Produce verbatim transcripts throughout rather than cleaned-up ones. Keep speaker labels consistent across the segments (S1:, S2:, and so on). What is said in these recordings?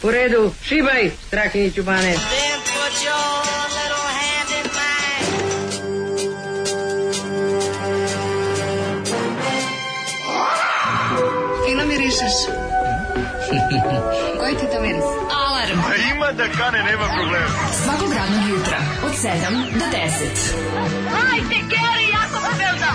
S1: U redu, šibaj, Strahinjiću Bane.
S2: Fino mirišeš. Koji ti to miris? Alarm.
S3: A ima da kane, nema problema.
S2: Svakog radnog jutra, od sedam do deset.
S4: Hajde, Geri, jako se velda.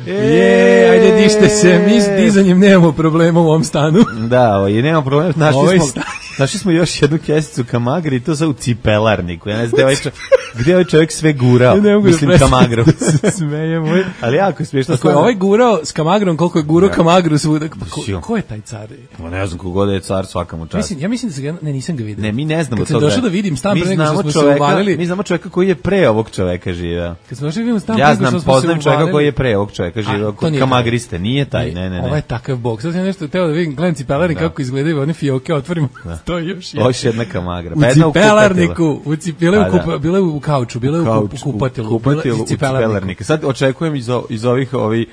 S5: Je, ajde dište se, mi s dizanjem nemamo problema u ovom stanu.
S6: Da, ovo, i nemamo problema, našli
S5: Ovaj
S6: smo,
S5: stan.
S6: našli smo još jednu kesicu kamagre i to sa u cipelarniku. Ja ne znam gde ovaj čovjek, gde je ovaj čovjek sve gurao,
S5: Ne mogu
S6: mislim
S5: da
S6: kamagru.
S5: se smejem.
S6: Ali jako je smiješno.
S5: Ako je ovaj gurao s kamagrom, koliko je gurao
S6: Da.
S5: kamagru svuda. Pa ko,
S6: Sio.
S5: ko je taj car?
S6: Pa ne znam kogod je car, svaka mu čast.
S5: Mislim, ja mislim da se ga, ne, nisam ga vidio.
S6: Ne, mi ne znamo
S5: Kad sam
S6: toga.
S5: došao da vidim stan
S6: Mi
S5: pre nego što
S6: znamo
S5: smo se
S6: čoveka,
S5: uvalili.
S6: Mi znamo čoveka koji je pre ovog čoveka živeo.
S5: Kad smo došli da vidimo stan
S6: Ja
S5: pre nego
S6: znam,
S5: što smo se
S6: poznajem čoveka
S5: uvalili.
S6: koji je pre ovog čoveka
S5: A,
S6: živeo,
S5: to
S6: kod
S5: nije
S6: kamagriste, nije taj, ne, ne, ne.
S5: Ovo je takav bok. Sad sam nešto teo da vidim, gledam cipelarnik
S6: Da.
S5: kako izgledaju one fioke, otvorim. To je još
S6: Ovo je još jedna kamagra.
S5: U
S6: Pa jedna u
S5: cipelarniku, u ci, bile,
S6: Pa
S5: u
S6: da.
S5: kupa, bile u kauču, bile u,
S6: Kauč,
S5: kup, u kupatilu,
S6: kupatilu,
S5: bile
S6: u
S5: iz cipelarniku.
S6: cipelarniku. Sad očekujem iz, o- iz ovih, ovi,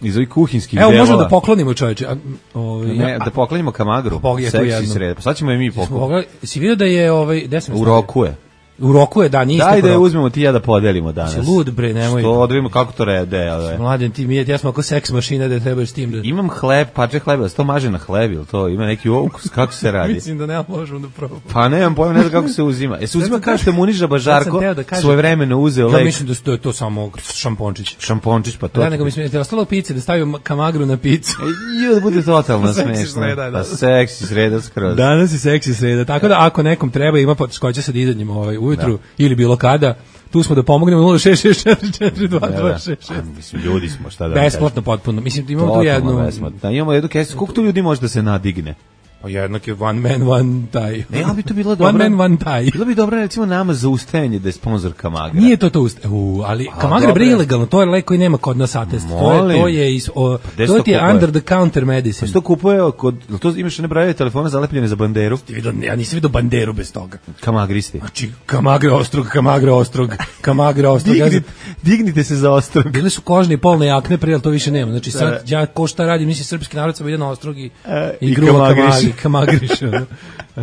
S6: iz ovih kuhinskih
S5: Evo,
S6: delova.
S5: možemo da poklonimo čoveče. A, ovaj,
S6: Ne,
S5: ja-
S6: da poklanjamo kamagru.
S5: Bog je tu
S6: Seksi
S5: jedno.
S6: sreda. Pa sad ćemo i mi
S5: Smo
S6: pokloniti.
S5: mogli- si vidio da je ovaj, gde sam
S6: U
S5: stavio?
S6: roku je.
S5: U roku je, da, nije
S6: Daj
S5: istekao
S6: da je
S5: rok.
S6: uzmemo ti i ja da podelimo danas.
S5: Si lud, bre, nemoj.
S6: Što odredimo kako to rede, ove.
S5: Mladen, ti mi je, ja smo ako seks mašina da trebaš s tim da...
S6: Imam hleb, parče hleba, da se to maže na hleb, ili to ima neki ukus, kako se radi?
S5: Mislim da nema možemo da probamo.
S6: Pa nemam pojma, ne znam kako se uzima. E se uzima
S5: sam
S6: kao što
S5: teo-
S6: je Muniša
S5: sad
S6: Bažarko
S5: sam teo da kažem-
S6: svoje vremeno uzeo
S5: Ja
S6: lek,
S5: mislim da to je to samo šampončić.
S6: šampončić, pa to.
S5: Da, nego mislim da je ostalo pice, da stavio kamagru na picu.
S6: E, ju, da bude totalno
S5: Seksi
S6: smešno.
S5: sreda, da.
S6: Pa seksi sreda skroz.
S5: Danas je seksi sreda, tako da ako nekom treba ima poteškoća sa dizanjem ovaj ujutru ili bilo kada, tu smo da pomognemo nula šest šest četiri četiri dva dva šest šest.
S6: A, mislim, ljudi smo, šta da...
S5: Besplatno potpuno. Mislim imamo tu
S6: Totalno
S5: jednu.
S6: besplatno. Da, imamo jednu kesu. Koliko tu ljudi može da se nadigne?
S5: Pa jednak je one man one taj.
S6: Ne, ali bi to bilo dobro.
S5: One man one taj.
S6: Bilo bi dobro recimo nama za ustajanje da je sponsor Kamagra.
S5: Nije to to usta. U, ali Kamagra
S6: dobro
S5: bre
S6: je.
S5: ilegalno, to je lek koji nema kod nas atest. To je
S6: Molim.
S5: to je iz o,
S6: gde se
S5: to
S6: to
S5: ti je
S6: kupuje?
S5: under the counter medicine.
S6: Što kupuje kod... jel to imaš one brojeve telefona zalepljene za banderu?
S5: Ti vidio, ja nisam vidio banderu bez toga.
S6: Kamagristi.
S5: Znači, Kamagra ostrog, Kamagra ostrog, Kamagra ostrog. Ja znam-
S6: Dignite, dignite se za ostrog.
S5: Bile su kožne i polne jakne, prije, ali to više nema. Znači sad ja ko šta radim, mislim srpski narod sam ide na ostrog i,
S6: E,
S5: i
S6: i
S5: gruva
S6: kamagriš.
S5: kamagri, kamagriš. ono.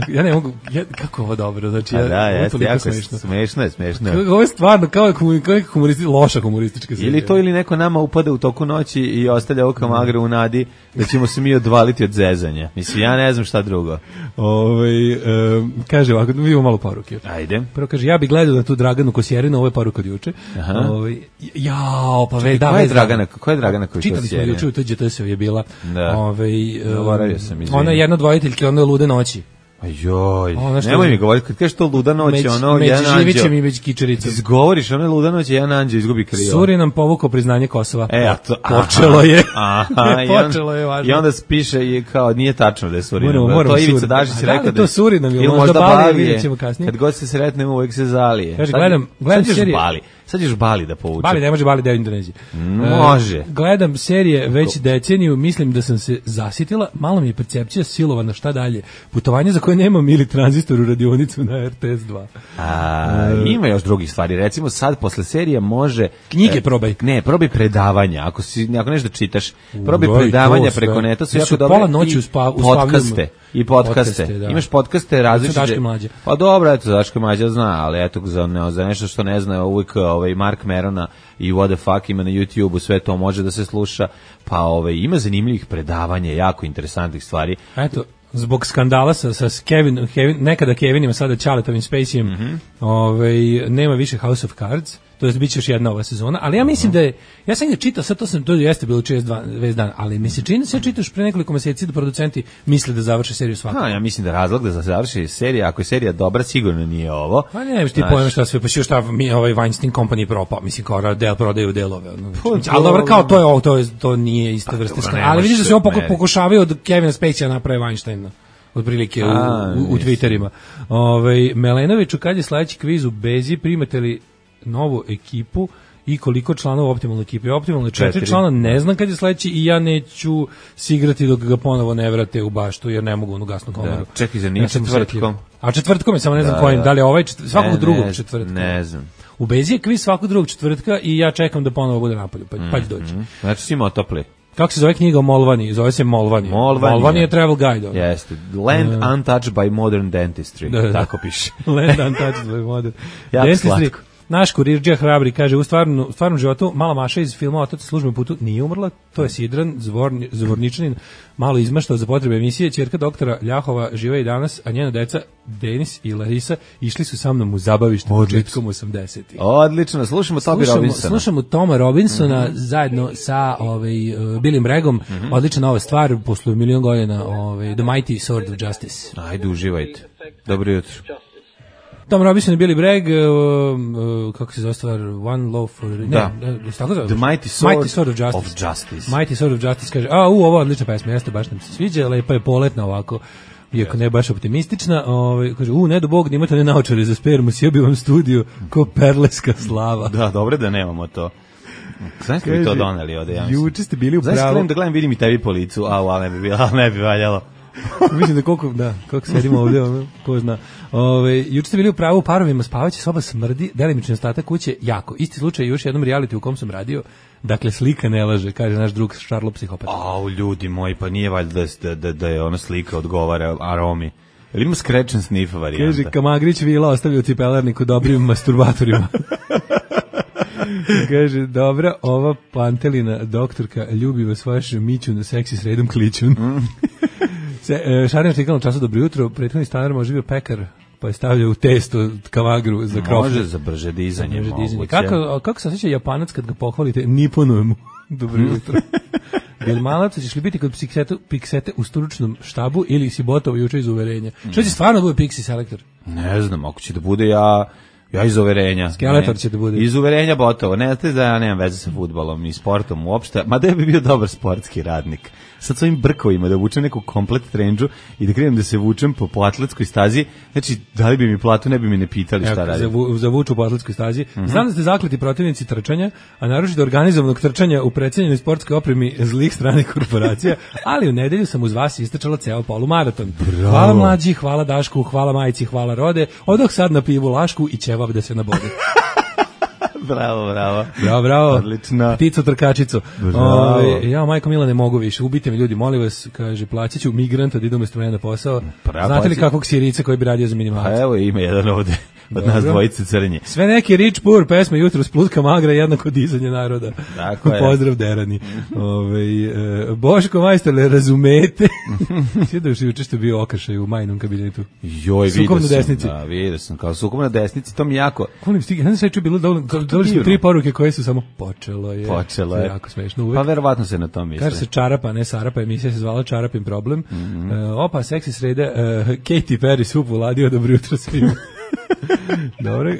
S5: Ja ne mogu, ja, kako je ovo dobro, znači
S6: A
S5: ja,
S6: da,
S5: ovo je
S6: jeste,
S5: toliko
S6: jako
S5: smešno.
S6: smešno je, smešno je.
S5: Ovo je stvarno kao, komu- kao neka humoristi, loša humoristička serija.
S6: Ili to ili neko nama upada u toku noći i ostavlja ovo Kamagra u nadi da ćemo se mi odvaliti od zezanja. Mislim, ja ne znam šta drugo.
S5: Ovaj, em, kaže ovako, da vidimo malo poruke.
S6: Ajde.
S5: Prvo kaže, ja bih gledao na tu Draganu Kosjerinu, ovo je poruka od juče.
S6: Aha.
S5: Ovaj, jao, pa ve, da,
S6: Koja je
S5: ve,
S6: Dragana, koja je Dragana koja
S5: Čitali smo juče u T Đ T S-u je bila.
S6: Da.
S5: Ovaj, em,
S6: Zaboravio sam, izvini.
S5: ona je jedna od dvojiteljke, ona je Lude noći.
S6: Ajoj,
S5: Ono što-
S6: nemoj mi govoriti, kad kažeš to luda noć,
S5: Među,
S6: ono,
S5: među
S6: jedan
S5: Živićem
S6: anđeo.
S5: i među Kičericom.
S6: Izgovoriš, ono je luda noć, jedan anđeo izgubi krilo.
S5: Suri nam povukao priznanje Kosova.
S6: E, a to,
S5: Počelo je.
S6: Aha, i on-
S5: Počelo je, važno.
S6: I onda spiše i kao, nije tačno da je Surinam.
S5: Moramo- moramo
S6: to je Ivica
S5: Surin.
S6: Dašić
S5: A da li
S6: rekao
S5: je to Surinam ili
S6: ili
S5: možda Balije,
S6: Balije.
S5: vidjet ćemo kasnije.
S6: Kad god se sretnemo, uvek se zalije.
S5: Kaže,
S6: Sad-
S5: gledam- gledam
S6: sad ćeš
S5: serije-
S6: Bali. Sad ćeš Bali da povuče.
S5: Bali ne može, Bali deo Indonezije.
S6: Može.
S5: E, gledam serije već deceniju, mislim da sam se zasitila, malo mi je percepcija silovana, šta dalje. Putovanje za koje nemam ili tranzistor u radionicu na R T S dva.
S6: A, ima još drugih stvari. Recimo sad posle serija može
S5: Knjige
S6: e,
S5: probaj.
S6: Ne, probaj predavanja. Ako si ako nešto da čitaš, probaj
S5: da, i to
S6: predavanja
S5: sve.
S6: preko neta, su
S5: Ja
S6: jako
S5: su
S6: dobre.
S5: pola noći
S6: i
S5: uspa-
S6: podcaste
S5: uspavljam.
S6: i podcaste.
S5: Podcaste, da.
S6: Imaš podcaste različite.
S5: Daško i Mlađa.
S6: Pa dobro, eto Daško i Mlađa zna, ali eto za ne, za nešto što ne zna, uvijek ovaj Mark Merona i What the fuck ima na YouTubeu, sve to može da se sluša. Pa ovaj ima zanimljivih predavanja, jako interesantnih stvari.
S5: Eto, zbog skandala sa, sa Kevin, Kevin, nekada Kevinima, sada Ćaletovim Spaceyem,
S6: Mhm.
S5: ovaj, nema više House of Cards, to jest bit će još jedna ova sezona, ali ja mislim da je, ja sam ga čitao, sad to sam, to jeste bilo čest dva dan, ali mi se čini da se ja čitaš pre nekoliko meseci da producenti misle da završe seriju svakako.
S6: Ha, ja mislim da razlog da se završi serija, ako je serija dobra, sigurno nije ovo.
S5: Pa ne, ti
S6: Znaš,
S5: pojma šta sve, pa što šta mi ovaj Weinstein Company propao, mislim kao del prodaju delove. Ono.
S6: Pa,
S5: ali dobro, kao
S6: dobro.
S5: to je ovo, to, je, to nije ista vrsta
S6: dobro,
S5: skandala.
S6: ne
S5: Ali vidiš da
S6: može
S5: se on
S6: se
S5: poku-
S6: meri.
S5: pokušavaju od Kevina Spacey naprave Weinsteina. Otprilike u,
S6: A,
S5: u, u
S6: mislim.
S5: Twitterima. Ovaj Melenoviću, kad je sledeći kviz u Bezi, primate li novu ekipu i koliko članova optimalne ekipe? Optimalne četiri,
S6: Četiri.
S5: člana, ne znam kad je sledeći i ja neću se igrati dok ga ponovo ne vrate u baštu, jer ne mogu onu gasnu komoru.
S6: Da. Čekaj, zar nije
S5: Ja sam
S6: četvrtkom?
S5: osetljiv. A četvrtkom je, samo ne znam
S6: Da,
S5: kojim,
S6: da.
S5: da li je ovaj četvr, svakog
S6: Ne,
S5: drugog
S6: ne,
S5: četvrtka.
S6: Ne znam.
S5: U Bezi je kviz svakog drugog četvrtka i ja čekam da ponovo bude napolju, pa, pa će doći.
S6: Znači si imao topli.
S5: Kako se zove knjiga o Molvani? Zove se Molvani.
S6: Molvani,
S5: Molvani je travel guide. Ono.
S6: Jeste. Land uh, untouched by modern dentistry.
S5: Da, da.
S6: Tako piše.
S5: Land untouched by modern
S6: jako
S5: dentistry.
S6: slatko.
S5: Naš kurirđija hrabri kaže u stvarnom, u stvarnom životu mala Maša iz filma Otac u službenom putu nije umrla, to je Sidran, zvorni, zvorničanin, malo izmaštao za potrebe emisije, ćerka doktora Ljahova žive i danas, a njena deca Denis i Larisa išli su sa mnom u zabavište početkom osamdesetih.
S6: Odlično, slušamo Toby Robinsona.
S5: Slušamo Toma Robinsona mm-hmm. zajedno sa ovaj, uh, Billim Bregom, mm-hmm. odlična nova stvar, posle milion godina, ovaj, The Mighty Sword of Justice.
S6: Ajde, uživajte. Dobro jutro.
S5: Tom Robinson i Billy Bragg, uh, uh, kako se zove stvar, One Love for... Ne,
S6: da.
S5: Ne, tako zove?
S6: The Mighty Sword,
S5: Mighty Sword of Justice.
S6: of Justice.
S5: Mighty Sword of Justice, kaže, a, u, ovo je odlična pesma, jeste, baš nam se sviđa, lepa je poletna ovako, iako ne baš optimistična, ovaj, kaže, u, ne do Bog, nimate ne naočare za spermu, sjebio vam studiju ko perleska slava.
S6: Da, dobro da nemamo to. Znaš li bi to doneli ovde, ja mislim?
S5: Juče ste bili u pravu.
S6: Znaš li da gledam, vidim i tebi po licu, a, ali ne bi, bilo, ali ne bi valjalo.
S5: Mislim da koliko, da, koliko sedimo ovdje, ono, ko zna. Ove, juče ste bili u pravu, parovima spavaće soba smrdi, delimični ostatak kuće jako. Isti slučaj još jednom reality u kom sam radio, dakle slika ne laže, kaže naš drug Šarlo psihopata.
S6: Au, ljudi moji, pa nije valjda da, da, da je ona slika odgovara aromi. Ili ima scratch and sniff varijanta?
S5: Kaže, Kamagrić vila ostavio u cipelarniku dobrim masturbatorima. Kaže, dobra, ova Pantelina doktorka ljubi vas vaš mićun seksi sredom klićun. Mm. Se, e, Šarjan štikala u času dobro jutro, prethodni stanar može bio pekar, pa je stavljao u testo Kamagru za krofne.
S6: Može za brže dizanje.
S5: Za brže dizanje. Kako, kako se osjeća Japanac kad ga pohvalite, niponuje mu dobro jutro. Jel malac ćeš li biti kod Pixete, Pixete u stručnom štabu ili si botovo juče iz uverenja? Mm. Što će stvarno bude Pixi selektor?
S6: Ne znam, ako će da bude ja... Ja iz uverenja.
S5: Skeletor će da bude.
S6: Iz uverenja botovo. Ne znate da ja nemam veze sa fudbalom ni sportom uopšte. Ma da bi bio dobar sportski radnik. Sad svojim brkovima da vučem neku komplet trendžu i da krenem da se vučem po, po atletskoj stazi. Znači, da li bi mi platu, ne bi mi ne pitali šta radim.
S5: Za, za vuču po atletskoj stazi. Mm-hmm. Znam da ste zakleti protivnici trčanja, a naročito organizovanog trčanja u precenjenoj sportskoj opremi zlih stranih korporacija, ali u nedelju sam uz vas istrčala ceo polumaraton. Bravo. Hvala mlađi, hvala Dašku, hvala majici, hvala Rode. Odoh sad na pivu Lašku i ćevap da se nabode.
S6: Bravo, bravo.
S5: Bravo, bravo.
S6: Odlično.
S5: Pticu trkačicu. Ove, ja, majko Mila, ne mogu više. Ubite mi ljudi, molim vas, kaže, plaćat ću migranta da idem isto mene na posao. Pravo, znate li kakvog Sirica koji bi radio za minimalac?
S6: A evo ima jedan ovde. Od Dobro. Nas dvojice crnje.
S5: Sve neki rich poor pesme jutro splutka magra jednako dizanje naroda.
S6: Tako je.
S5: Pozdrav Derani. Ove, e, Boško majstore, razumete? Sve da još juče što je bio okršaj u majnom kabinetu.
S6: Joj, vidio sam. Desnici. Da, vidio sam. Kao sukom na desnici, to mi jako...
S5: Kolim stig, ja sam sve čuo bilo dovoljno su tri poruke koje su samo počelo je.
S6: Počelo je.
S5: Jako smešno uvek.
S6: Pa verovatno se na tom misle.
S5: Kaže se Čarapa, ne Sarapa, emisija se zvala Čarapin problem. Mm-hmm. Uh, opa, seksi sreda, uh, Katy Perry sup uladio, dobro jutro svima. Dobro, e,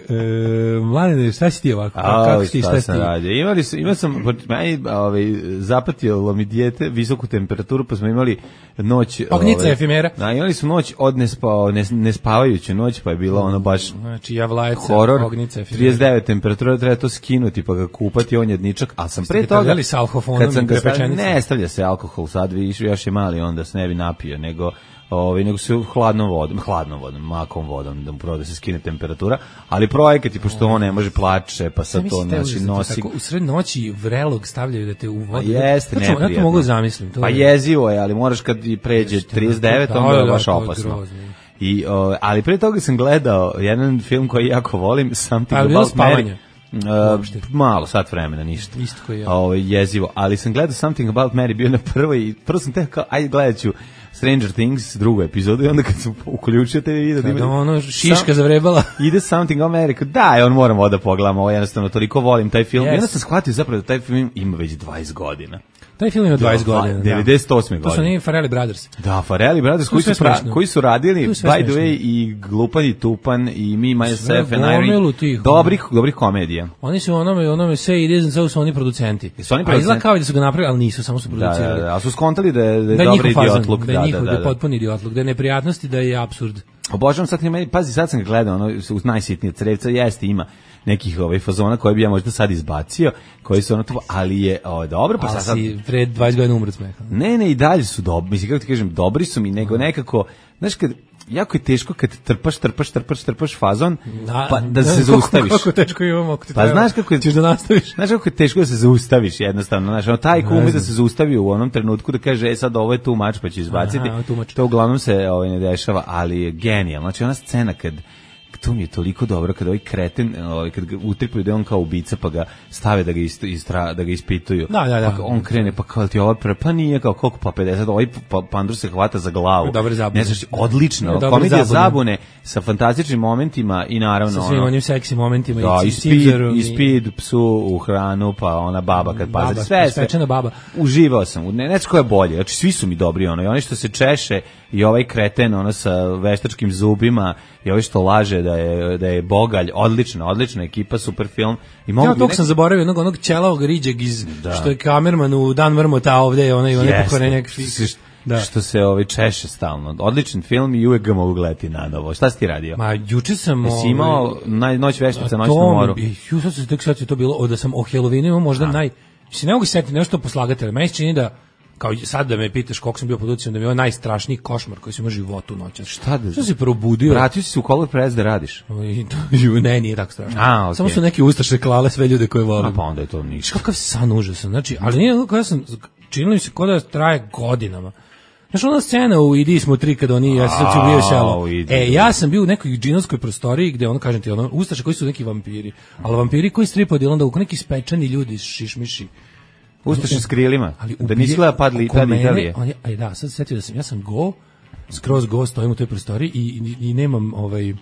S5: Mladene, šta si ti ovako?
S6: A,
S5: kako si ti,
S6: šta, šta si ti? Imali su, imao sam, meni ovaj, zapatilo mi dijete visoku temperaturu, pa smo imali noć...
S5: Ognica
S6: ovaj,
S5: efimera.
S6: Da, imali su noć od nespao, nes, nespavajuću noć, pa je bilo ono baš...
S5: Znači, javlajca,
S6: horor,
S5: ognica efimera.
S6: trideset devet temperatura, treba to skinuti, pa ga kupati, on jedničak, a sam pre toga...
S5: Ste s alkoholom kad sam ga stavio,
S6: ne stavlja se alkohol, sad viš, još je mali, onda se ne bi napio, nego... Ovaj nego se hladnom vodom, hladnom vodom, makom vodom da mu prvo da se skine temperatura, ali projekat i pošto on ne može plače, pa sad to znači nosi.
S5: Tako, u sred noći vrelog stavljaju da te u vodu.
S6: Jeste,
S5: ne. Ja to mogu zamislim, to.
S6: Pa
S5: je...
S6: jezivo je, ali moraš kad i pređe trideset devet, onda je baš opasno. I o, ali pre toga sam gledao jedan film koji jako volim, Something About Mary. Uh, malo, sat vremena, ništa.
S5: Isto koji ja.
S6: Ovo je jezivo, ali sam gledao Something About Mary, bio na prvoj i prvo sam te kao, ajde gledat ću Stranger Things, drugu epizodu, i onda kad sam uključio te video...
S5: Kada ima, ono šiška sam, zavrebala.
S6: Ide Something About Mary, da, on moram ovo da pogledam, ovo jednostavno, toliko volim taj film. Yes. I onda sam shvatio zapravo da taj film ima već dvadeset godina.
S5: Taj film ima dvadeset godina.
S6: devedeset osme godine.
S5: To su njih Farrelly Brothers.
S6: Da, Farrelly Brothers, koji su, pra, koji su radili, by the way, i Glupan i Tupan, i Me, Myself and Irene. Dobrih, dobrih komedija.
S5: Oni su onome, onome Say It Isn't So, su oni producenti.
S6: Su oni
S5: producenti? A izgleda kao da su ga napravili, ali nisu, samo su producirali.
S6: Da, da, da, ali su skontali da je, da je da dobri idiotluk.
S5: Da je njihov, da je potpuni idiotluk, da je neprijatnosti, da je apsurd.
S6: Obožavam sad, pazi, sad sam ga gledao, ono, uz najsitnije crevca, jeste, ima nekih ovaj fazona koje bi ja možda sad izbacio, koji su ono to, ali je o, dobro, pa
S5: sad...
S6: si
S5: pred dvadeset godina umret smeha.
S6: Ne, ne, i dalje su dobri, mislim, kako ti kažem, dobri su mi, nego nekako, znaš, kad, jako je teško kad trpaš, trpaš, trpaš, trpaš fazon,
S5: Da,
S6: pa da
S5: ne,
S6: se
S5: kako-
S6: zaustaviš.
S5: Kako teško imamo, ako ti
S6: Pa
S5: treba.
S6: znaš kako je-
S5: Ćeš da nastaviš.
S6: Znaš kako je teško da se zaustaviš jednostavno, znaš, ono, taj ko
S5: Ne
S6: ume da
S5: znam.
S6: se zaustavi u onom trenutku da kaže, e sad ovo je tu mač pa će izbaciti,
S5: Aha, ovo je too much.
S6: to uglavnom se ovaj, ne dešava, ali je genijalno, znači ona scena kad to mi je toliko dobro kad ovaj kreten, ovaj kad ga utripaju da je on kao ubica pa ga stave da ga ist, istra, da ga ispituju.
S5: Da, da, da.
S6: Pa on krene pa kao ti ovo pre, pa nije kao koliko pa pedeset, ovaj pa, pandur se hvata za glavu.
S5: Dobre zabune.
S6: Ne znaš, odlično,
S5: Dobre
S6: komedija
S5: zabune.
S6: zabune sa fantastičnim momentima i naravno
S5: Sa svim
S6: ono,
S5: onim seksi momentima
S6: da,
S5: i
S6: i
S5: Caesarom
S6: speed, i speed psu u hranu, pa ona baba kad
S5: Baba,
S6: pazi, sve, sve.
S5: ispečena baba.
S6: Uživao sam, u- ne, ne znam ko je bolje, znači svi su mi dobri, ono, i oni što se češe, i ovaj kreten, ono, sa veštačkim zubima, i ovaj što laže da je, da je bogalj, odlična, odlična ekipa, super film. I mogu
S5: Ja
S6: bi
S5: tog
S6: nek-
S5: sam zaboravio, onog, onog ćelavog riđeg iz,
S6: Da.
S5: što je kamerman u Dan Vrmota, a ovde je onaj, onaj
S6: Jeste.
S5: pokvarenjak.
S6: Što se-
S5: Da.
S6: što se ovaj češe stalno. Odličan film i uvek ga mogu gledati na novo. Šta si ti radio?
S5: Ma, juče sam...
S6: Jesi imao
S5: ovaj,
S6: naj, noć veštica, noć
S5: to
S6: na
S5: mi-
S6: moru?
S5: i, Ju, sad se tek sad je to bilo, o, da sam o Halloweenu imao možda naj... Mislim, ne mogu se setiti nešto poslagatelja. Meni se čini da, kao i sad da me pitaš koliko sam bio pod uticajem, da mi je ovo najstrašniji košmar koji sam imao u životu noćas.
S6: Šta da-
S5: Što se probudio?
S6: Vratio si se u Color Press da radiš?
S5: I to- ju, ne, nije tako strašno.
S6: A, okej.
S5: Samo su neki ustaše klale sve ljude koje
S6: A
S5: volim.
S6: pa onda je to
S5: Znaš
S6: ništa.
S5: kakav san užasan, znači, ali nije kako ja sam, činilo mi se kao da traje godinama. Znaš, ona scena u Idi smo tri kad oni, ja sam sad se ubio selo.
S6: Au, Idi.
S5: E, ja sam bio u nekoj džinovskoj prostoriji gde, ono, kažem ti, ono, ustaše koji su neki vampiri, ali vampiri koji stripaju onda u neki spečani ljudi, šišmiši.
S6: Ustaši s krilima,
S5: Ali
S6: da nisi gleda pad li,
S5: oko
S6: pad
S5: mene,
S6: Italije.
S5: on je, aj da, sad se setio da sam, ja sam go, skroz go, stojim u toj prostoriji i, i, i nemam, ovaj,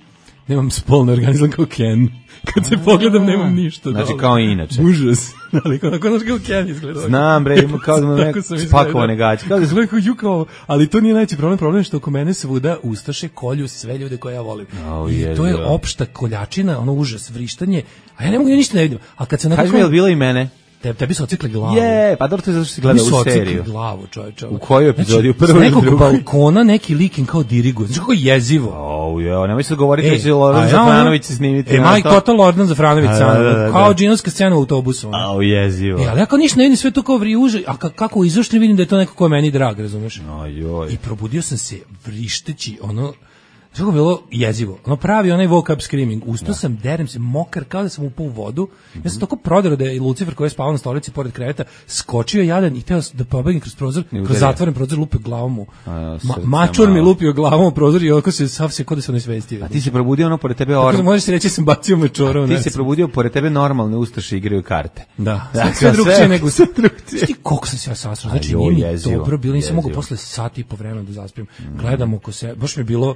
S5: nemam spolni organizam kao Ken. Kad se pogledam, nemam ništa.
S6: Znači,
S5: dole.
S6: kao i inače.
S5: Užas. Ali kao, kao, kao Ken izgleda.
S6: Znam, bre, ima kao da mu
S5: Tako
S6: neko
S5: sam izgledao.
S6: spakovane gaće. Kao da
S5: Izgleda kao ju kao, ali to nije najveći problem, problem je što oko mene svuda ustaše kolju sve ljude koje ja volim.
S6: Au,
S5: I to je
S6: jezivo.
S5: opšta koljačina, ono užas, vrištanje, a ja ne mogu, ja ništa ne vidim. A kad se
S6: Kaži mi,
S5: nekako...
S6: je li bilo i mene?
S5: Te, tebi su ocikli glavu.
S6: Je, pa dobro, to je zato što si
S5: Tebi
S6: gledao
S5: su
S6: u
S5: ocikli
S6: seriju.
S5: glavu, čoveče.
S6: U kojoj epizodi? U
S5: Znači,
S6: prvoj
S5: s
S6: ili
S5: nekog
S6: drugoj?
S5: balkona neki likin kao diriguje. Znači kako je jezivo.
S6: O, jo, nemoj sad govoriti da će
S5: a
S6: Loran
S5: ja
S6: Zafranović
S5: ono-
S6: se snimiti.
S5: E,
S6: na
S5: maj
S6: to.
S5: total Lordan Zafranović,
S6: A,
S5: samo,
S6: da, da, da.
S5: kao džinovska scena u autobusu. ono.
S6: Au, jezivo.
S5: E, ali ja kao ništa ne vidim, sve to kao vri uže, a ka- kako izašli vidim da je to neko ko je meni drag, razumeš?
S6: Ajoj.
S5: I probudio sam se vrišteći, ono, što je bilo jezivo. Ono pravi onaj woke up screaming. Ustao sam, derem se, mokar, kao da sam upao u vodu. Ja sam toliko proderao da je Lucifer koji je spavao na stolici pored kreveta, skočio jadan i teo da pobegne kroz prozor,
S6: udario.
S5: kroz zatvoren prozor, lupio glavom u.
S6: A,
S5: Ma,
S6: srce
S5: mačor mi
S6: malo.
S5: lupio glavom u prozor i oko se sav se kod da se onesvestio.
S6: A ti se probudio ono pored tebe
S5: Tako da
S6: orm.
S5: možeš reći da sam bacio mačora u
S6: Ti
S5: nas.
S6: se probudio pored tebe normalne ustaše igraju karte.
S5: Da, sve,
S6: Dakle,
S5: sve drugčije
S6: sve-
S5: nego
S6: sve drugčije.
S5: Znaš ti koliko sam se ja sasrao, znači
S6: Ajoj,
S5: nije mi
S6: jezivo,
S5: dobro bilo, nisam mogao
S6: jezivo.
S5: posle sat i po vremena da zaspim. Gledam oko se, baš mi je bilo,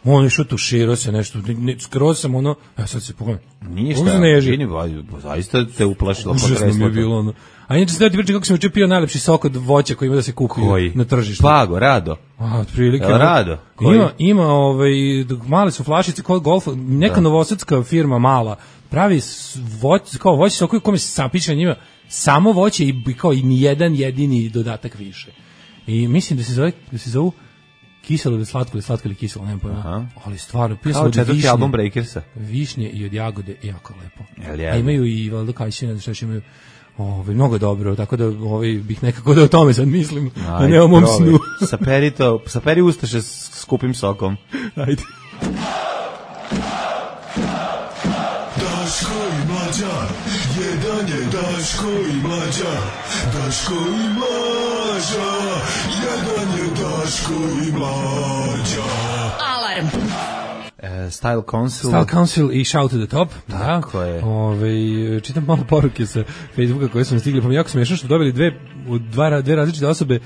S5: on je što tuširao se nešto, ne, ne, skroz sam ono, ja sad se pogledam.
S6: Ništa.
S5: Uzneži.
S6: Vini, ba- zaista te uplašilo.
S5: Užasno mi
S6: potreslo
S5: je
S6: te.
S5: bilo ono. A inače se ti priča kako sam juče pio najlepši sok od voća koji ima da se kupi
S6: Koji?
S5: na tržištu.
S6: Pago, Rado.
S5: A, otprilike.
S6: Jel
S5: ono,
S6: Rado? Koji?
S5: Ima, ima ovaj, dok male su flašice kod golfa, neka novosadska firma mala, pravi s- voć, kao voće sok koji kome se sapiše na njima, samo voće i i kao i ni jedan jedini dodatak više. I mislim da se zove, da se zovu kiselo ili slatko ili slatko ili kiselo, nemam pojma.
S6: Aha.
S5: Ali stvarno, pio sam
S6: Kao
S5: od
S6: četvrti
S5: višnje,
S6: album Breakersa.
S5: višnje i od jagode, jako lepo.
S6: Jel je?
S5: A imaju i valjda kajsine, šta još imaju. Ovaj mnogo je dobro, tako da ovaj bih nekako da o tome sad mislim, a ne o mom
S6: probaj.
S5: snu.
S6: Saperi to, saperi ustaše s skupim sokom.
S5: Ajde.
S7: Daško i Mlađa, jedan je Daško i Mlađa, Daško i Mlađa, jedan je Daško i Mlađa.
S2: Alarm.
S6: E, Style Council.
S5: Style Council i Shout to the Top.
S6: Tako
S5: da.
S6: je.
S5: Ove, čitam malo poruke sa Facebooka koje su nam stigli, pa mi je jako smiješno što dobili dve, dva, dve različite osobe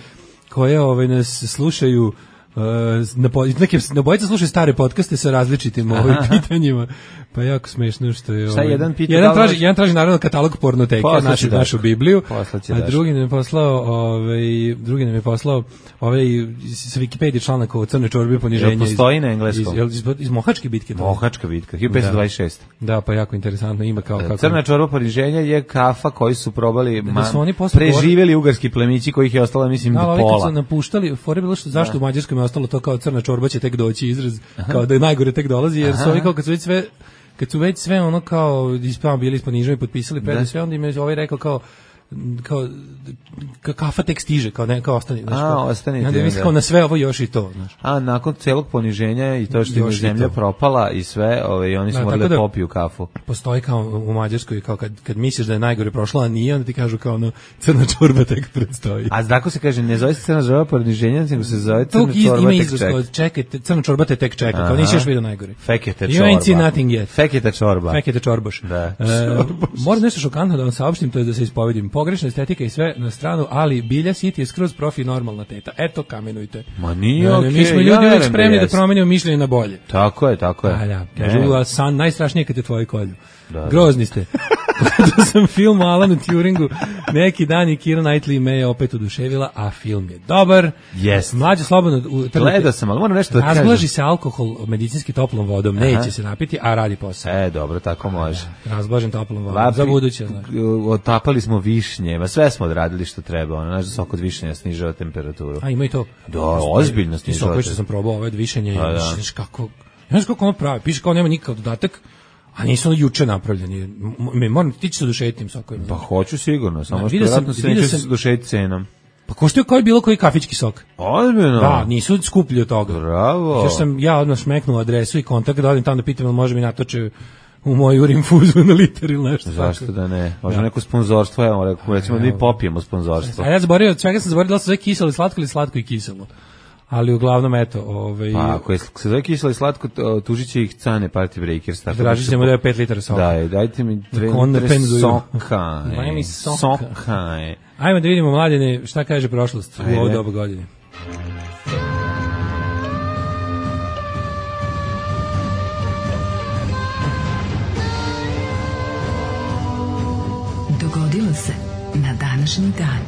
S5: koje ove, nas slušaju Uh, na, po, neke, na bojica slušaju stare podcaste sa različitim ovim pitanjima, pa jako smešno što je...
S6: Šta
S5: ovaj,
S6: jedan pita
S5: jedan,
S6: da li
S5: traži,
S6: može-
S5: jedan traži naravno katalog pornoteke,
S6: Poslaće
S5: našu,
S6: Daško.
S5: našu Bibliju,
S6: Poslaće
S5: a
S6: Daško.
S5: drugi nam je poslao ovaj, drugi nam je poslao ovaj, sa Wikipedije članak o crnoj čorbi poniženja.
S6: Jel postoji na engleskom?
S5: Iz, iz, iz, iz Mohačke bitke. to?
S6: Mohačka bitka, hiljadu petsto dvadeset šest.
S5: Da, pa jako interesantno, ima kao... kako
S6: Crna čorba poniženja je kafa koji su probali,
S5: Da
S6: ma,
S5: su oni posle
S6: preživjeli ugarski plemići kojih je ostalo, mislim,
S5: Da,
S6: do
S5: ali ovi kad
S6: pola.
S5: su napuštali, fore je bilo što zašto u Mađarskoj je ostalo to kao crna čorba će tek doći izraz, kao da je najgore tek dolazi, jer su ovi kao kad su već sve kad su već sve ono kao ispamo bili ispod nižom i potpisali predu sve, onda im je ovaj rekao kao kao ka- kafa tek stiže, kao ne, kao ostani, znaš,
S6: A,
S5: kao,
S6: ostanite,
S5: onda mislim
S6: da.
S5: kao na sve ovo još i to, znaš.
S6: A nakon celog poniženja i to što im je
S5: Još i
S6: zemlja
S5: to.
S6: propala i sve, ovaj, oni su
S5: Da,
S6: morali
S5: tako
S6: da
S5: da-
S6: popiju kafu.
S5: Postoji kao u Mađarskoj, kao kad, kad misliš da je najgore prošlo, a nije, onda ti kažu kao ono, crna čorba tek predstoji.
S6: A tako se kaže, ne zove se crna čorba poniženja, nego se zove crna
S5: Tog iz,
S6: čorba
S5: ima
S6: tek
S5: izraz
S6: čeka.
S5: kao čekajte, crna čorba te tek čeka, kao nisi još vidio najgore.
S6: Fekete
S5: You ain't seen
S6: čorba.
S5: nothing yet.
S6: Fekete čorba.
S5: Fekete čorboš.
S6: Da.
S5: E, moram nešto šokantno da vam saopštim, to je da se ispovedim. Pogrešna estetika i sve na stranu, ali Bilja City je skroz profi normalna teta. Eto, kamenujte.
S6: Ma nije
S5: Ne, ne,
S6: okej.
S5: Mi smo
S6: ja
S5: ljudi uvijek
S6: verujem
S5: spremni da
S6: jeste.
S5: promenimo mišljenje na bolje.
S6: Tako je, tako je.
S5: A da, kažu,
S6: Ne.
S5: a san najstrašnije kad te tvoji kolju.
S6: Da.
S5: Grozni ste. Gledao sam film o Alanu Turingu, neki dan i Keira Knightley me je opet oduševila, a film je dobar.
S6: Jest.
S5: Mlađe slobodno... U,
S6: Gledao sam, ali moram nešto da kažem.
S5: Razblaži se alkohol medicinski toplom vodom, neće se napiti, a radi posao.
S6: E, dobro, tako može.
S5: Razblažen toplom vodom,
S6: Vapi-
S5: za buduće, znaš.
S6: Otapali smo višnje, ma sve smo odradili što treba, ono, znaš da sok od višnja snižava temperaturu.
S5: A ima i to.
S6: Da, ozbiljno
S5: Ti
S6: snižava.
S5: sokovi što sam probao, ovo je višenje,
S6: Pa da.
S5: znaš kako... Znaš kako ono pravi, piše kao nema nikakav dodatak, a nisu ono juče napravljeni. M- m- Moram ti će se oduševiti tim sokovima.
S6: Pa hoću sigurno, samo
S5: Da,
S6: što
S5: vidio sam-
S6: vjerojatno se
S5: vidio
S6: neće
S5: sam-
S6: dušeti cenom.
S5: Pa koštaju kao i bilo koji kafićki sok.
S6: Ozbiljno?
S5: Da, nisu skuplji od toga.
S6: Bravo.
S5: Još sam ja odmah smeknuo adresu i kontakt da odim tamo da pitam ili može mi natoče u moju urinfuzu na liter ili nešto.
S6: Zašto
S5: tako.
S6: da ne? Možda neko sponzorstvo, evo, rekao, recimo da mi popijemo sponzorstvo.
S5: A ja zaboravio, od svega sam zaboravio da li se zove kiselo i slatko ili slatko i kiselo. Ali uglavnom, eto, ovaj...
S6: Pa ako je se zove kiselo i slatko, to- tužit će ih Cane Party Breakers. Tako
S5: Tražit
S6: da se
S5: ćemo
S6: po-
S5: da je pet litara soka.
S6: Da, dajte mi dve
S5: Kon
S6: litre
S5: penzuju.
S6: soka.
S5: Daj
S6: e,
S5: mi soka.
S6: Soka, e.
S5: Ajmo da vidimo, mladine, šta kaže prošlost u
S6: Ajde.
S5: ovo doba godine.
S2: Dogodilo se na današnji dan.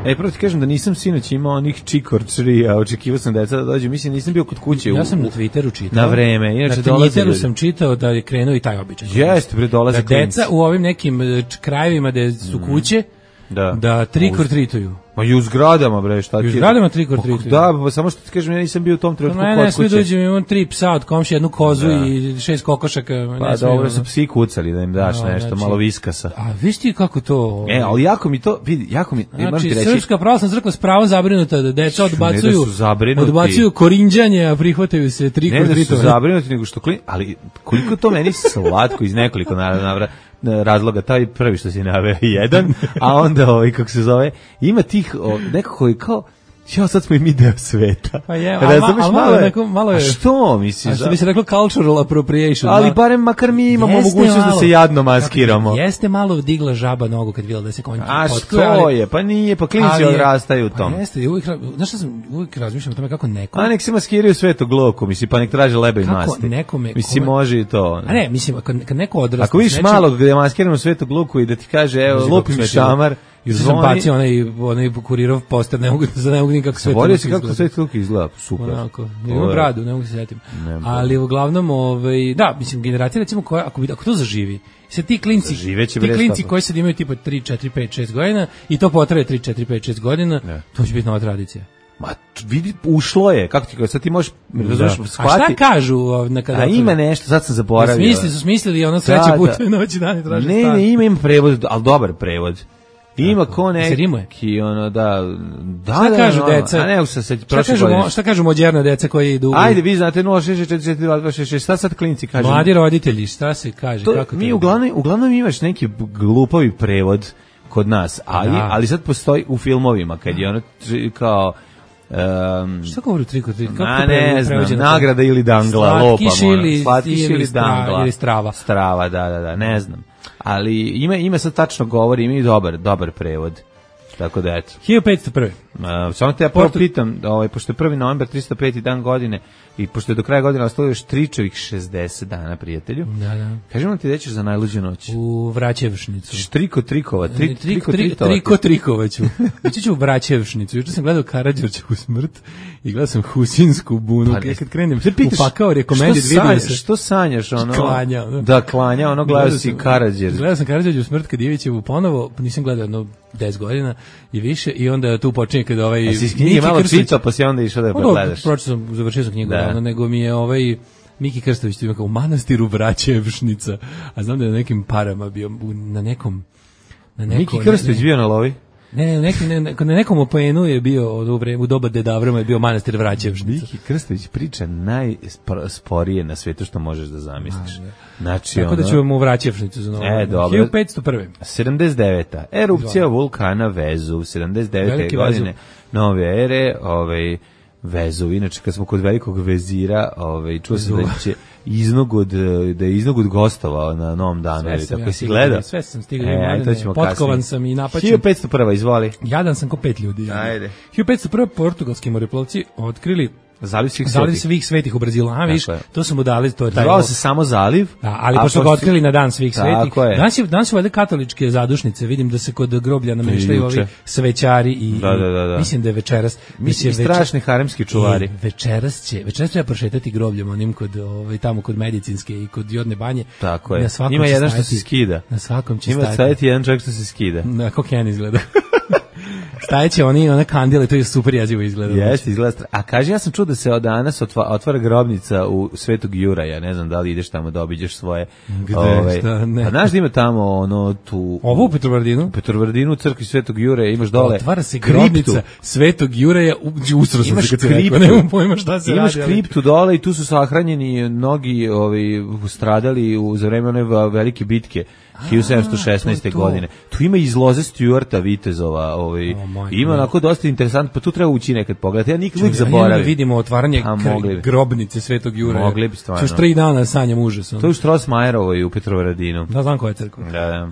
S6: E, prvo ti kažem da nisam sinoć imao onih čikorčri, a očekivao sam deca da dođu. Mislim, nisam bio kod kuće.
S5: Ja
S6: u-
S5: sam na
S6: u-
S5: Twitteru čitao.
S6: Na vreme, inače
S5: na
S6: dolaze
S5: Twitteru
S6: ljudi.
S5: sam čitao da je krenuo i taj običaj.
S6: Jeste, bre, dolaze
S5: Da
S6: klinci.
S5: deca u ovim nekim e, č- krajevima gde su kuće,
S6: Da.
S5: da trick or treatuju.
S6: Ma i u zgradama, bre, šta ti...
S5: I u zgradama trick or
S6: Pa,
S5: treatuju.
S6: Da, pa samo što ti kažem, ja nisam bio u tom trenutku
S5: Ne, ne,
S6: kod
S5: smije
S6: kuće.
S5: dođem, imam tri psa od komši, jednu kozu
S6: Da.
S5: i šest kokošaka.
S6: Pa
S5: ne smije,
S6: dobro
S5: ono.
S6: su psi kucali da im daš
S5: Da,
S6: nešto,
S5: znači-
S6: malo viskasa.
S5: A viš ti kako to...
S6: E, ali jako mi to, vidi, jako mi, moram
S5: Znači,
S6: ti reći,
S5: Srpska pravoslavna crkva s pravom zabrinuta da deca
S6: Ne da
S5: odbacuju,
S6: su zabrinuti.
S5: odbacuju korinđanje, a prihvataju se tri
S6: ne da su
S5: kordritovanje.
S6: zabrinuti, nego što klin, ali koliko to meni slatko iz nekoliko naravno navra- razloga, taj prvi što si naveo je jedan, a onda ovaj, kako se zove, ima tih, o, nekako je kao, ja sad smo i mi deo sveta.
S5: Pa je,
S6: Razumeš,
S5: ali ma- ali malo je neko- malo je-
S6: A što, misliš?
S5: A što bi se reklo cultural appropriation.
S6: Ali
S5: malo-
S6: barem makar mi imamo
S5: Jeste
S6: mogućnost da
S5: malo.
S6: se jadno maskiramo.
S5: Jeste malo digla žaba nogu kad vidjela da se konj
S6: A
S5: potkuje,
S6: što
S5: ali-
S6: je? Pa nije, pa klinci
S5: ali je-
S6: odrastaju u tom.
S5: Pa jeste, i uvijek, ra- znaš šta sam, uvijek razmišljam o tome kako neko...
S6: A nek se maskiraju svetog loku, misli, pa nek traže leba i
S5: Kako
S6: masti.
S5: nekome-
S6: Mislim,
S5: kome-
S6: može i to.
S5: A ne, mislim, kad, kad neko odrasta...
S6: Ako vidiš
S5: s nečim-
S6: malog gde je maskirano svetog luku i da ti kaže, evo,
S5: Znaš
S6: lupi
S5: kako
S6: mi
S5: sve to-
S6: šamar,
S5: I sam
S6: zvoni,
S5: bacio onaj, onaj kurirov poster, ne mogu, za ne mogu nikako sve
S6: zaborio si kako svetog luka izgleda, super.
S5: Onako,
S6: To
S5: ima
S6: je-
S5: bradu, ne mogu se setim.
S6: Ne,
S5: Ali uglavnom, ovaj, da, mislim, generacija recimo koja, ako, bi, ako to zaživi, se ti klinci,
S6: Zaživeće,
S5: ti
S6: bre,
S5: klinci
S6: stvarno.
S5: koji sad imaju tipa tri, četiri, pet, šest godina i to potraje tri, četiri, pet, šest godina,
S6: Ne.
S5: to će biti nova tradicija.
S6: Ma, t- vidi, ušlo je, kako ti kaže, sad ti možeš, razumeš,
S5: A
S6: shvati.
S5: šta kažu ovaj, na kada
S6: A ima nešto, sad sam zaboravio.
S5: Smisli su smislili ono sreće
S6: Da, da.
S5: putuje noći dan i traže
S6: Ne,
S5: stan.
S6: ne, ima, ima prevod, ali dobar prevod. Ima ko
S5: Se rimuje?
S6: neki, ono, da, da,
S5: Šta
S6: da,
S5: kažu
S6: ono,
S5: deca?
S6: A ne, se sad,
S5: Šta
S6: prošle
S5: kažu,
S6: godine.
S5: mo- šta kažu mođerna deca koji idu? u-
S6: Ajde, vi znate, nula šest šest četiri četiri dva dva šest šest, šta sad klinci kažu?
S5: Mladi roditelji, šta se kaže?
S6: To,
S5: kako
S6: mi
S5: to
S6: uglavnom, uglavnom imaš neki b- glupavi prevod kod nas, ali,
S5: Da.
S6: ali sad postoji u filmovima, kad je ono tr- kao... Um,
S5: Šta govori triko tri? Kako
S6: a
S5: to
S6: ne
S5: pre-
S6: znam,
S5: prevođeno?
S6: nagrada ili dangla,
S5: Slatkiš
S6: lopam, ono.
S5: ili-
S6: Slatkiš
S5: ili
S6: ili
S5: stra-
S6: dangla.
S5: ili strava.
S6: Strava, da, da, da, ne znam. Ali ima, ima sad tačno govori, ima i dobar, dobar prevod. Tako da, eto.
S5: hiljadu petsto prvi.
S6: Uh, samo te ja prvo
S5: Portu-
S6: pitam, ovaj, pošto je prvi novembar, tristo peti dan godine, i pošto je do kraja godine ostalo još tričevih šezdeset dana, prijatelju,
S5: Da, da.
S6: kažemo ti da ćeš za najluđu noć.
S5: U Vraćevšnicu.
S6: Štriko trikova, tri,
S5: Triko,
S6: triko
S5: tri,
S6: tritova.
S5: triko trikovaću. Ići ću u Vraćevšnicu. Juče sam gledao Karađorčevu smrt i gledao sam Husinsku bunu.
S6: Pa
S5: Pa,
S6: ne-
S5: kad krenem
S6: Se pitaš,
S5: u pakao rekomendit
S6: što
S5: video da
S6: sanjaš,
S5: se...
S6: što sanjaš, ono?
S5: Klanja, ono.
S6: Da, klanja, ono gledao si
S5: sam-
S6: Karađer.
S5: Gledao sam Karađorčevu smrt kad Ivićevu ponovo, pa nisam gledao jedno deset godina i više i onda tu počinje kada ovaj...
S6: A si iz knjige
S5: Miki
S6: malo
S5: Krstić-
S6: čitao, pa si onda išao da je
S5: Pa dobro,
S6: pogledaš.
S5: pročitao sam, završio sam knjigu,
S6: Da.
S5: ono, nego mi je ovaj Miki Krstović tu ima kao u manastiru Vraćevšnica, a znam da je na nekim parama bio u- na nekom Na neko,
S6: Miki Krstović bio na lovi?
S5: Ne, ne, neki, ne, ne, na nekom opojenu je bio od u vreme, u doba Deda Avrama je bio manastir Vraćevšnica.
S6: Miki Krstović priča najsporije na svetu što možeš da zamisliš. Znači,
S5: tako
S6: ono,
S5: da ćemo u Vraćevšnicu za novo.
S6: E, dobro.
S5: hiljadu petsto prve.
S6: sedamdeset deveta Erupcija vulkana Vezuv, sedamdeset devete
S5: Veliki
S6: godine nove ere, ovaj Vezuv. Inače, kad smo kod velikog vezira, ovaj, čuo sam da će iznogod, da je iznogod gostovao na Novom danu.
S5: Sve sam,
S6: tako
S5: ja
S6: si gledao?
S5: Sve sam stigao.
S6: E, to ćemo
S5: potkovan
S6: kasnije.
S5: sam i napaćen.
S6: hiljadu petsto prva izvoli.
S5: Jadan sam ko pet ljudi.
S6: Ajde.
S5: hiljadu petsto prve portugalski moreplovci otkrili
S6: Zaliv svih
S5: Zaliv
S6: svetih.
S5: svih svetih u Brazilu. A, viš,
S6: je.
S5: to su mu dali, to je taj...
S6: Zvao se samo Zaliv.
S5: Da, ali
S6: a
S5: pošto ga otkrili na dan svih svetih.
S6: Tako je.
S5: Danas, je, danas su valjda katoličke zadušnice. Vidim da se kod groblja namještaju ovi svećari i,
S6: Da, da, da, da.
S5: mislim da je večeras...
S6: Mislim,
S5: večer-
S6: strašni haremski čuvari.
S5: I večeras će, večeras treba prošetati grobljem onim kod, ovaj, tamo kod medicinske i kod jodne banje.
S6: Tako je.
S5: Na svakom
S6: Ima
S5: će
S6: jedan što
S5: stajati-
S6: se skida.
S5: Na svakom će
S6: Ima
S5: stajati.
S6: staviti jedan čovjek što se skida.
S5: Na, kako Ken izgleda. Stajeće oni, one kandile, to je super jezivo izgleda.
S6: Jeste, izgleda. stra- A kaže, ja sam čuo da se od danas otva, otvara grobnica u Svetog Juraja. Ne znam da li ideš tamo da obiđeš svoje.
S5: Gde, šta, ne.
S6: Pa znaš da ima tamo ono tu...
S5: Ovo u Petrovardinu?
S6: U Petrovardinu, u crkvi Svetog Juraja, imaš dole
S5: Otvara se
S6: kriptu.
S5: grobnica Svetog Juraja, usro sam
S6: Imaš
S5: se kad si rekao,
S6: kriptu.
S5: nemam pojma šta se
S6: Imaš
S5: radi. ali-
S6: kriptu dole i tu su sahranjeni mnogi ovi, stradali u, za vreme one va- velike bitke hiljadu sedamsto šesnaeste.
S5: to je to.
S6: godine. Tu ima iz loze Stuarta vitezova, ovaj,
S5: O, majko
S6: ima
S5: moja.
S6: onako dosta interesantno, pa tu treba ući nekad pogledati. Ja nikad uvijek
S5: Ja jednom
S6: zaboravim.
S5: vidimo otvaranje
S6: A,
S5: kr-
S6: mogli bi.
S5: grobnice Svetog Juraja.
S6: Mogli bi stvarno.
S5: Još tri dana sanjam užas. ono.
S6: To je u Strossmayerovoj u Petrovaradinu.
S5: Da, znam koja je crkva.
S6: Da, da.
S5: Uh,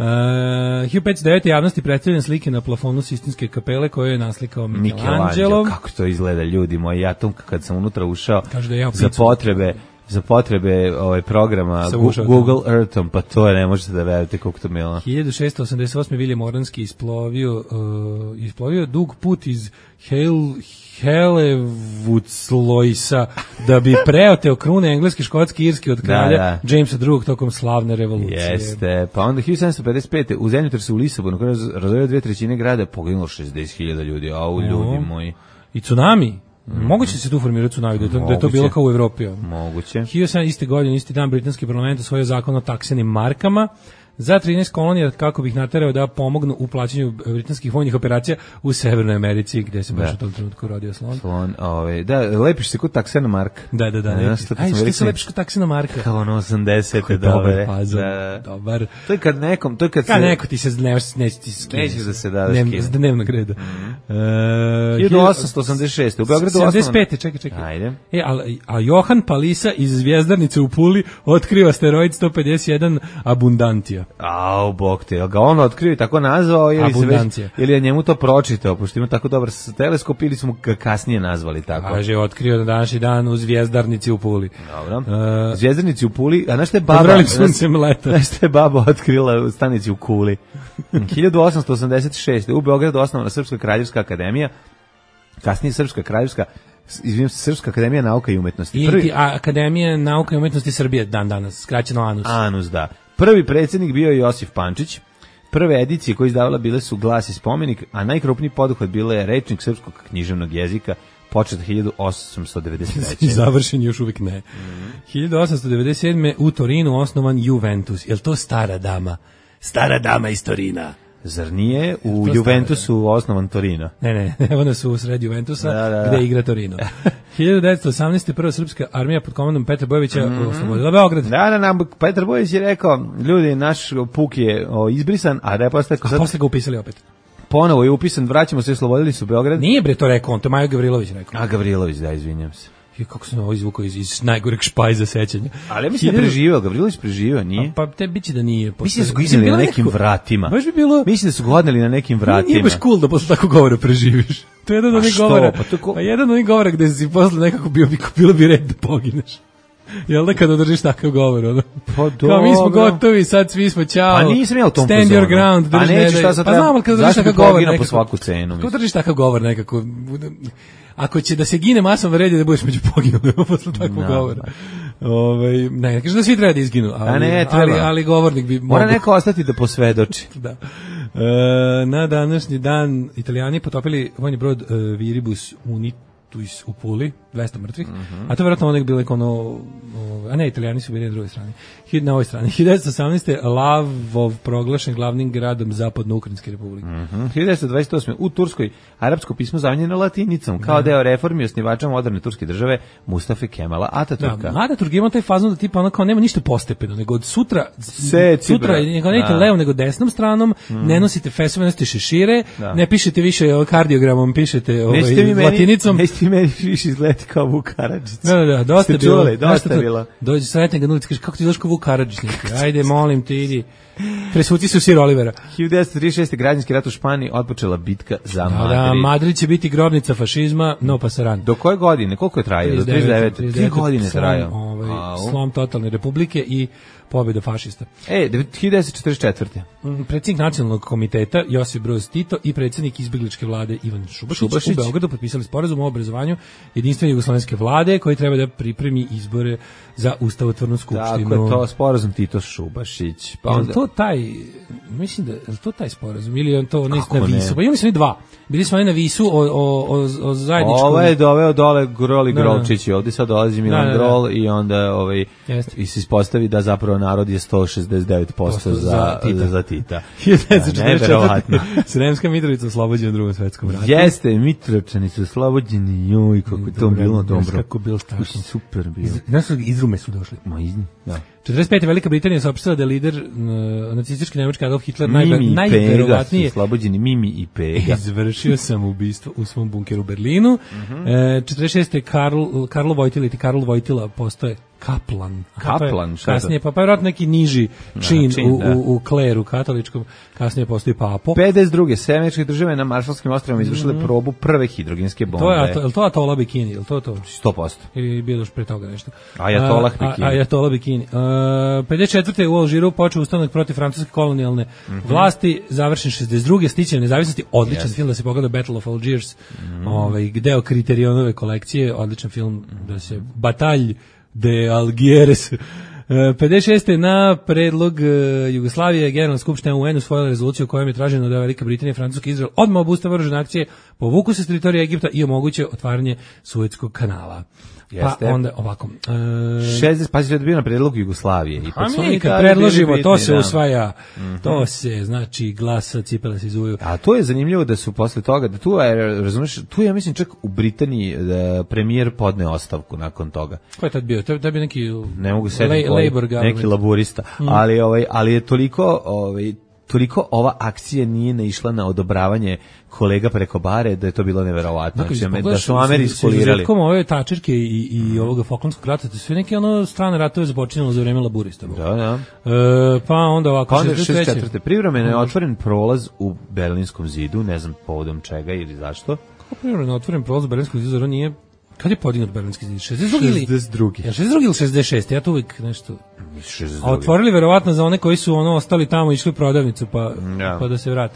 S5: hiljadu petsto devete. javnosti predstavljene slike na plafonu Sistinske kapele koje je naslikao
S6: Michelangelo,
S5: Michelangelo.
S6: kako to izgleda, ljudi moji. Ja tu kad sam unutra ušao
S5: Kaže da je jeo
S6: za
S5: picu.
S6: potrebe za potrebe ovaj programa
S5: Sam
S6: Gu-
S5: ušao
S6: Google Earthom, pa to je, ne možete da verujete koliko to milo.
S5: hiljadu šessto osamdeset osme. William Oranski isplovio, uh, isplovio dug put iz Hel, Helevuclojsa da bi preoteo krune engleski, škotski, irski od kralja
S6: Da,
S5: Jamesa drugog tokom slavne revolucije.
S6: Jeste, pa onda hiljadu sedamsto pedeset pete. u zemljotresu u Lisabonu, kada je razorio dve trećine grada, poginulo šezdeset hiljada ljudi, au ljudi moji.
S5: I tsunami. Moguće se tu formirati tsunami, da je to, da je to
S6: Moguće.
S5: bilo kao u Evropi. ono.
S6: Moguće.
S5: hiljadu sedamsto iste godine, isti dan, britanski parlament usvojio zakon o taksenim markama za trinaest kolonija kako bih naterao da pomognu u plaćanju britanskih vojnih operacija u Severnoj Americi, gde se baš
S6: Da.
S5: u tom trenutku rodio slon.
S6: Slon, ovaj, da, lepiš se kod taksena Mark.
S5: Da, da, da.
S6: Ne,
S5: Ne,
S6: znaš, to kad
S5: Aj,
S6: smo
S5: što
S6: rekli-
S5: se lepiš kod taksina marka?
S6: Kao ono osamdesete,
S5: Dobar
S6: dobre.
S5: fazon,
S6: Da, da.
S5: dobar.
S6: To je kad nekom, to je kad
S5: Ka
S6: se...
S5: neko ti se ne, neće ti skine.
S6: Nećeš da se da, da
S5: Dnev-
S6: skine.
S5: s dnevnog reda. E,
S6: hiljadu osamsto osamdeset šeste. u Beogradu
S5: sedamdeset pete.
S6: osnovan-
S5: čekaj, čekaj.
S6: Ajde.
S5: E, a, a Johan Palisa iz Zvjezdarnice u Puli otkriva asteroid sto pedeset jedan Abundantia.
S6: Au, bog te, jel ga on otkrio i tako nazvao ili, se već,
S5: Abundancija.
S6: ili je njemu to pročitao, pošto ima tako dobar s- teleskop ili smo ga kasnije nazvali tako.
S5: Kaže, otkrio na današnji dan u Zvjezdarnici u Puli.
S6: Dobro.
S5: E,
S6: Zvjezdanici u Puli, a znaš šta je baba?
S5: Vrlim suncem leta.
S6: Znaš šta je baba otkrila u stanici u Kuli? hiljadu osamsto osamdeset šeste. u Beogradu osnovana Srpska kraljevska akademija, kasnije Srpska kraljevska, izvinim se, Srpska akademija nauka i umetnosti.
S5: I
S6: Prvi,
S5: ti- a, Akademija nauka i umetnosti Srbije dan danas, skraćeno ANUS.
S6: Anus, da. Prvi predsjednik bio je Josif Pančić. Prve edicije koje izdavala bile su Glas i spomenik, a najkrupniji poduhvat bila je Rečnik srpskog književnog jezika, počet hiljadu osamsto devedeset treće.
S5: I završen još uvijek ne. hiljadu osamsto devedeset sedme. u Torinu osnovan Juventus. Je li to stara dama? Stara dama iz Torina.
S6: Zar nije u
S5: To
S6: Juventusu osnovan Torino?
S5: Ne, ne, one su u sred Juventusa,
S6: Da, da, da.
S5: gde igra Torino. hiljadu devetsto osamnaeste. prva srpska armija pod komandom Petra Bojovića oslobodila Beograd.
S6: Da, da, nam Petar Bojić je rekao, ljudi, naš puk je o, izbrisan, a da je posle,
S5: A
S6: sad
S5: posle ga upisali opet.
S6: ponovo je upisan, vraćamo se, oslobodili su Beograd.
S5: Nije bre to rekao on, to je Majo Gavrilović rekao.
S6: A Gavrilović, da, izvinjam se.
S5: I kako sam ovo izvukao iz, iz najgoreg špajza sećanja.
S6: Ali ja mislim da je preživio, Gavrilović preživio, nije?
S5: Pa te biće da nije.
S6: Mislim da su ga
S5: Mislim,
S6: izneli na
S5: bilo
S6: nekim
S5: neko-
S6: vratima.
S5: Baš bi bilo...
S6: Mislim da su ga odneli na nekim vratima.
S5: Nije baš cool da posle takvog govora preživiš. To je jedan
S6: A
S5: od onih
S6: što?
S5: govora.
S6: Pa to ko-
S5: Pa jedan od onih govora gde si posle nekako bio bi, bilo bi red da pogineš. Jel da kada održiš takav govor, ono?
S6: Pa
S5: Kao mi smo
S6: dobro.
S5: gotovi, sad svi smo ćao.
S6: Pa nisam ja u tom
S5: Stand
S6: fazonu.
S5: your ground,
S6: A
S5: drži
S6: neću,
S5: ne daj-
S6: šta sad
S5: Pa
S6: treba-
S5: znam, ali kada držiš
S6: zašto bi
S5: takav govor
S6: poginuo po
S5: nekako.
S6: svaku cenu,
S5: Kako
S6: mislim?
S5: držiš takav govor nekako? Ako će da se gine masom red je da budeš među poginulima posle takvog
S6: Da.
S5: govora. Ovaj ne, ne kažem da svi treba da izginu, ali,
S6: A ne, treba.
S5: ali, ali govornik bi
S6: Mora
S5: mogao.
S6: neko ostati da posvedoči.
S5: Da. E, na današnji dan Italijani potopili vojni brod e, Viribus Unitus u, u Puli, dvesta mrtvih, mm-hmm. a to je vjerojatno onek bilo ono, a ne, Italijani su bili na drugoj strani, na ovoj strani. hiljadu devetsto osamnaeste. Lavov proglašen glavnim gradom Zapadno-Ukrajinske republike.
S6: Mm-hmm. hiljadu devetsto dvadeset osme. u Turskoj arapsko pismo zamijenjeno latinicom, kao deo reformi osnivača moderne turske države Mustafe Kemala Ataturka.
S5: Da, Ataturk ima taj fazon da tipa ono kao nema ništa postepeno, nego od sutra,
S6: Seci,
S5: sutra
S6: bra.
S5: nego ne idete levom nego desnom stranom, mm. ne nosite fesove, nosite šešire, da. Ne pišete više kardiogramom, pišete ovaj, latinicom.
S6: Nećete mi meni više izgledati kao Vuk Karadžić.
S5: Da, da, da, dosta je bilo.
S6: Čuli, dosta je bilo.
S5: Dođe sretne ga na ulici, kaže, kako ti došao kao Vuk Karadžić? Ajde, molim te, idi. Presvuci se u sir Olivera.
S6: hiljadu devetsto trideset šeste. građanski rat u Španiji, otpočela bitka za
S5: da,
S6: Madrid.
S5: Da, Madrid će biti grobnica fašizma, no pasaran.
S6: Do koje godine? Koliko je trajao? Do trideset devete. Tri godine trajao.
S5: Ovaj, slom totalne republike i pobjeda fašista.
S6: E, hiljadu devetsto četrdeset četvrte.
S5: Predsjednik nacionalnog komiteta Josip Broz Tito i predsjednik izbjegličke vlade Ivan Šubašić, Šubašić u Beogradu potpisali sporazum o obrazovanju jedinstvene jugoslovenske vlade koji treba da pripremi izbore za ustavotvornu skupštinu.
S6: Tako je to, sporazum Tito Šubašić.
S5: Pa onda... Je to taj, mislim da je to taj sporazum ili je to ne na Visu? Pa imali smo i dva. Bili smo na Visu o, o, o, o zajedničkom...
S6: Ovo je doveo dole Grol i Grolčić i ovdje sad dolazi Milan da, da, da. Grol i onda ovaj, i se ispostavi da zapravo narod je sto šezdeset devet posto za, za Tita. Za Tita.
S5: hiljadu devetsto četrdeset četvrte. Sremska Mitrovica oslobođena u Drugom svetskom ratu.
S6: Jeste, Mitrovčani su oslobođeni, joj, kako je to bilo dobro.
S5: Kako bilo strašno.
S6: Super bilo.
S5: Znaš, iz Rume su došli.
S6: Ma iz, da.
S5: četrdeset pete. Velika Britanija saopštila da je lider uh, nacistički nemački Adolf Hitler najverovatnije
S6: oslobođeni Mimi i Pega.
S5: Izvršio sam ubistvo u svom bunkeru u Berlinu. Uh-huh. e, četrdeset šeste. Karl, Karlo Vojtila ili Karl Vojtila postoje kaplan.
S6: Kaplan, šta
S5: kasnije, pa pa vjerojatno neki niži čin, čin u, u, u kleru katoličkom, kasnije postoji papo.
S6: pedeset druge. Američke države na Maršalskim ostrvima izvršile mm-hmm. probu prve hidrogenske bombe.
S5: To je, je li to Atola Bikini? Je li to to?
S6: sto posto.
S5: Ili bilo još pre toga nešto?
S6: Ajatolah Bikini.
S5: Ajatolah Bikini. Uh, pedeset četvrte. u Alžiru počeo ustanak protiv francuske kolonijalne mm-hmm. vlasti, završen šezdeset druge. stiče nezavisnosti, odličan yes. film da se pogleda Battle of Algiers, mm-hmm. ovaj, deo Kriterionove kolekcije, odličan film da se batalj de Algieres. pedeset šeste. na predlog Jugoslavije Generalna skupština U N usvojila rezoluciju u kojoj je traženo da Velika Britanija i Francuski Izrael odmah obustave oružane akcije, povuku se s teritorija Egipta i omoguće otvaranje Suetskog kanala.
S6: Jeste.
S5: Pa onda ovako.
S6: E... šezdeset pa se bio na predlog Jugoslavije. I
S5: a mi kad predložimo, bitni, to se da. usvaja. Mm-hmm. To se, znači, glasa, cipele se izuju.
S6: A to je zanimljivo da su posle toga, da tu je, razumiješ, tu je, ja mislim, čak u Britaniji da premijer podne ostavku nakon toga.
S5: Ko je tad bio? To je bio neki
S6: ne mogu setiti,
S5: labor
S6: neki laburista. Mm. Ali, ovaj, ali je toliko... Ovaj, toliko ova akcija nije naišla na odobravanje kolega preko bare da je to bilo neverovatno. Znači, da su Ameri ispolirali.
S5: Sa ove tačerke i, i ovoga Falklandskog rata, to sve neke ono strane ratove započinjalo za vreme laburista.
S6: Da, da.
S5: E, pa onda ovako...
S6: Pa onda šezdeset četvrte. Privremeno je otvoren prolaz u Berlinskom zidu, ne znam povodom čega ili zašto.
S5: Kako privremeno je otvoren prolaz u Berlinskom zidu, zar nije... Kad je podignut Berlinski zid? šezdeset drugi ili
S6: šezdeset drugi.
S5: Ja šezdeset drugi ili šezdeset šesti. Ja to uvijek nešto. A otvorili verovatno za one koji su ono ostali tamo, išli u prodavnicu pa ja. pa da se vrate.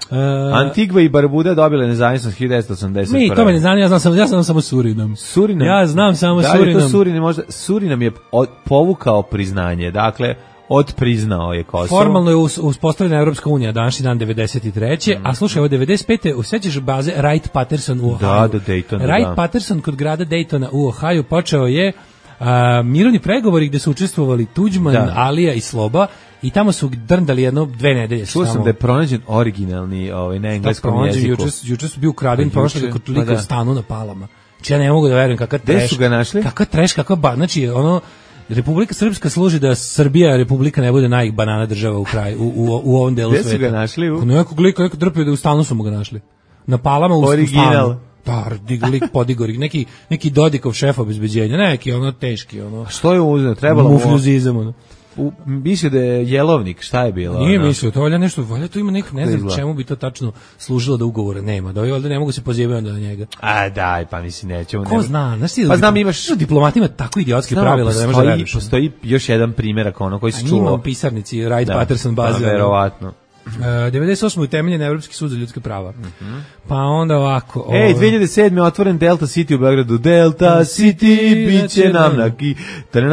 S5: Uh,
S6: Antigva i Barbuda dobile nezavisnost hiljadu devetsto osamdeset prve.
S5: Mi to me ne znam, ja znam samo ja znam samo Surinam.
S6: Surinam.
S5: Ja znam samo
S6: da
S5: Surinam.
S6: Da, to Surinam možda Surinam je od, povukao priznanje. Dakle, odpriznao je Kosovo.
S5: Formalno je uspostavljena Evropska unija današnji dan devedeset treće. Mm. A slušaj, ovo devedeset pete. usećeš baze Wright-Patterson u Ohio.
S6: Da, do Daytona.
S5: Wright-Patterson kod grada Daytona u Ohio počeo je a, mirovni pregovori gde su učestvovali Tuđman, da. Alija i Sloba i tamo su drndali jedno dve nedelje.
S6: Čuo sam da je pronađen originalni ovaj, na engleskom jeziku.
S5: Juče, juče su bio ukraden prošle kod lika pa da. u stanu na Palama. Znači ja ne mogu da verujem kakav treš.
S6: Gde su ga našli?
S5: Kakav treš, kakav ba, znači ono Republika Srpska služi da Srbija Republika ne bude najbanana država u kraju u, u, u ovom delu sveta.
S6: Gde su ga našli? U...
S5: Nekog lika, neko drpio da u stanu su mu ga našli. Na Palama u
S6: original.
S5: Da, lik podigori, neki, neki Dodikov šef obezbeđenja, neki ono teški. Ono,
S6: a što je uzeo? Trebalo mu...
S5: Mufljuzizam, ono.
S6: U, mislio da je jelovnik, šta je bilo?
S5: Nije
S6: ono?
S5: mislio, to valja nešto, valja to ima nek, ne znam čemu bi to tačno služilo da ugovora nema, da ovdje ne mogu se pozivati onda na njega.
S6: A daj, pa mislim nećemo.
S5: Ko
S6: nema.
S5: zna, znaš ti da
S6: pa znam, imaš...
S5: diplomatima tako idiotski pravila da ne može da veriš.
S6: Postoji još jedan primjerak ono koji se čuo.
S5: A njima u pisarnici, Wright-Patterson baze.
S6: Da, verovatno.
S5: Uh, devedeset osme utemeljen Evropski sud za ljudska prava. Mm-hmm. Pa onda ovako...
S6: Ej, ovaj... dve hiljade sedme otvoren Delta City u Beogradu. Delta City, bit će nam naki...
S8: Čekaj,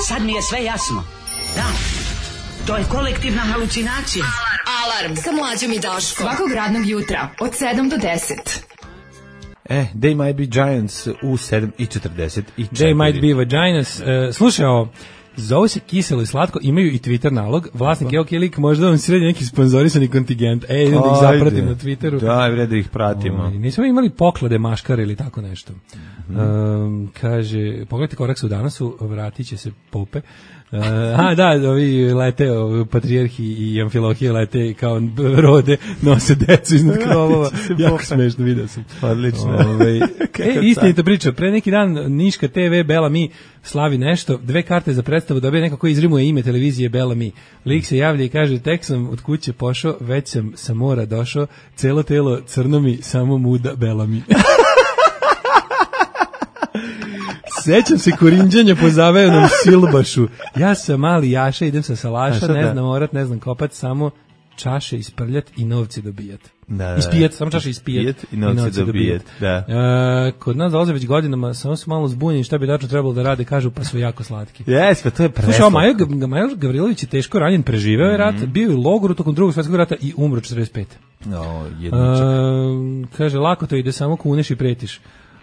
S8: sad mi je sve jasno. Da, to je kolektivna halucinacija.
S2: Alarm sa Mlađom i Daškom. Svakog radnog jutra od sedam do deset.
S6: E, They Might Be Giants u sedam i četrdeset četiri.
S5: They Might Be Vaginas. Uh, slušaj ovo, zove se Kiselo i Slatko, imaju i Twitter nalog. Vlasnik je ok lik, možda vam sredi neki sponzorisani kontingent. E, idem da ih zapratim na Twitteru.
S6: Da, vred da ih pratimo.
S5: O, nismo imali poklade maškare ili tako nešto. Mm. Um, kaže, pogledajte korak su danas, vratit će se Pope. Uh, a da, ovi lete, ovi patrijarhi i amfilohije lete kao rode, nose decu iznad krovova. Jako smešno, vidio sam.
S6: Odlično.
S5: Ove, e, istinita priča, pre neki dan Niška te ve Bela Mi slavi nešto, dve karte za predstavu, dobije neko ko izrimuje ime televizije Bela Mi. Lik se javlja i kaže, tek sam od kuće pošao, već sam sa mora došao, celo telo crno mi, samo muda Bela Mi. Sećam se korinđanja po zavejanom silbašu. Ja sam mali Jaša, idem sa salaša, ne znam orat, ne znam kopat, samo čaše isprljat i novci dobijat.
S6: Da, da,
S5: ispijat, samo čaše ispijat,
S6: ispijat i novci, novci dobijat. Da.
S5: E, kod nas dolaze već godinama, samo su malo zbunjeni šta bi dačno trebalo da rade, kažu pa su jako slatki.
S6: Jes, pa to je preslatko.
S5: Slušaj, Majo, Majo Gavrilović je teško ranjen, preživeo je rat, mm-hmm. bio je u logoru tokom drugog svjetskog rata i umro četrdeset pete.
S6: O, jedničak.
S5: E, kaže, lako to ide, samo kuneš i pretiš.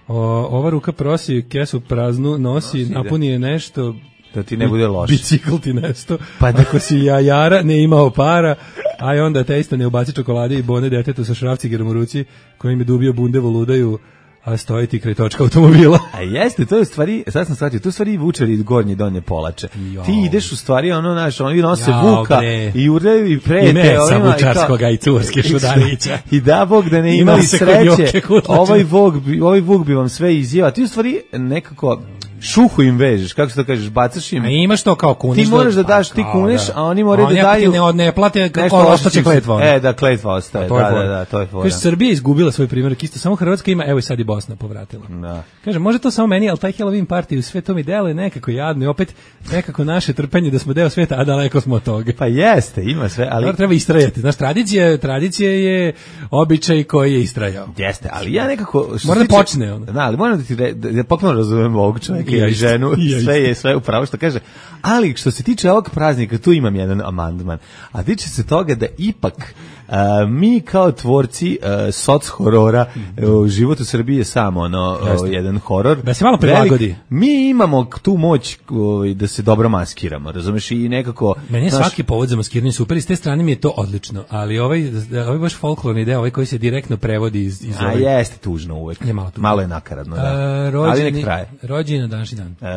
S5: O, ova ruka prosi, kesu praznu, nosi, nosi napuni je nešto,
S6: da ti ne bude loše.
S5: Bicikl ti nešto, pa ako si jajara, ne imao para, a onda te isto ne ubaci čokolade i bone detetu sa šrafcigerom u ruci, kojim je dubio bundevo ludaju, a stoji ti kraj točka automobila.
S6: A jeste, to je u stvari, sad sam shvatio, to je u stvari vučari gornje donje polače. Jo. Ti ideš u stvari, ono, znaš, oni nose jo, vuka bre. I urljaju i prete.
S5: I ne sa vučarskoga i turske šudarića.
S6: I da Bog da ne imali sreće, ovaj vuk, ovaj vuk bi vam sve izjeva. Ti u stvari nekako šuhu im vežeš, kako se to kažeš, bacaš im.
S5: A imaš to kao kuneš.
S6: Ti moraš da daš, ti kuneš, a oni moraju da daju.
S5: Oni ne, ne plate, kako ostaće kletva.
S6: E, da, kletva ostaje, da, da, da, to je fora.
S5: Kaže, Srbija izgubila svoj primjerak, isto samo Hrvatska ima, evo i sad i Bosna povratila.
S6: Da.
S5: Kaže, može to samo meni, ali taj Halloween party, sve to mi deluje nekako jadno i opet nekako naše trpenje da smo deo sveta, a daleko smo od toga.
S6: Pa jeste, ima sve, ali...
S5: Dobro, treba istrajati, znaš, tradicija, tradicija je običaj koji je istrajao.
S6: Jeste, ali ja nekako...
S5: Mora da počne ono.
S6: Da, ali moram da ti, da, da potpuno razumem ovog čovjeka i ženu. Sve je sve upravo što kaže, ali što se tiče ovog praznika, tu imam jedan amandman, a tiče se toga da ipak uh, mi kao tvorci uh, soc horora, uh, život u Srbiji je samo ono, uh, jedan horor.
S5: Da se malo prilagodi. Velik,
S6: mi imamo tu moć uh, da se dobro maskiramo, razumeš, i nekako...
S5: Meni je naš... svaki povod za maskiranje super, i s te strane mi je to odlično, ali ovaj, ovaj baš folklorni deo, ovaj koji se direktno prevodi iz, iz
S6: a
S5: ovaj...
S6: jeste tužno uvek. Je malo, malo je nakaradno, da. Uh, rođeni, ali nek traje.
S5: Rođeni na današnji dan.
S6: Uh,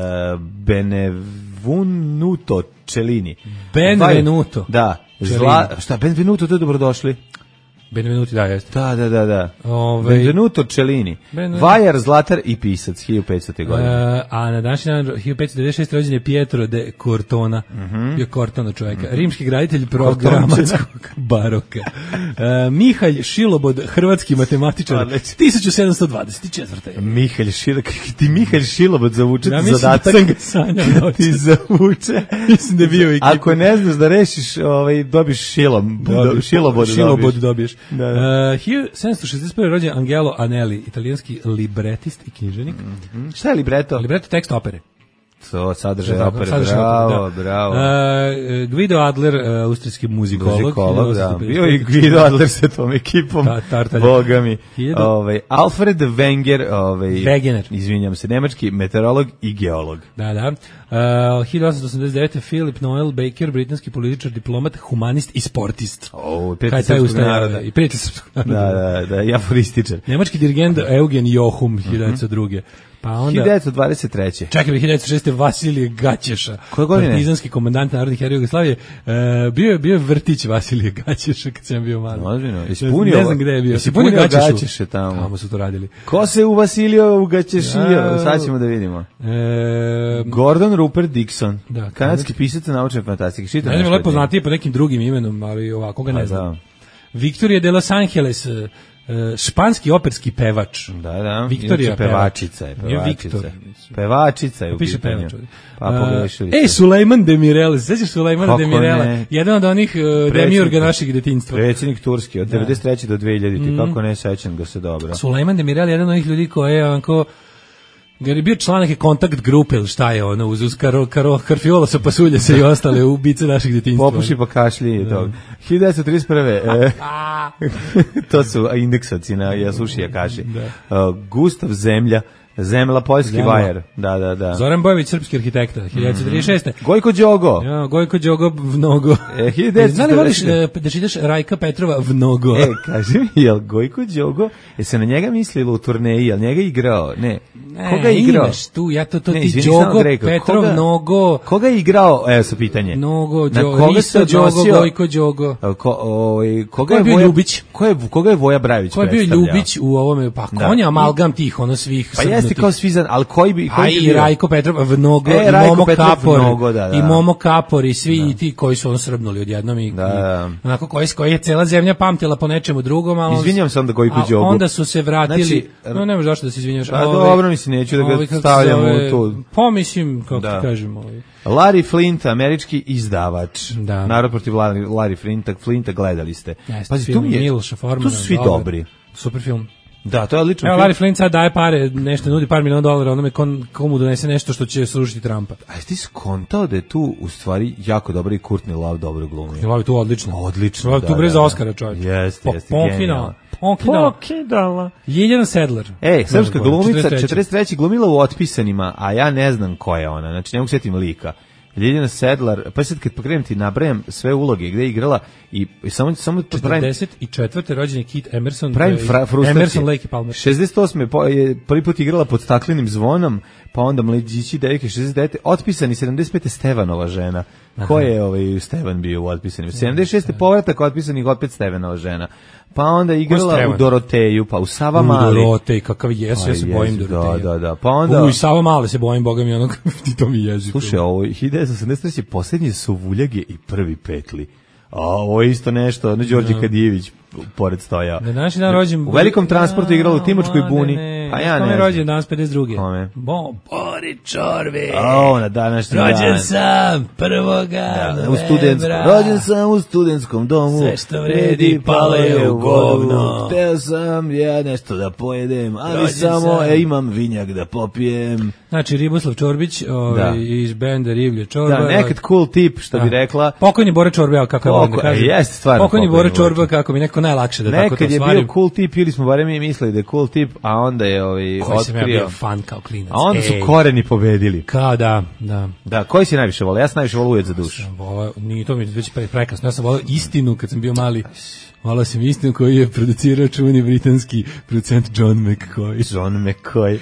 S6: Benevenuto Cellini.
S5: Benvenuto.
S6: Da. Zla, šta, Benvenuto, to je dobrodošli.
S5: Benvenuti, da, jeste.
S6: Da, da, da, da.
S5: Ove...
S6: Benvenuto Cellini. Ben... Vajar, zlatar i pisac, hiljadu petstete godine.
S5: Uh, a na današnji dan, hiljadu petsto devedeset šeste. rođen je Pietro de Cortona. Mm-hmm. Bio Cortona čovjeka. Mm-hmm. Rimski graditelj programatskog baroka. Uh, Mihalj Šilobod, hrvatski matematičar. tisuću sedamsto dvadeset četvrte.
S6: Mihalj Šilobod, ti Mihalj Šilobod zavuče
S5: ja
S6: ti zadatak.
S5: Da sam ga sanjao.
S6: Ti zavuče.
S5: Mislim da je bio ekipa.
S6: Ako ne znaš da rešiš, ovaj, dobiš šilom.
S5: Dobiš,
S6: Šilobod,
S5: šilobod dobiješ.
S6: Da, da.
S5: Uh, hiljadu sedamsto šezdeset prve. rođen Angelo Anelli, italijanski libretist i književnik.
S6: Mm-hmm. Šta je libreto?
S5: Libreto tekst opere.
S6: To sadržaj opere, bravo, da. bravo.
S5: Uh, Guido Adler, uh, austrijski muzikolog.
S6: Muzikolog, da. Bio i Guido Adler sa tom ekipom, Ta, boga mi. Ovaj, Alfred Wenger, ovaj,
S5: Wegener.
S6: Izvinjam se, nemački meteorolog i geolog.
S5: Da, da. Uh, hiljadu osamsto osamdeset devete. Philip Noel Baker, britanski političar, diplomat, humanist i sportist.
S6: O, prijatelj srpskog naroda.
S5: I prijatelj srpskog naroda.
S6: Da, da, da, i aforističar.
S5: Nemački dirigent Eugen Jochum, hiljadu devetsto druge. Pa onda
S6: hiljadu devetsto dvadeset treće.
S5: Čekaj, hiljadu devetsto šeste. Vasilije Gaćeša.
S6: Koje godine?
S5: Partizanski komandant narodnih heroja Jugoslavije. Uh, bio je bio je vrtić Vasilije Gaćeša kad sam bio mali.
S6: Ozbiljno. Ispunio.
S5: Ne znam gde je bio.
S6: Ispunio Gaćeše tamo.
S5: Tamo su to radili.
S6: Ko se uvasilio u Gaćešio? Sad ćemo da vidimo.
S5: E,
S6: Gordon Rupert Dickson.
S5: Da,
S6: kanadski pisac naučne fantastike. Šitam.
S5: Ne znam, lepo znati po nekim drugim imenom, ali ovako ga ne pa, znam. Da. Victoria de Los Angeles, španski operski pevač.
S6: Da, da.
S5: Victoria
S6: pevačica je, pevačica. Pevačica je u
S5: piše pevač.
S6: Pa pogrešili.
S5: Ej, Sulejman Demirel, sećaš Sulejmana Demirela? Jedan od onih uh, demiurga našeg detinjstva.
S6: Predsjednik Turske od devedeset treće do dve hiljadite. Mm. Kako ne sećam ga se dobro.
S5: Sulejman Demirel je jedan od onih ljudi koji je onako Jer je bio član neke kontakt grupe ili šta je ono, uz, uz karo, karo, karfiola sa pasulja se i ostale ubice naših detinjstva.
S6: Popuši pa kašlji i tog. hiljadu devetsto trideset prve E, to su indeksaci na Jasuši Jakaši. Uh, Gustav Zemlja, Zemla, poljski Zemla. Vajer. Da, da, da.
S5: Zoran Bojević, srpski arhitekta, hiljadu devetsto trideset šeste.
S6: Mm. Gojko Đogo.
S5: Ja, Gojko Đogo Vnogo.
S6: E, hiljadu devetsto
S5: Znali voliš da čitaš Rajka Petrova Vnogo?
S6: E, kaži mi, jel Gojko Đogo, je se na njega mislilo u turneji, jel njega igrao? Ne.
S5: Ne,
S6: koga je igrao?
S5: Imaš tu, ja to, to
S6: ne,
S5: ti
S6: izvini,
S5: Đogo, Petrov,
S6: koga,
S5: Nogo.
S6: Koga je igrao, evo sa pitanje.
S5: Nogo,
S6: na
S5: Đogo,
S6: koga
S5: Risto, Đogo, Gojko Đogo.
S6: Ko, o, koga
S5: ko je bio
S6: Voja,
S5: Ljubić?
S6: Ko je, koga je Voja Brajević
S5: ko je bio
S6: predstavljao?
S5: Ljubić u ovome, pa konja, da. Amalgam tih, ono svih.
S6: Pa jeste kao svizan, ali koji bi...
S5: A i Rajko Petrov, Vnogo,
S6: e,
S5: i
S6: Rajko
S5: Momo
S6: Petrov,
S5: Kapor,
S6: Vnogo, da, da.
S5: i Momo Kapor, i svi
S6: da.
S5: i ti koji su ono srbnuli odjednom i,
S6: da.
S5: i onako koji, koji je cela zemlja pamtila po nečemu drugom, ali
S6: izvinjam se onda Gojko Đogu.
S5: Onda su se vratili, znači, no ne možeš zašto da se izvinjaš.
S6: Pa dobro, mislim, neću da ga stavljam u tu.
S5: Pa mislim, kako
S6: da.
S5: ti kažemo. Ovaj.
S6: Larry Flint, američki izdavač.
S5: Da.
S6: Narod protiv Larry, Larry Flinta, Flinta gledali ste.
S5: Jeste,
S6: Pazi,
S5: film
S6: tu mi je,
S5: Miloša Formana.
S6: tu su svi
S5: dobar,
S6: dobri.
S5: Super film.
S6: Da, to je odlično.
S5: Evo, Larry Flint sad daje pare, nešto nudi par miliona dolara onome kon, komu donese nešto što će srušiti Trumpa.
S6: A ti skontao da je tu u stvari jako dobro i Courtney Love dobro glumi?
S5: Courtney Love je tu odlično.
S6: Odlično,
S5: Love
S6: da,
S5: tu bre
S6: da,
S5: za
S6: da.
S5: Oscara, čovječ.
S6: Jeste, jeste,
S5: Pokidala.
S6: Pokidala.
S5: Pokidala. Ljiljana Sedlar.
S6: Ej, srpska glumica,
S5: četrdeset treće.
S6: četrdeset treće glumila u Otpisanima, a ja ne znam ko je ona, znači ne mogu sjetim lika. Ljiljana Sedlar, pa sad kad pokrenem ti nabrajam sve uloge gde je igrala i, i samo samo to pravim
S5: četrdeset četvrte rođen je Kit Emerson,
S6: pravim frustracije.
S5: Emerson, Lake i Palmer.
S6: šezdeset osme po, je prvi put igrala pod staklenim zvonom, pa onda Mladići devojke šezdeset devete Otpisani sedamdeset pete Stevanova žena. Aha. Ko je ovaj Stevan bio u Otpisanim? sedamdeset šeste povratak Otpisanih opet Stevanova žena. Pa onda igrala u Doroteju, pa u Sava Mali.
S5: U Dorotej, kakav jesu, ja se bojim Doroteja.
S6: Da, da, da. Pa onda
S5: u Sava Mali se bojim, boga mi onog, ti to mi jezi.
S6: Slušaj, ovo hiljadu devetsto osamdeset treće poslednji su Vuljage i prvi petli. A ovo je isto nešto, ono Đorđe no. Kadijević pored stojao.
S5: Na današnji dan rođen...
S6: U velikom transportu igrala u Timočkoj buni.
S5: Ne, ne.
S6: Pa ja ne.
S5: Kome je rođen danas pedeset druge?
S6: Kome?
S5: Bo, Bori Čorbe.
S6: O, na današnji dan.
S5: Rođen sam prvoga
S6: da, u studentskom. Rođen sam u studentskom domu.
S5: Sve što vredi palo je u govno.
S6: Teo sam ja nešto da pojedem, ali rođen samo e, imam vinjak da popijem.
S5: Znači, Riboslav Čorbić ovaj, iz benda Riblje Čorba.
S6: Da, nekad cool tip, što da. bi rekla.
S5: Pokojni Bora Čorba, kako je da kažem.
S6: Jeste, stvarno.
S5: Pokojni Bora Čorba, kako mi neko najlakše da
S6: nekad
S5: tako to
S6: stvarim. Nekad je bio cool tip, ili smo barem mi mislili da je cool tip, a onda je ovaj,
S5: koji
S6: otkrio.
S5: Sam ja bio fan kao klinac.
S6: A onda su
S5: Ej.
S6: koreni pobedili.
S5: Kao da, da.
S6: Da, koji si najviše volao? Ja sam najviše volao Ujed za dušu.
S5: Volao, nije to mi već pre, prekasno. Ja sam volao Istinu kad sam bio mali. Volao sam Istinu koji je producirao čuveni britanski producent John McCoy.
S6: John McCoy.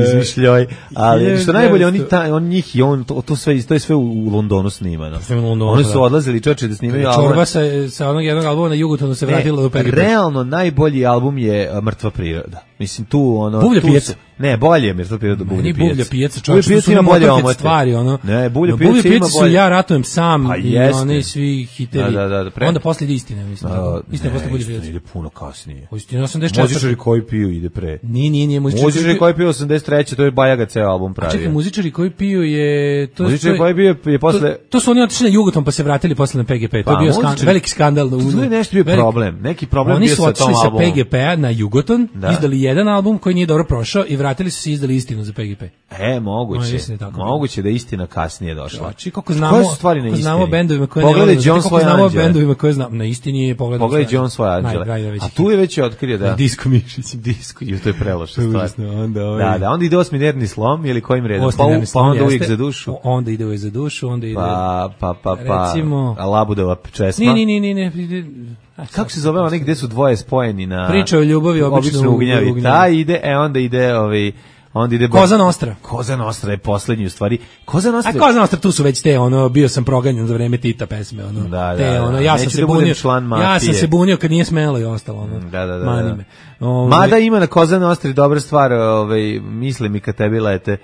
S6: Izmišljoj. Ali što najbolje, oni, ta, on njih i on, to, to, sve, to je sve u, u Londonu snimano.
S5: Londonu,
S6: oni su odlazili čoče da snimaju album.
S5: Čorba sa, sa onog jednog albuma na Jugotonu se vratila do Peripet.
S6: Realno najbolji album je Mrtva priroda. Mislim, tu ono...
S5: Bublja pijaca.
S6: Ne, bolje je Mrtva priroda, Bublja pijaca.
S5: Bublja pijaca, čovječ,
S6: Bublja
S5: su
S6: ima bolje omote.
S5: Stvari, ono.
S6: Ne, Bublja pijaca ima bolje.
S5: Su Ja ratujem sam
S6: pa
S5: i oni svi hitevi.
S6: Da, da, da, pre...
S5: Onda posle ide Istina, mislim.
S6: A,
S5: Istina posle Bublja pijaca.
S6: Ide puno kasnije.
S5: Istina osamdeset četvrte.
S6: Muzičari koji piju ide pre.
S5: Nije, nije, nije.
S6: Muzičari koji piju osamdeset treće to je Bajaga ceo album pravi.
S5: Čekaj, muzičari koji piju je... To,
S6: muzičari koji piju je posle...
S5: To, to su oni otišli na Jugoton pa se vratili posle na P G P. To je bio skandal, veliki skandal.
S6: To je nešto bio problem. Neki problem bio sa tom albumom.
S5: Oni su otišli sa P G P-a na Jugoton, izdali jedan album koji nije dobro prošao i vratili su se i izdali Istinu za P G P.
S6: E, moguće. No, moguće da je Istina kasnije došla.
S5: Znači, kako znamo, kako znamo bendovima koje
S6: pogledaj ne John svoje
S5: znamo bendovima koje znamo. Na Istini je pogledaj.
S6: Pogledaj John svoje anđele. A tu je već otkrio da
S5: Disko Mišić,
S6: Disko, i to je preloša stvar.
S5: Onda ovaj.
S6: Da, da, onda ide osmi nervni slom ili kojim redom? Pa, pa onda uvijek za dušu.
S5: Onda ide uvijek za dušu, onda ide.
S6: Pa, pa, pa, pa.
S5: Recimo,
S6: Labudova česma.
S5: Ne, ne, ne, ne, ne.
S6: Kako se zove onaj gde su dvoje spojeni na
S5: Priča o ljubavi obično
S6: ugnjavi. Ta ide, e onda ide ovaj onda ide
S5: Koza Nostra.
S6: Koza Nostra je poslednji u stvari. Koza Nostra.
S5: A Koza Nostra tu su već te ono bio sam proganjan za vreme Tita pesme ono.
S6: Da,
S5: te
S6: da,
S5: ono
S6: da.
S5: ja sam
S6: Neću
S5: se
S6: da
S5: bunio. Ja sam se bunio kad nije smelo i ostalo ono.
S6: Da, da, da.
S5: Mani me. Ove...
S6: Mada ima na Koza Nostri dobra stvar, ovaj misli mi kad tebi lete.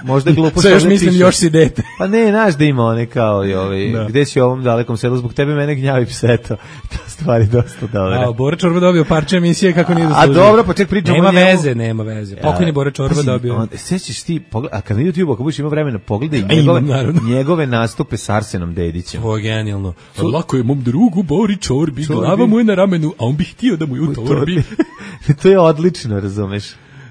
S6: Možda glupo što
S5: još mislim piše. Još si dete.
S6: Pa ne, znaš da ima one kao i ovaj da. Gde si u ovom dalekom selu zbog tebe mene gnjavi pseto. Ta stvari dosta dobre.
S5: A Bora Čorba dobio parče emisije kako nije zaslužio.
S6: A dobro, pa ček pričamo.
S5: Nema veze, nema veze. Pokojni Bora Čorba dobio.
S6: Sećaš ti, a kad na YouTube ako budeš imao vremena pogledaj njegove, njegove nastupe s Arsenom Dedićem.
S5: To je genijalno. So, lako je mom drugu Bori Čorbi, glava mu je na ramenu, a on bi htio da mu je u torbi.
S6: To je odlično, razumeš.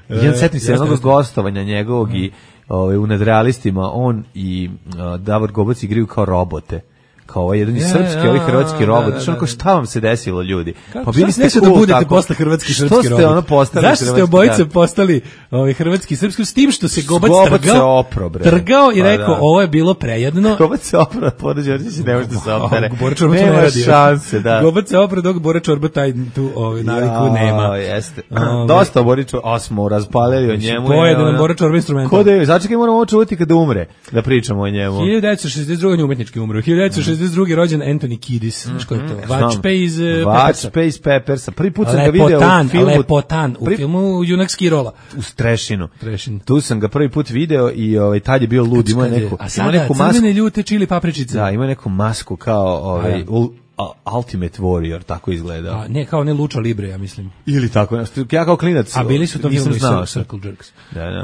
S6: Ja setim se
S5: jeste,
S6: jednog
S5: jeste.
S6: gostovanja njegovog i ovaj, u Nadrealistima on i uh, Davor Gobac igraju kao robote. Kao ovaj jedan
S5: Ja,
S6: srpski,
S5: ja,
S6: ovaj hrvatski
S5: da,
S6: robot.
S5: da,
S6: Što
S5: da,
S6: onako,
S5: da.
S6: šta vam se desilo, ljudi?
S5: Kako,
S6: Pa
S5: šta
S6: bili
S5: se desilo
S6: cool
S5: da budete
S6: tako.
S5: posle hrvatski
S6: Što
S5: srpski
S6: ste
S5: robot?
S6: ono postali
S5: Zašto ste
S6: hrvatski,
S5: obojica
S6: da.
S5: postali ovaj hrvatski srpski s tim što se Gobac
S6: Gobac se
S5: trgao,
S6: opro, bre.
S5: trgao i
S6: Pa
S5: rekao
S6: da.
S5: ovo je bilo prejedno.
S6: Gobac se opra, Bora Đorđević ne može da se opere.
S5: Bora Čorba to ne
S6: Nema
S5: radi.
S6: šanse, da.
S5: Gobac se opre dok Bora Čorba taj tu ovaj naviku nema.
S6: Ja, jeste.
S5: Ove.
S6: Dosta Boriću, a smo raspalili o njemu.
S5: To je da nam
S6: ono-
S5: Bora Čorba instrumental.
S6: Ko da je, začekaj, moramo ovo čuvati kada umre, da pričamo o njemu.
S5: hiljadu devetsto šezdeset druge on je umetnički umro. hiljadu devetsto šezdeset druge rođen Anthony Kiedis. Znaš ko je to? Vačpe iz uh, Peppersa.
S6: Vačpe iz Peppersa. Prvi put sam ga video
S5: Lepotan,
S6: u filmu.
S5: Lepotan, u
S6: Prvi-
S5: filmu Junak Skirola.
S6: U Strešinu.
S5: Trešin.
S6: Tu sam ga prvi put video i ovaj, tad je bio lud, imao je neku,
S5: A
S6: imao
S5: sada
S6: neku masku.
S5: crvene ljute čili papričice.
S6: Da, ima neku masku kao ovaj,
S5: A, ja.
S6: ul, a, Ultimate Warrior, tako izgleda.
S5: A, ne, kao ne Luča Libre, ja mislim.
S6: Ili tako, nešto. Ja kao klinac.
S5: A bili su to
S6: nisam
S5: filmu
S6: znao.
S5: i Circle Jerks.
S6: Da, da.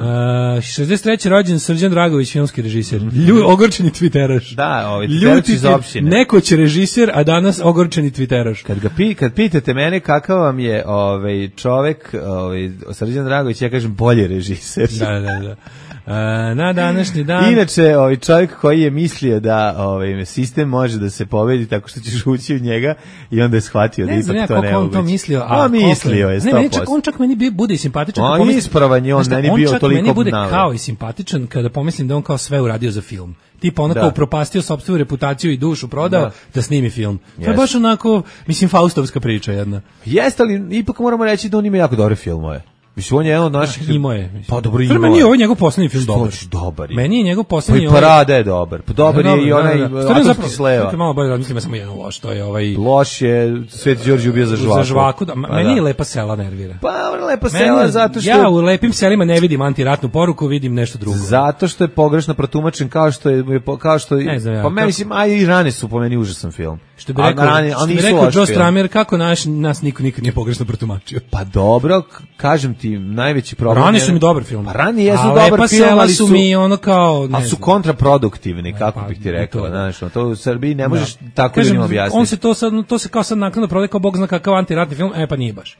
S5: Uh, šezdeset treće rođen Srđan Dragović, filmski režiser. Lju, ogorčeni twiteraš.
S6: Da, ovaj, Twitteraš iz opštine.
S5: Nekoć režiser, a danas ogorčeni twiteraš.
S6: Kad ga pi, kad pitate mene kakav vam je ovaj čovek, ovaj Srđan Dragović, ja kažem bolji režiser.
S5: Da, da, da. Uh, na današnji dan...
S6: Inače, ovaj čovjek koji je mislio da ovaj sistem može da se pobedi tako što ćeš ući u njega i onda je shvatio da
S5: Ne znam ja
S6: ipak to
S5: koliko
S6: ne
S5: on
S6: moguće.
S5: to mislio, a
S6: A mislio je
S5: Ne,
S6: sto
S5: meni čak,
S6: posto.
S5: on čak meni bi- bude i simpatičan.
S6: On
S5: kad pomislim-
S6: ispravan je, on
S5: Znaš šta,
S6: meni bio
S5: čak
S6: toliko
S5: meni bude
S6: obnavljan.
S5: kao i simpatičan kada pomislim da on kao sve uradio za film. Tipa ono
S6: Da.
S5: kao upropastio sopstvenu reputaciju i dušu prodao da,
S6: Da.
S5: snimi film. To je
S6: Jeste.
S5: baš onako, mislim, faustovska priča jedna.
S6: Jeste, ali ipak moramo reći da on ima jako dobre filmove. Mislim, on je jedan od naših...
S5: Imao je. mislim.
S6: Pa dobro,
S5: Stvarno,
S6: imao
S5: meni je
S6: je.
S5: ovo njegov poslednji film
S6: Što
S5: dobar.
S6: ću, dobar je.
S5: Meni je njegov
S6: Pa
S5: poslednji...
S6: i Parada je dobar. Pa dobar je i onaj
S5: Stvarno,
S6: Atomski
S5: zapravo,
S6: sleva.
S5: čekaj, malo bolje razmislim, ja samo jedan loš, to je ovaj...
S6: Loš je, Sveti Đorđe ubio za žvaku.
S5: Za žvaku, da,
S6: Pa
S5: meni
S6: da.
S5: je Lepa sela nervira.
S6: Pa, lepa
S5: Meni
S6: sela,
S5: je-
S6: zato što...
S5: Ja u lepim selima ne vidim antiratnu poruku, vidim nešto drugo.
S6: Zato što je pogrešno protumačen, kao što je kao što je,
S5: Ne znam ja,
S6: pa meni
S5: kako-
S6: mislim, a i rane su po meni užasan film.
S5: Što bi
S6: A
S5: rekao,
S6: rane-
S5: što
S6: ali
S5: bi
S6: nisu
S5: rekao
S6: loš
S5: Joe
S6: film.
S5: Stramer, kako naš, nas niko nikad nije pogrešno protumačio.
S6: Pa dobro, k- kažem ti, najveći problem
S5: Rani
S6: je-
S5: su mi dobar film.
S6: Pa Rani jesu
S5: A
S6: dobar
S5: Lepa
S6: film,
S5: sela
S6: ali
S5: su
S6: su
S5: mi ono kao... ne
S6: ali su
S5: znam.
S6: kontraproduktivni, kako
S5: pa,
S6: bih ti
S5: to
S6: rekao,
S5: da.
S6: znaš, ono, to u Srbiji ne možeš
S5: Da.
S6: tako
S5: Kažem,
S6: ljudima objasniti.
S5: On se to sad, to se kao sad naknadno prodaje kao bog zna kakav antiratni film, e pa nije baš.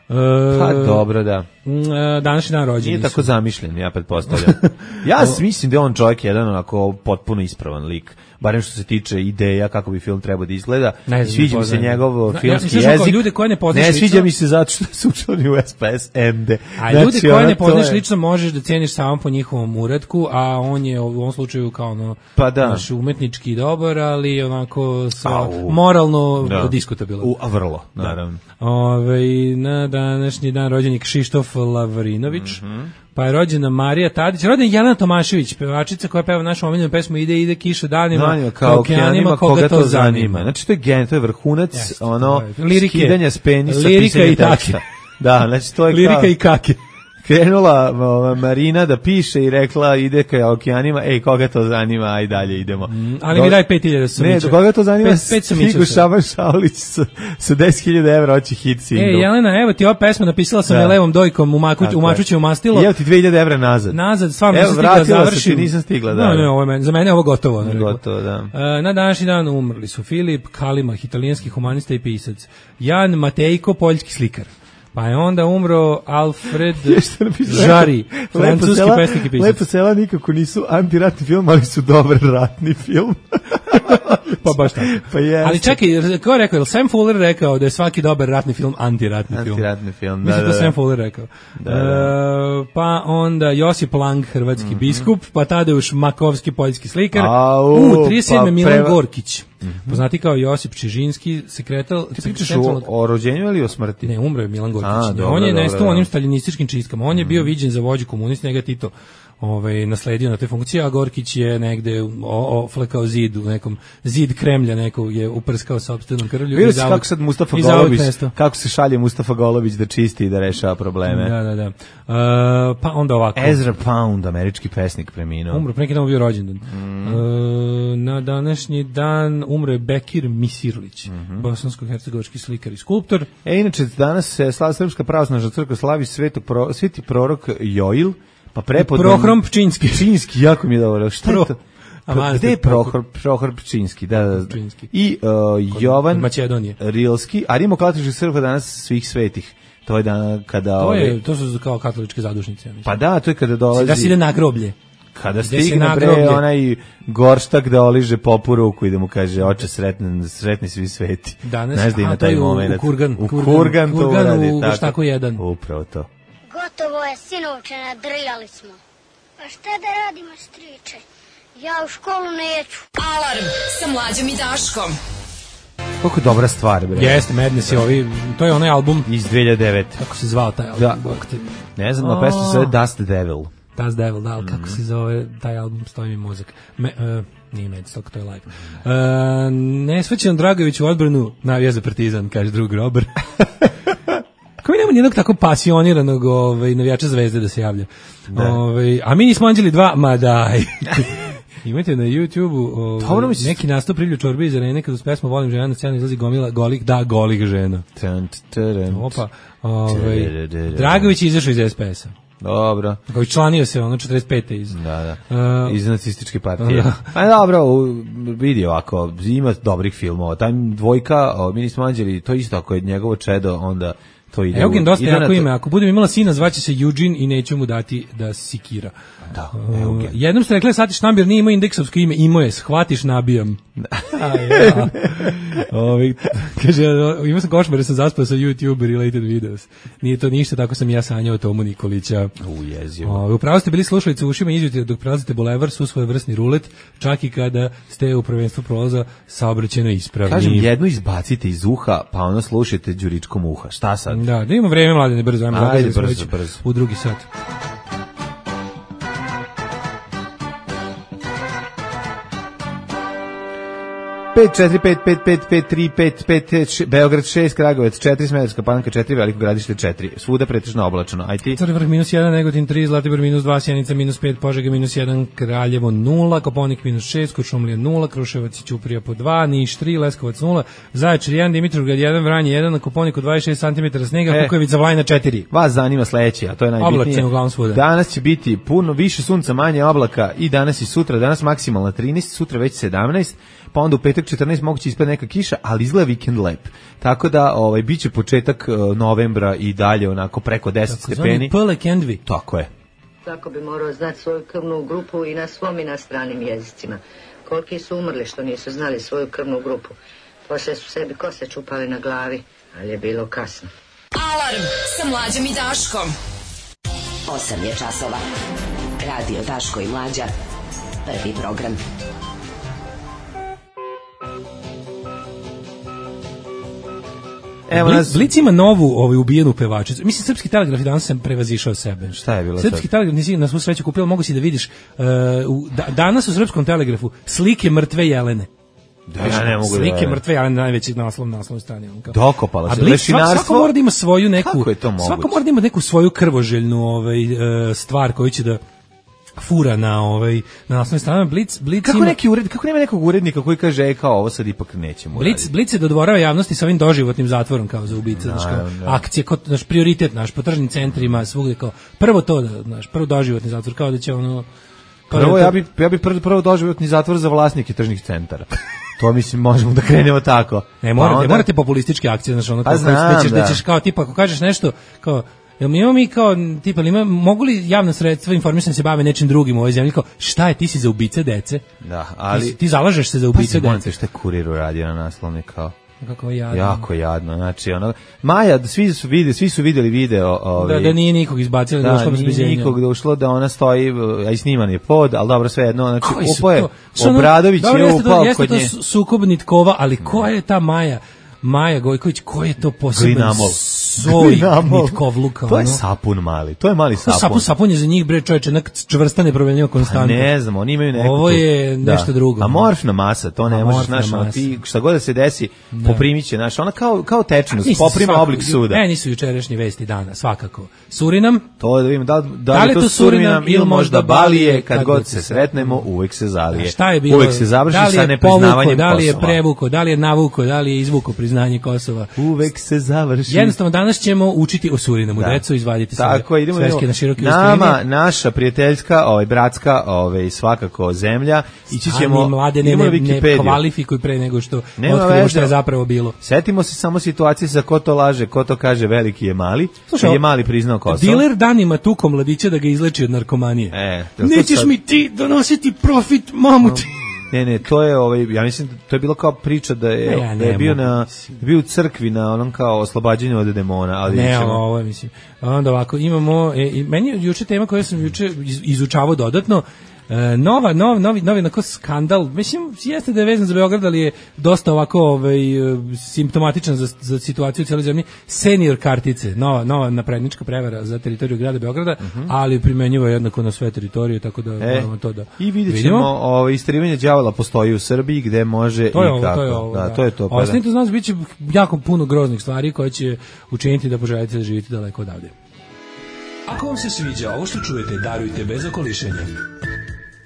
S5: E,
S6: Pa dobro, da.
S5: mm, e, današnji dan rođeni
S6: Nije
S5: su.
S6: tako zamišljen, ja pretpostavljam. Ja s- mislim da je on čovjek jedan onako potpuno ispravan lik. Barem što se tiče ideja kako bi film trebao da izgleda.
S5: Ne znam,
S6: Sviđa
S5: ne
S6: mi se
S5: poznajem.
S6: njegov
S5: Ja-
S6: filmski
S5: ja mislim, kao
S6: jezik.
S5: ljude koje ne poznaš
S6: Ne
S5: lično-
S6: sviđa mi se zato što su učlani u S P S M D.
S5: A
S6: Znači,
S5: ljudi koje
S6: ono,
S5: ne
S6: to
S5: poznaš
S6: je-
S5: lično možeš da ceniš samo po njihovom uratku, a on je u ovom slučaju kao ono,
S6: Pa da.
S5: znaš, umetnički dobar, ali onako sa,
S6: Au.
S5: moralno
S6: Da.
S5: diskutabilan.
S6: U, a vrlo, naravno.
S5: Ove, na današnji dan rođen je Kšištof Lavrinović,
S6: Mhm.
S5: pa je rođena Marija Tadić, rođena je Jelena Tomašević, pevačica koja peva našu omiljenu pesmu Ide, ide kiša danima,
S6: Danima, kao okeanima, koga to zanima. Znači, to je gen, to je vrhunac,
S5: Jeste,
S6: ono,
S5: to je lirike.
S6: skidanja s penisa,
S5: Lirika
S6: pisanja
S5: i take.
S6: teksta. Da, znači, to je
S5: Lirika
S6: kao...
S5: i kake.
S6: Krenula ova, Marina da piše i rekla ide ka okeanima, ej, koga to zanima, aj dalje idemo.
S5: Ali mi daj pet hiljada sam
S6: Ne,
S5: mičao.
S6: do koga to zanima,
S5: Pet- pet sam
S6: stigu
S5: mičao sam.
S6: Šaban Šaulić sa, sa deset hiljada evra, hoće hit single.
S5: E, Jelena, evo ti ova pesma, napisala sam
S6: Da.
S5: je levom dojkom u, makuć,
S6: Tako
S5: u
S6: je.
S5: mačućevo mastilo.
S6: I evo ti dve hiljade evra nazad.
S5: Nazad, stvarno
S6: Evo,
S5: nisam stigla da
S6: vratila se
S5: završim.
S6: ti, nisam stigla, da.
S5: Ne, ne, ovo je meni, za mene je ovo gotovo. ne, rekao.
S6: Gotovo, da.
S5: E, na današnji dan umrli su Filip Kalimah, italijanski humanista i pisac. Jan Matejko, poljski slikar. Pa je onda umro Alfred
S6: Što napisao?
S5: Žari,
S6: Lepo
S5: francuski
S6: sela-
S5: pesnik i pisac.
S6: Lepo sela nikako nisu antiratni film, ali su dobar ratni film.
S5: Pa baš tako.
S6: Pa jeste.
S5: Ali čekaj, ko je rekao? Je li Sam Fuller rekao da je svaki dobar ratni film antiratni film?
S6: Antiratni film, da,
S5: Mislim
S6: da,
S5: da
S6: da.
S5: Sam Fuller rekao.
S6: Da, da.
S5: E, pa onda Josip Lang, hrvatski biskup, pa Tadeuš Makovski, poljski slikar.
S6: Au,
S5: U, trideset sedme
S6: pa
S5: Milan
S6: preva-
S5: Gorkić. Poznati kao Josip Čižinski, sekretar...
S6: Ti pričaš o, o rođenju ili o smrti?
S5: Ne, umro je Milan Gorkić.
S6: A,
S5: Ne,
S6: dobro,
S5: on je
S6: dobro,
S5: nestao u
S6: da.
S5: onim staljinističkim čistkama. On je bio viđen za vođu komunista, njega je Tito ovaj, nasledio na te funkcije, a Gorkić je negde o- oflekao zid u nekom, zid Kremlja nekog je uprskao sopstvenom krvlju.
S6: Vidio
S5: i
S6: si
S5: zauvek-
S6: kako sad Mustafa
S5: i zauvek
S6: Golobić,
S5: nestao.
S6: kako se šalje Mustafa Golobić da čisti i da rešava probleme.
S5: Da, da, da. Uh, pa onda ovako.
S6: Ezra Pound, američki pesnik, preminuo.
S5: Umro, pre neki dan mu bio rođendan.
S6: Mm.
S5: Uh, na današnji dan umro je Bekir Misirlić,
S6: Mhm.
S5: bosansko-hercegovački slikar i skulptor.
S6: E, inače, danas se slava Srpska pravoslavna crkva slavi svetog pro, sveti prorok Joil, pa prepodne...
S5: Prohrom Pčinski.
S6: Pčinski, jako mi je dobro. Šta
S5: Pro-
S6: je to?
S5: A
S6: Pro,
S5: manastir
S6: gde je
S5: Prohor-
S6: Prohor, Prohor Pčinski? Da, da, da.
S5: Pčinski.
S6: I uh, Jovan
S5: kod Makedonije.
S6: Rilski, a rimokatoličkih crkva danas svih svetih. To je dan kada...
S5: To,
S6: ove,
S5: je, to su kao katoličke zadušnice. Ja mislim.
S6: pa da, to je kada dolazi...
S5: Da se ide na groblje.
S6: Kada
S5: Ide se
S6: stigne
S5: na
S6: bre
S5: groblje.
S6: onaj gorštak da oliže popu ruku i da mu kaže oče sretni, sretni svi sveti.
S5: Danas,
S6: Znaš da ima
S5: a, to
S6: taj
S5: je u-
S6: moment.
S5: u Kurgan,
S6: U
S5: Kurgan,
S6: Kurgan, to
S5: Kurgan
S6: uradi,
S5: u
S6: tako.
S5: Gorštaku jedan.
S6: Upravo to.
S8: Gotovo je, sinovče, nadrljali smo. Pa šta da radimo, striče? Ja u školu neću.
S2: Alarm sa Mlađom i Daškom.
S6: Koliko dobra stvar, bre.
S5: Jeste, Madness je ovi, to je onaj album,
S6: Iz dve hiljade devete.
S5: kako se zvao taj album?
S6: Da.
S5: Bog te-
S6: Ne znam, na pesma se zove Dust Devil.
S5: Das Devil, da, ali kako
S6: Mhm.
S5: se zove taj album, stoji mi mozak. Me, uh, nije Medstock, to je live. Uh, Nesvećan Dragović u odbranu navija za Partizan, kaže drug Robert. Kako mi nema nijednog tako pasioniranog ovaj, navijača Zvezde da se javlja. Ovaj, a mi nismo Anđeli dva, ma daj. Imate na YouTubeu
S6: Dobro
S5: ovaj,
S6: mi se-
S5: neki nastup Prilju Čorbe iz arene kada uz pesmu Volim žena na scenu izlazi gomila golih, da, golih žena.
S6: Tant, tarant.
S5: Opa, ovaj, Dragović je izašao iz S P S-a.
S6: Dobro.
S5: Kao članio se ono četrdeset pete iz.
S6: Da, da.
S5: Uh,
S6: Iz nacističke partije.
S5: da.
S6: Pa dobro, u- vidi ovako, ima dobrih filmova. Taj dvojka, o, mi nismo anđeli, to isto ako je njegovo čedo, onda to ide.
S5: Eugen
S6: u-
S5: dosta
S6: ide na
S5: jako
S6: to-
S5: ime. Ako budem imala sina, zvaće se Eugene i neću mu dati da sikira.
S6: Da,
S5: Uh,
S6: Eugen.
S5: jednom ste rekli, Satiš Nabir nije imao indeksovsko ime, imao je, shvatiš, nabijam. A, ja. Ovi, kaže, imao sam košmar, jer sam zaspao sa YouTube related videos. Nije to ništa, tako sam i ja sanjao o Tomu Nikolića.
S6: U jezivo.
S5: O, upravo ste bili slušalice u ušima izvjetite dok prelazite bulevar, su svoj vrsni rulet, čak i kada ste u prvenstvu prolaza saobraćajno ispravni.
S6: Kažem, jednu izbacite iz uha, pa ono slušajte đuričkom uha. Šta sad?
S5: Da, da imamo vreme, mladine, brzo, ajmo,
S6: Ajde,
S5: zagazili smo
S6: brzo,
S5: već
S6: brzo.
S5: u drugi sat.
S6: pet četiri pet pet pet pet tri pet pet Beograd šest, Kragujevac četiri, Smederevska Palanka četiri, Veliko Gradište četiri. Svuda pretežno oblačno. Aj ti?
S5: Crni vrh minus jedan, Negotin tri, Zlatibor minus dva, Sjenica minus pet, Požega minus jedan, Kraljevo nula, Koponik minus šest, Kuršumlija nula, Kruševac i Ćuprija po dva, Niš tri, Leskovac nula, Zaječar jedan, Dimitrovgrad jedan, Vranje jedan, na Koponiku dvadeset šest centimetara snega,
S6: E.
S5: Kukavica Vlajna četiri.
S6: Vas zanima sledeće, a to je najbitnije.
S5: Oblačno uglavnom svuda.
S6: Danas će biti puno više sunca, manje oblaka i danas i sutra. Danas maksimalna trinaest, sutra već sedamnaest, pa onda u petak četrnaest moguće ispred neka kiša, ali izgleda vikend lep. Tako da ovaj biće početak uh, novembra i dalje onako preko deset stepeni.
S5: Pele Kendvi.
S6: Tako je.
S9: Svako bi morao znati svoju krvnu grupu i na svom i na stranim jezicima. Koliki su umrli što nisu znali svoju krvnu grupu. Poslije su sebi kose čupali na glavi, ali je bilo kasno.
S2: Alarm sa Mlađom i Daškom.
S10: osam je časova. Radio Daško i Mlađa. Prvi program.
S6: Evo
S5: Blic,
S6: nas.
S5: Blic ima novu ovaj, ubijenu pevačicu. Mislim, Srpski telegraf i danas sam prevazišao sebe.
S6: Šta je bilo
S5: Srpski
S6: sad?
S5: telegraf nisi na svu sreću kupila, mogu si da vidiš uh, u, da, danas u Srpskom telegrafu slike mrtve jelene.
S6: Da, ja ne mogu
S5: Slike
S6: da...
S5: mrtve jelene, najveći naslov na naslovnoj strani. On kao.
S6: Dokopala
S5: A
S6: se.
S5: Blic, svak,
S6: Lešinarstvo.
S5: svako mora da ima svoju neku,
S6: Kako je to moguće?
S5: svako mora da ima neku svoju krvoželjnu ovaj, uh, stvar koju će da fura na ovaj na naslovnoj strani. Blic, Blic
S6: Kako
S5: ima,
S6: neki ured, kako nema nekog urednika koji kaže e kao ovo sad ipak nećemo.
S5: Blic,
S6: uraditi.
S5: Blic se dodvorava javnosti sa ovim doživotnim zatvorom kao za ubice, znaš, kao
S6: Naravno, da.
S5: akcije, kao, naš prioritet naš, po tržnim centrima, svugde kao, prvo to, da, znaš, prvo doživotni zatvor, kao da će ono... kao
S6: Prvo
S5: da to-
S6: ja bi ja bi prvo, prvo doživotni zatvor za vlasnike tržnih centara. To mislim možemo da krenemo tako.
S5: Ne, morate,
S6: Pa onda-
S5: morate populističke akcije, znaš, ono,
S6: Pa
S5: kao, koje-
S6: znam,
S5: da ćeš, da
S6: da.
S5: ćeš kao, tipa, ako kažeš nešto, kao, jel mi imamo mi kao, tipa, ili ima, mogu li javna sredstva informisanja se bave nečim drugim u ovoj zemlji, kao, šta je, ti si za ubice dece?
S6: Da,
S5: Ti,
S6: ali
S5: si- ti zalažeš se za ubice
S6: pa
S5: dece?
S6: šta je kurir uradio na naslovni kao.
S5: Kako je jadno.
S6: Jako jadno, znači ono Maja, svi su videli, svi su videli video, ovaj.
S5: Da, da nije nikog izbacili, da,
S6: Da,
S5: došlo bez
S6: nije
S5: bezjenja.
S6: nikog da ušlo da ona stoji, a i sniman je pod, ali dobro, sve jedno, znači
S5: Koji su
S6: upao je,
S5: to? Što ono-
S6: Obradović
S5: dobro,
S6: je
S5: jeste to-
S6: upao
S5: jeste
S6: kod
S5: to
S6: nje.
S5: su- sukob nitkova, ali ko je ta Maja? Maja Gojković, ko je to poseban
S6: Glinamol.
S5: soj
S6: Glinamol.
S5: nitkovluka?
S6: To je
S5: ono?
S6: sapun mali, to je mali
S5: To
S6: sapun.
S5: sapun, sapun je za njih, bre, čoveče, nek čvrsta nepromenljiva
S6: Pa
S5: konstanta.
S6: ne znam, oni imaju neku...
S5: Ovo
S6: tu-
S5: je nešto drugo.
S6: Amorfna masa, to ne možeš,
S5: Amorfna
S6: znaš, ono,
S5: masa.
S6: ti šta god da se desi, poprimit će, znaš, ona kao, kao tečnost,
S5: Mislim,
S6: poprima
S5: svako-
S6: oblik suda.
S5: Meni su jučerašnje vesti dana, svakako. Surinam,
S6: To da vidimo, da, da,
S5: Da li
S6: li je to Surinam ili možda Balije, kad god se sretnemo, uvek se zalije.
S5: šta je bilo?
S6: Uvek se završi
S5: da li
S6: sa
S5: je
S6: nepriznavanjem
S5: povukao, da li je
S6: Kosova.
S5: prevuko, da li je navuko, da li je izvuko priznanje Kosova.
S6: Uvek se završi.
S5: Jednostavno danas danas ćemo učiti o Surinamu,
S6: Da.
S5: deco, izvadite se
S6: Tako, idemo,
S5: sveske
S6: idemo.
S5: na široki
S6: Nama,
S5: usprini.
S6: naša prijateljska, ovaj, bratska, ovaj, svakako zemlja, ići ćemo,
S5: Ani mlade ne,
S6: idemo na
S5: ne, ne
S6: Wikipediju.
S5: kvalifikuj pre nego što
S6: Nema
S5: otkriju
S6: veze.
S5: što je zapravo bilo.
S6: Setimo se samo situacije sa ko to laže, ko to kaže veliki je mali,
S5: Slušaj,
S6: kad je mali priznao Kosovo.
S5: Diler danima tuko mladića da ga izleči od narkomanije.
S6: E, jel to
S5: Nećeš
S6: sad-
S5: mi ti donositi profit, mamu ti.
S6: Ne, ne, to je ovaj, ja mislim da to je bilo kao priča da je,
S5: Ne, ja
S6: da je
S5: ne
S6: bio
S5: mogu,
S6: na da je bio u crkvi na onom kao oslobađanju od demona, ali
S5: Ne,
S6: ćemo-
S5: ovo, ovo je, mislim. Onda ovako, imamo, e, i meni je juče tema koju sam juče iz- izučavao dodatno, e, nova, nov, novi, novi onako skandal, mislim, jeste da je vezan za Beograd, ali je dosta ovako ovaj, e, simptomatičan za, za situaciju u cijeloj zemlji, senior kartice, nova, nova naprednička prevara za teritoriju grada Beograda, ali primenjiva jednako na sve teritorije, tako da
S6: E,
S5: moramo to da
S6: I vidjet
S5: vidimo.
S6: ćemo, ovaj, istrivanje đavola postoji u Srbiji gde može
S5: To je
S6: i
S5: ovo,
S6: kako.
S5: to je ovo.
S6: Da, to je to. Pa da.
S5: Ostanite uz nas, bit će jako puno groznih stvari koje će učiniti da poželite da živite daleko odavde. Ako vam se sviđa ovo što čujete, darujte bez okolišenja.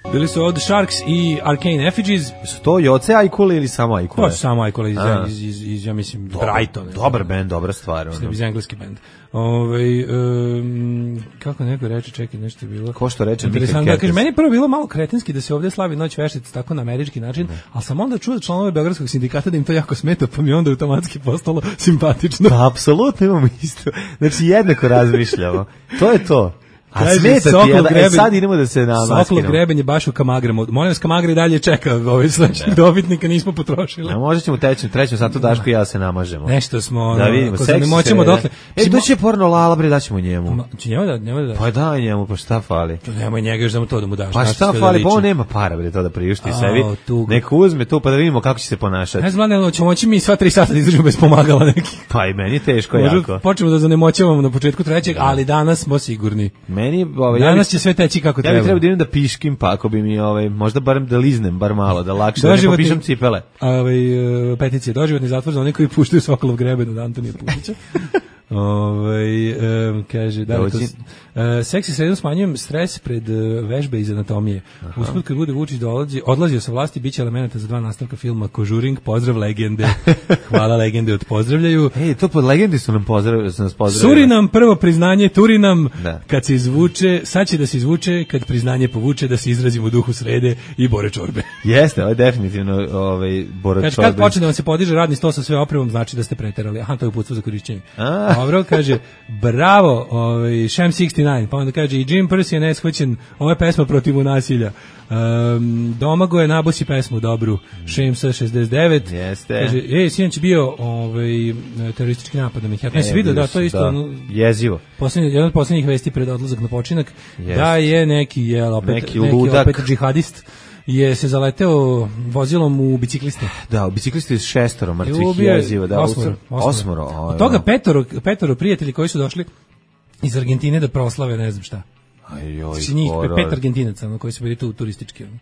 S5: Bili su od Sharks i Arcane Effigies.
S6: Su to Joce Ajkule ili samo Ajkule?
S5: To su samo Ajkule iz,
S6: A.
S5: iz, iz, iz, ja mislim,
S6: Dobar-
S5: Brighton.
S6: Dobar band, dobra stvar.
S5: Mislim,
S6: Ono.
S5: iz engleski band. Ove, um, kako neko reče, čekaj, nešto je bilo.
S6: Ko što reče Mika
S5: Interesantno, da,
S6: Kertes.
S5: kaže, meni je prvo bilo malo kretenski da se ovdje slavi Noć veštice tako na američki način, ali sam onda čuo da članove Beogradskog sindikata da im to jako smeta, pa mi je onda automatski postalo simpatično.
S6: Pa, apsolutno imamo isto. Znači, jednako razmišljamo. To je to. A
S5: Kaže,
S6: smeta ti,
S5: Sokolov
S6: jel da- e,
S5: greben-
S6: sad idemo da se namaskiramo.
S5: Sokolov greben je baš u Kamagrama. Molim vas, Kamagra i dalje čeka ovaj sledećeg dobitnika, nismo potrošili.
S6: A možda ćemo u trećem, trećem satu Daško i ja se namažemo.
S5: Nešto smo,
S6: Da
S5: ono,
S6: vidimo,
S5: ako
S6: seksi
S5: ne moćemo
S6: sreda.
S5: dotle.
S6: E,
S5: Mislim,
S6: doći je porno Lala, bre, daćemo njemu.
S5: Ma, će njemu da, njemu da.
S6: Pa daj njemu, pa šta fali?
S5: Nemoj njega još da mu to da mu daš.
S6: Pa
S5: znaš
S6: šta
S5: sve da
S6: fali, pa
S5: liči.
S6: on nema para, bre, to da priušti
S5: A,
S6: sebi.
S5: tuga.
S6: Neko uzme to pa da vidimo kako će se ponašati.
S5: Ne znam, ne, ćemo moći mi sva tri sata da izdržimo bez pomagala neki.
S6: Pa i meni je teško
S5: Možda
S6: jako.
S5: počnemo da zanemoćavamo na početku trećeg, ali danas smo sigurni.
S6: Meni, ovaj, ja
S5: Danas
S6: bi-
S5: će sve teći kako
S6: Ja
S5: treba.
S6: bih trebao da idem da piškim, pa ako bi mi, ovaj, možda barem da liznem, bar malo, da lakše, da ne
S5: Doživotni-
S6: popišem cipele.
S5: Ovaj, e, peticija, doživotni zatvor za one koji puštaju Sokolov greben od Antonija Pušića. Ovaj e, kaže da li to
S6: Dođi.
S5: e, seksi sredom smanjujem stres pred e, vežbe iz anatomije. Usput kad bude Vučić dolazi, odlazio sa vlasti, biće elemenata za dva nastavka filma Kožuring, pozdrav legende. Hvala legende od pozdravljaju.
S6: Ej, to pod legendi su nam pozdravili, su nas pozdravili.
S5: Surinam, prvo priznanje, Turinam,
S6: Da.
S5: kad se izvuče, sad će da se izvuče, kad priznanje povuče, da se izrazimo u duhu srede i Bore Čorbe.
S6: Jeste, ovo je definitivno ovaj, Bora
S5: Kaže,
S6: Čorbe.
S5: kad počne da vam se podiže radni sto sa sve opremom, znači da ste preterali. Aha, to je uputstvo za korišćenje.
S6: A.
S5: Dobro, kaže, bravo, ovaj, Shem šezdeset devet, pa onda kaže, i Jim Percy je neshvaćen, ovo je pesma protiv nasilja. Um, Domago je nabosi pesmu dobru, Shem šezdeset devet.
S6: Jeste.
S5: Kaže, ej, sinoć je bio ovaj, teroristički napad na Manhattan. Ne, si vidio, da, to je isto,
S6: da.
S5: ono,
S6: Jezivo.
S5: Posljednji, jedan od posljednjih vesti pred odlazak na počinak,
S6: Jeste.
S5: da je neki, jel, opet,
S6: Neki
S5: neki,
S6: ludak.
S5: opet džihadist je se zaleteo vozilom u bicikliste.
S6: Da, biciklisti s šestoro mrtvih
S5: I ubio je
S6: jezivo. Da,
S5: osmoro,
S6: osmoro.
S5: osmoro.
S6: osmoro
S5: Od toga petoro, petoro prijatelji koji su došli iz Argentine da proslave, ne znam šta.
S6: Ajoj,
S5: Znači njih
S6: horor.
S5: pet Argentinaca, ono, koji su bili tu turistički. ono.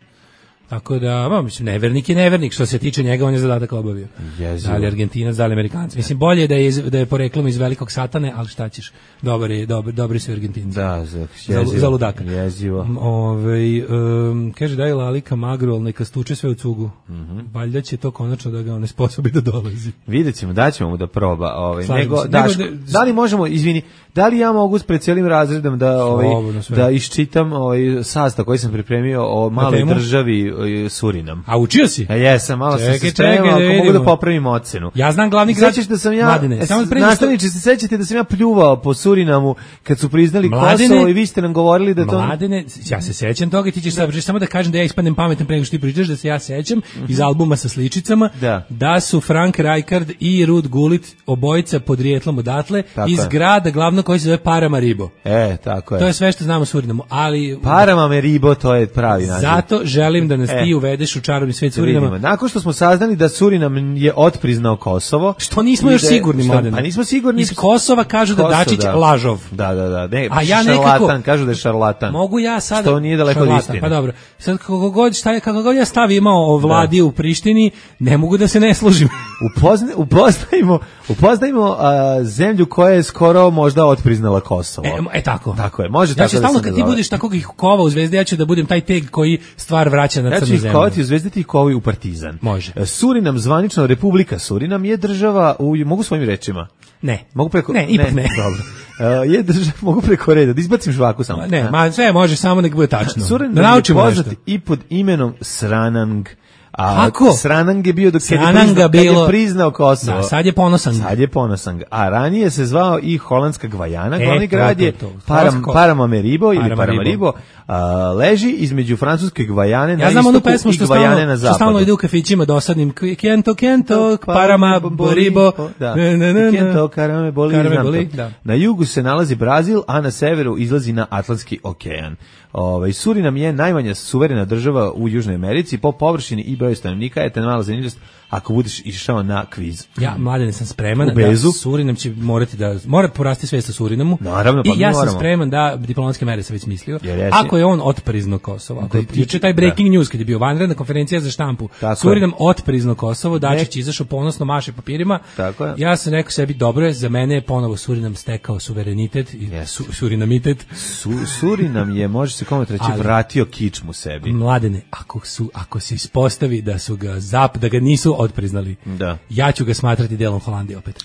S5: Tako da, ma, mislim, nevernik je nevernik, što se tiče njega, on je zadatak obavio.
S6: Jezivo.
S5: Da li Argentinac, da li Amerikanac. Mislim, bolje je da je, iz, da je poreklom iz velikog satane, ali šta ćeš, dobar je, dobar, dobri su Argentinci.
S6: Da, za,
S5: Za,
S6: jezivo.
S5: za ludaka.
S6: Jezivo.
S5: Ove, um, kaže daj Lalika magru, ali neka stuče sve u cugu.
S6: Mhm.
S5: Valjda će to konačno da ga on ne sposobi da dolazi.
S6: Vidjet ćemo, daćemo mu da proba. Ovaj,
S5: Slažem
S6: nego,
S5: se.
S6: Daško,
S5: Nego da-
S6: da li možemo, izvini, da li ja mogu pred cijelim razredom da, ovaj,
S5: Slobodno, sve.
S6: da iščitam ovaj, sastav koji sam pripremio o maloj
S5: temu?
S6: državi eh, Surinam?
S5: A učio si?
S6: A jesam, malo sam
S5: Čekaj,
S6: se
S5: čekaj,
S6: spremao,
S5: da
S6: ako mogu
S5: vidimo.
S6: da popravim ocenu.
S5: Ja znam glavni grad.
S6: Sećaš da sam ja,
S5: Mladine,
S6: e,
S5: samo pre nego što-
S6: nastavniče, se sećate da sam ja pljuvao po Surinamu kad su priznali
S5: Mladine-
S6: Kosovo i vi ste nam govorili da to...
S5: Mladene, ja se sećam toga i ti ćeš sad samo da kažem da ja ispadnem pametan pre nego što ti pričaš, da se ja sećam iz albuma sa sličicama
S6: Da.
S5: su Frank Rijkaard i Ruud Gullit obojica podrijetlom odatle
S6: Tako
S5: iz
S6: je.
S5: grada glavno koji se zove Paramaribo.
S6: E, tako je.
S5: To je sve što znamo o Surinamu, ali
S6: Paramaribo, to je pravi naziv.
S5: zato želim da nas
S6: E.
S5: ti uvedeš u čarobni svet
S6: Da vidimo.
S5: Surinama.
S6: Nakon što smo saznali da Surinam je otpriznao Kosovo.
S5: Što nismo
S6: i
S5: još
S6: da-
S5: sigurni,
S6: što-
S5: Mladene.
S6: Pa nismo sigurni.
S5: Iz Kosova kažu da
S6: Kosovo,
S5: Dačić
S6: da.
S5: lažov.
S6: Da, da, da. Ne,
S5: A ja
S6: šarlatan,
S5: nekako-
S6: kažu da je šarlatan.
S5: Mogu ja sad
S6: Što nije daleko od
S5: šarlatan,
S6: istine.
S5: Pa dobro. Sad kako god šta je, kako god ja stav imao o vladi u Prištini, ne mogu da se ne složim.
S6: Upozna, upoznajmo, Upoznajmo a, zemlju koja je skoro možda otpriznala Kosovo.
S5: E, e tako.
S6: Tako je, može
S5: ja
S6: tako
S5: ću
S6: da
S5: stalno
S6: se
S5: kad ti
S6: nazove.
S5: budeš takvog ih kova u Zvezdi, ja ću da budem taj teg koji stvar vraća na
S6: Ja ću
S5: crnu
S6: ih
S5: zemlju.
S6: kovati u Zvezdi, ti ih kovi u Partizan.
S5: Može.
S6: E, Surinam, zvanično Republika Surinam je država, u, mogu svojim rečima?
S5: Ne.
S6: Mogu preko...
S5: Ne, ipak ne.
S6: Dobro. Uh, je država, mogu preko reda, da izbacim žvaku samo.
S5: Ne, ma sve može, samo nek bude tačno.
S6: Surinam
S5: Da
S6: je
S5: naučimo
S6: poznat
S5: nešto.
S6: i pod imenom Sranang. A
S5: Kako?
S6: Sranang je bio dok kad je,
S5: Srananga
S6: priznao, kad
S5: bilo-
S6: je priznao Kosovo.
S5: Da, sad je ponosan.
S6: Sad je ponosan. A ranije se zvao i holandska Gvajana,
S5: E,
S6: glavni
S5: to,
S6: grad
S5: to,
S6: je
S5: to.
S6: Param,
S5: Holandsko-
S6: Paramaribo ili
S5: Paramaribo.
S6: Paramaribo. A, leži između francuske Gvajane na
S5: Ja znam onu
S6: istoku
S5: pesmu
S6: i
S5: što
S6: Gvajane
S5: stalno,
S6: na
S5: što stalno
S6: zapadu.
S5: ide u kafićima dosadnim. Kento, kento, parama, boribo.
S6: Da.
S5: Ne, ne, ne, ne.
S6: Kento, karame, boli,
S5: Karame
S6: znam
S5: boli,
S6: to.
S5: da.
S6: Na jugu se nalazi Brazil, a na severu izlazi na Atlantski okean. Ovaj Surinam je najmanja suverena država u Južnoj Americi po površini i broju stanovnika. Je te mala zanimljivost ako budeš išao na kviz.
S5: Ja, mladene, sam spreman
S6: U Bezu.
S5: da Surinam će morati da, mora porasti svest o Surinamu.
S6: Naravno, pa
S5: I
S6: mi
S5: ja sam
S6: moramo.
S5: spreman da, diplomatske mere sam već mislio,
S6: Jer jesi.
S5: ako je on otprizno Kosovo, ako je
S6: Da,
S5: juče taj breaking news kad je bio vanredna konferencija za štampu,
S6: Tako
S5: Surinam otprizno Kosovo, Dačić
S6: Ne.
S5: izašao ponosno maše papirima,
S6: Tako je.
S5: ja sam rekao sebi, dobro je, za mene je ponovo Surinam stekao suverenitet i su, surinamitet.
S6: Su, Surinam je, može se komotno reći,
S5: Ali-
S6: vratio kičmu sebi.
S5: Mladene, ako su ako se ispostavi da su ga zap, da ga nisu otpriznali,
S6: Da.
S5: ja ću ga smatrati delom Holandije opet.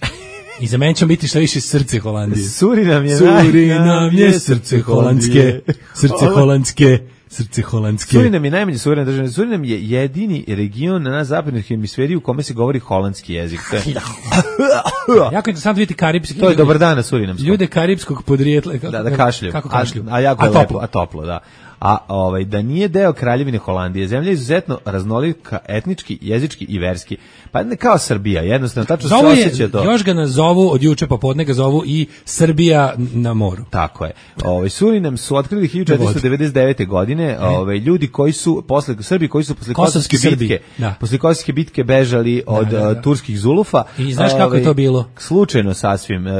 S5: I za mene će biti što više srce Holandije.
S6: Surinam je
S5: Surinam je srce holandske, srce holandske, srce holandske.
S6: Surinam je najmanje suverena država. Surinam je jedini region na zapadnoj hemisferi u kome se govori holandski jezik. To je,
S5: Jako je interesantno vidjeti karipski.
S6: to je dobar dan na surinamskom.
S5: Ljude karipskog podrijetla. Kako,
S6: Da, da kašlju.
S5: Kako kašlju?
S6: A, a jako je
S5: toplo.
S6: lepo, a toplo, da. A ovaj da nije deo Kraljevine Holandije, zemlja je izuzetno raznolika etnički, jezički i verski. Pa ne kao Srbija, jednostavno tačno se
S5: Zovu je,
S6: osjeća to.
S5: još ga nazovu od juče popodne ga zovu i Srbija na moru.
S6: Tako je. Ovaj Surinam su otkrili hiljadu četiristo devedeset devete godine, ovaj ljudi koji su posle Srbi koji su posle
S5: Kosovski
S6: Kosovske
S5: Srbi,
S6: bitke,
S5: da.
S6: posle Kosovske bitke bežali od
S5: da, da.
S6: uh, turskih zulufa.
S5: I znaš kako je to bilo?
S6: Slučajno sasvim. E,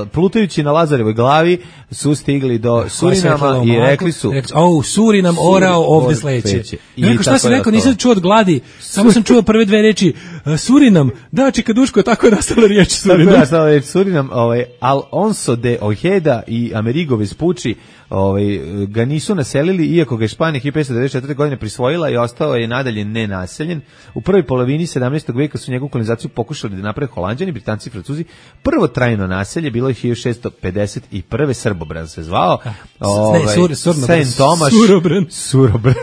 S6: Plutajući na Lazarevoj glavi su stigli do Surinama i rekli su
S5: oh, Surinam orao ovde
S6: ovde
S5: sleće.
S6: sleće.
S5: I rekao, šta
S6: tako
S5: si
S6: je
S5: rekao,
S6: ostalo.
S5: nisam čuo od gladi, samo sam čuo prve dve reči, uh, Surinam, da, čikaduško, tako je nastala riječ
S6: Tako je
S5: Surinam.
S6: nastala riječ Surinam, ovaj, Alonso de Ojeda i Amerigo Vespucci ovaj, ga nisu naselili, iako ga je Španija hiljadu petsto devedeset četvrte godine prisvojila i ostao je nadalje nenaseljen. U prvoj polovini sedamnaestog veka su njegovu kolonizaciju pokušali da naprave Holanđani, Britanci i Francuzi. Prvo trajno naselje bilo je hiljadu šessto pedeset prve. Srbobran se zvao. Ovaj,
S5: ne, sur, surno,
S6: Saint Tomaš.
S5: Surobran.
S6: Surobran.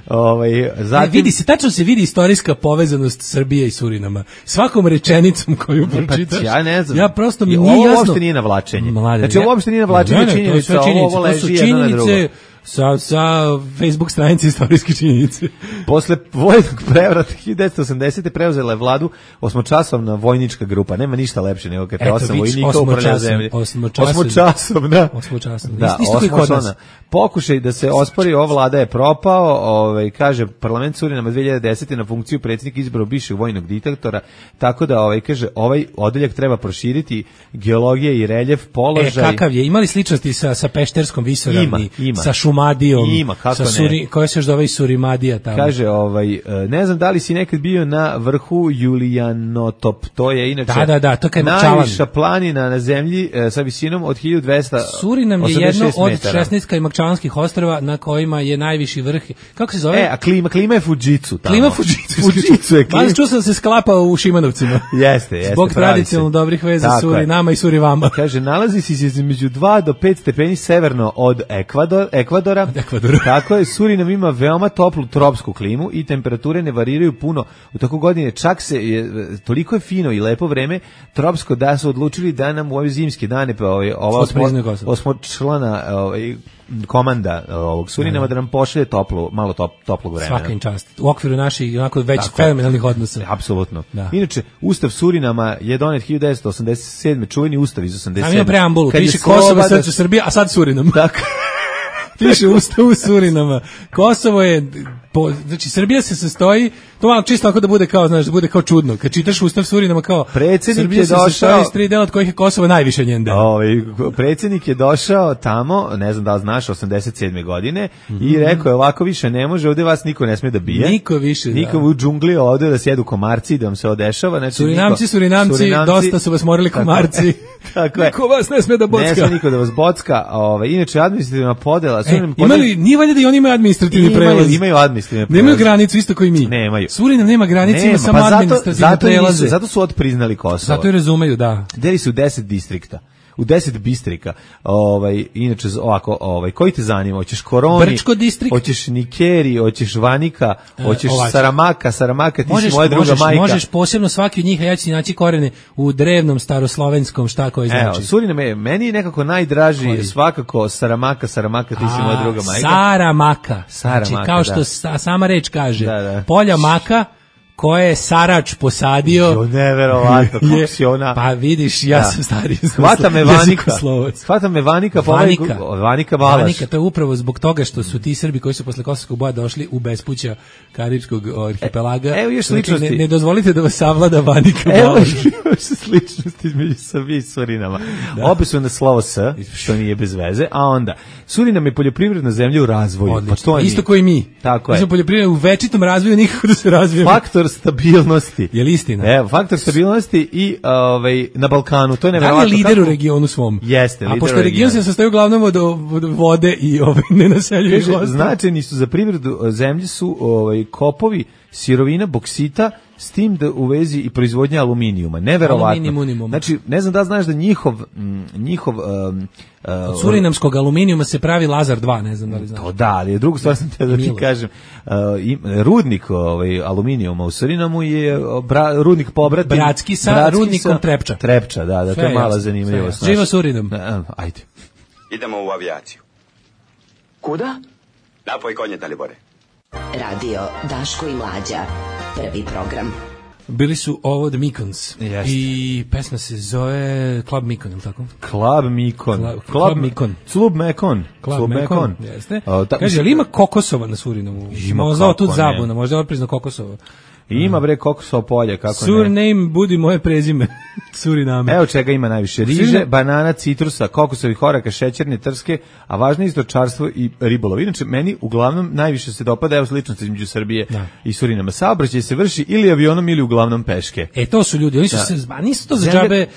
S6: ovaj,
S5: Ne,
S6: zatim,
S5: vidi se, tačno se vidi istorijska povezanost Srbije i Surinama. Svakom rečenicom koju
S6: Pa,
S5: pročitaš.
S6: ja ne znam.
S5: Ja prosto mi
S6: I
S5: nije
S6: ovo
S5: jasno.
S6: uopšte nije navlačenje.
S5: Mlade,
S6: Znači, ovo uopšte nije navlačenje
S5: Ne, ne, to je
S6: činjenica,
S5: sve činjenice,
S6: ovo
S5: to su
S6: leži jedno na drugo.
S5: činjenice sa, sa Facebook stranice istorijske činjenice.
S6: Posle vojnog prevrata hiljadu devetsto osamdesete preuzela je vladu osmočasovna vojnička grupa. Nema ništa lepše nego kad te
S5: Eto,
S6: osam
S5: vidiš,
S6: vojnika upravlja
S5: osmočasov-
S6: zemlji.
S5: osmočasov-
S6: Osmočasovna.
S5: Osmočasovna.
S6: Da,
S5: Isto kao i kod nas.
S6: osmočasovna. Pokušaj da se ospori ova vlada je propao, ovaj, kaže parlament Surinama dve hiljade desete na funkciju predsjednika izabrao bivšeg vojnog diktatora, tako da ovaj kaže ovaj odeljak treba proširiti geologija i reljef
S5: E,
S6: položaj.
S5: kakav je? Imali sličnosti sa, sa Pešterskom visoravni,
S6: Ima, ima.
S5: sa Šumadijom,
S6: Ima, kako
S5: sa
S6: ne.
S5: Suri, koja se još zove i Surimadija tamo.
S6: Kaže, ovaj, e, ne znam da li si nekad bio na vrhu Julijanotop, to je inače
S5: Da, da, da, to kad je Makčalan.
S6: najviša planina na zemlji e, sa visinom od hiljadu dvesta
S5: Surinam je
S6: osamdeset
S5: jedno
S6: šest
S5: od
S6: metara.
S5: šesnaest Kajmakčalanskih ostrava na kojima je najviši vrh. Kako se zove?
S6: E, a klima, klima je Fujitsu tamo.
S5: Klima Fujitsu.
S6: Fujitsu je klima.
S5: Mali čuo sam da se sklapa u Šimanovcima.
S6: Jeste, jeste.
S5: Zbog
S6: pravi
S5: tradicionalno
S6: se.
S5: dobrih veza
S6: Tako
S5: Surinama i Surivama.
S6: Kaže, nalazi se između dva do pet stepeni severno od Ekvador, Ekvadora.
S5: Ekvadora.
S6: Tako je, Surinam ima veoma toplu tropsku klimu i temperature ne variraju puno. U toku godine čak se, je, toliko je fino i lepo vreme tropsko da su odlučili da nam u ove zimske dane, pa ovaj, ova
S5: Otprizne Kosovo.
S6: osmočlana ovaj, komanda ovog Surinama da nam pošalje toplu, malo top, toplog vremena.
S5: Svaka im čast. U okviru naših onako već
S6: Tako je.
S5: fenomenalnih odnosa.
S6: Apsolutno.
S5: Da.
S6: Inače, Ustav Surinama je donet hiljadu devetsto osamdeset sedme. čuveni Ustav iz osamdeset sedme.
S5: Tamo ima preambulu,
S6: Kad je
S5: piše Kosovo
S6: sloboda-
S5: srce Srbije, a sad Surinam.
S6: Tako.
S5: Piše u Ustavu Surinama. Kosovo je po, znači Srbija se sastoji, to malo čisto tako da bude kao, znaš, da bude kao čudno. Kad čitaš Ustav Surinama kao
S6: predsjednik
S5: Srbija
S6: je
S5: se
S6: došao,
S5: sastoji iz tri dela od kojih je Kosovo najviše njen deo.
S6: Ovaj predsjednik je došao tamo, ne znam da li znaš, osamdeset sedme godine mm-hmm. i rekao je ovako više ne može, ovde vas niko ne sme da bije.
S5: Niko više,
S6: niko
S5: da.
S6: U džungli ovde da sjedu komarci, da vam se odešava, znači
S5: Surinamci,
S6: niko,
S5: Surinamci, Surinamci, dosta su vas morali komarci.
S6: Tako je.
S5: Niko vas ne sme da bocka.
S6: Ne sme niko da vas bocka. Ovaj inače administrativna podela,
S5: e, imali nije valjda da i oni imaju administrativni prelaz.
S6: Imaju administrativne prelaz.
S5: Nemaju granicu isto kao i mi.
S6: Nemaju.
S5: Surinam nema granice, nema, ima samo
S6: pa
S5: administrativne prelaze.
S6: Zato, zato su otpriznali Kosovo.
S5: Zato i razumeju, da.
S6: Deli su deset distrikta. U deset bistrika. Ovaj inače ovako, ovaj koji te zanima? Hoćeš Koroni,
S5: Brčko distrikt,
S6: hoćeš Nikeri, hoćeš Vanika, hoćeš
S5: e,
S6: Saramaka, Saramaka ti
S5: možeš,
S6: si moja druga
S5: možeš,
S6: majka.
S5: Možeš posebno svaki od njih, a ja ću naći korene u drevnom staroslovenskom, šta koji znači.
S6: Evo, Surinam je meni je nekako najdraži, koji? Svakako Saramaka, Saramaka ti si moja druga majka.
S5: Saramaka.
S6: Saramaka,
S5: znači, kao što
S6: da.
S5: sa, sama reč kaže,
S6: da, da.
S5: polja maka koje je Sarač posadio.
S6: Jo, neverovatno, kako si ona...
S5: Pa vidiš, ja da. sam stariji.
S6: Hvata me Vanika. Hvata me Vanika. Pa
S5: Vanika.
S6: Ovaj, Vanika Balaš.
S5: Vanika, to je upravo zbog toga što su ti Srbi koji su posle Kosovskog boja došli u bespuća Karibskog arhipelaga.
S6: E, evo još sličnosti.
S5: Ne, ne dozvolite da vas savlada Vanika Balaš.
S6: Evo još sličnosti između Srbije i Surinama. Da. Obe su na slovo S, što nije bez veze, a onda Surinam je poljoprivredna zemlja u razvoju.
S5: Pa to isto koji mi.
S6: Tako je.
S5: Mi smo poljoprivredni u večitom razvoju, nikako da se razvijemo.
S6: Faktor stabilnosti.
S5: Je li istina?
S6: Evo, faktor stabilnosti i ovaj na Balkanu, to je neverovatno.
S5: Da li je lider kako... u regionu svom?
S6: Jeste, lider.
S5: A pošto region se sastoji uglavnom od, od vode i ovaj nenaseljivih ostala.
S6: Značajni su za privredu zemlje su ovaj kopovi, sirovina, boksita, s tim da u vezi i proizvodnja aluminijuma. Neverovatno. Znači, ne znam da znaš da njihov njihov um, uh,
S5: od surinamskog aluminijuma se pravi Lazar dva, ne znam da li znaš.
S6: To da, ali drugu stvar sam te da ti kažem. Uh, im, rudnik ovaj aluminijuma u Surinamu je bra, rudnik pobrati
S5: bratski sa bratski rudnikom sa, Trepča.
S6: Trepča, da, da, to je mala zanimljivost.
S5: Živa Surinam.
S6: Ajde.
S3: Idemo u avijaciju.
S11: Kuda?
S3: Napoj konje, Dalibore.
S10: Radio Daško i Mlađa. Prvi program.
S5: Bili su ovo The Mikons.
S6: Jeste.
S5: I pesma se zove Club Mikon, ili tako?
S6: Club Mikon.
S5: Club, Club Mikon.
S6: Club Mekon.
S5: Club,
S6: Club
S5: Mekon.
S6: Mekon.
S5: Jeste.
S6: O, da,
S5: kaže, ali ima kokosova na Surinamu?
S6: Ima
S5: možda kako, tu zabuna, možda je otprizno kokosova.
S6: Ima bre kokosova polja, kako
S5: Surname,
S6: ne.
S5: Surname budi moje prezime. Suriname.
S6: Evo čega ima najviše. Riže, Suriname. Banana, citrusa, kokosovih oraka, šećerne, trske, a važno je stočarstvo i ribolov. Inače, meni uglavnom najviše se dopada, evo sličnost između Srbije da. I Surinama. Saobraćaj se vrši ili avionom ili uglavnom peške.
S5: E, to su ljudi, oni su da. se, a nisu to za džabe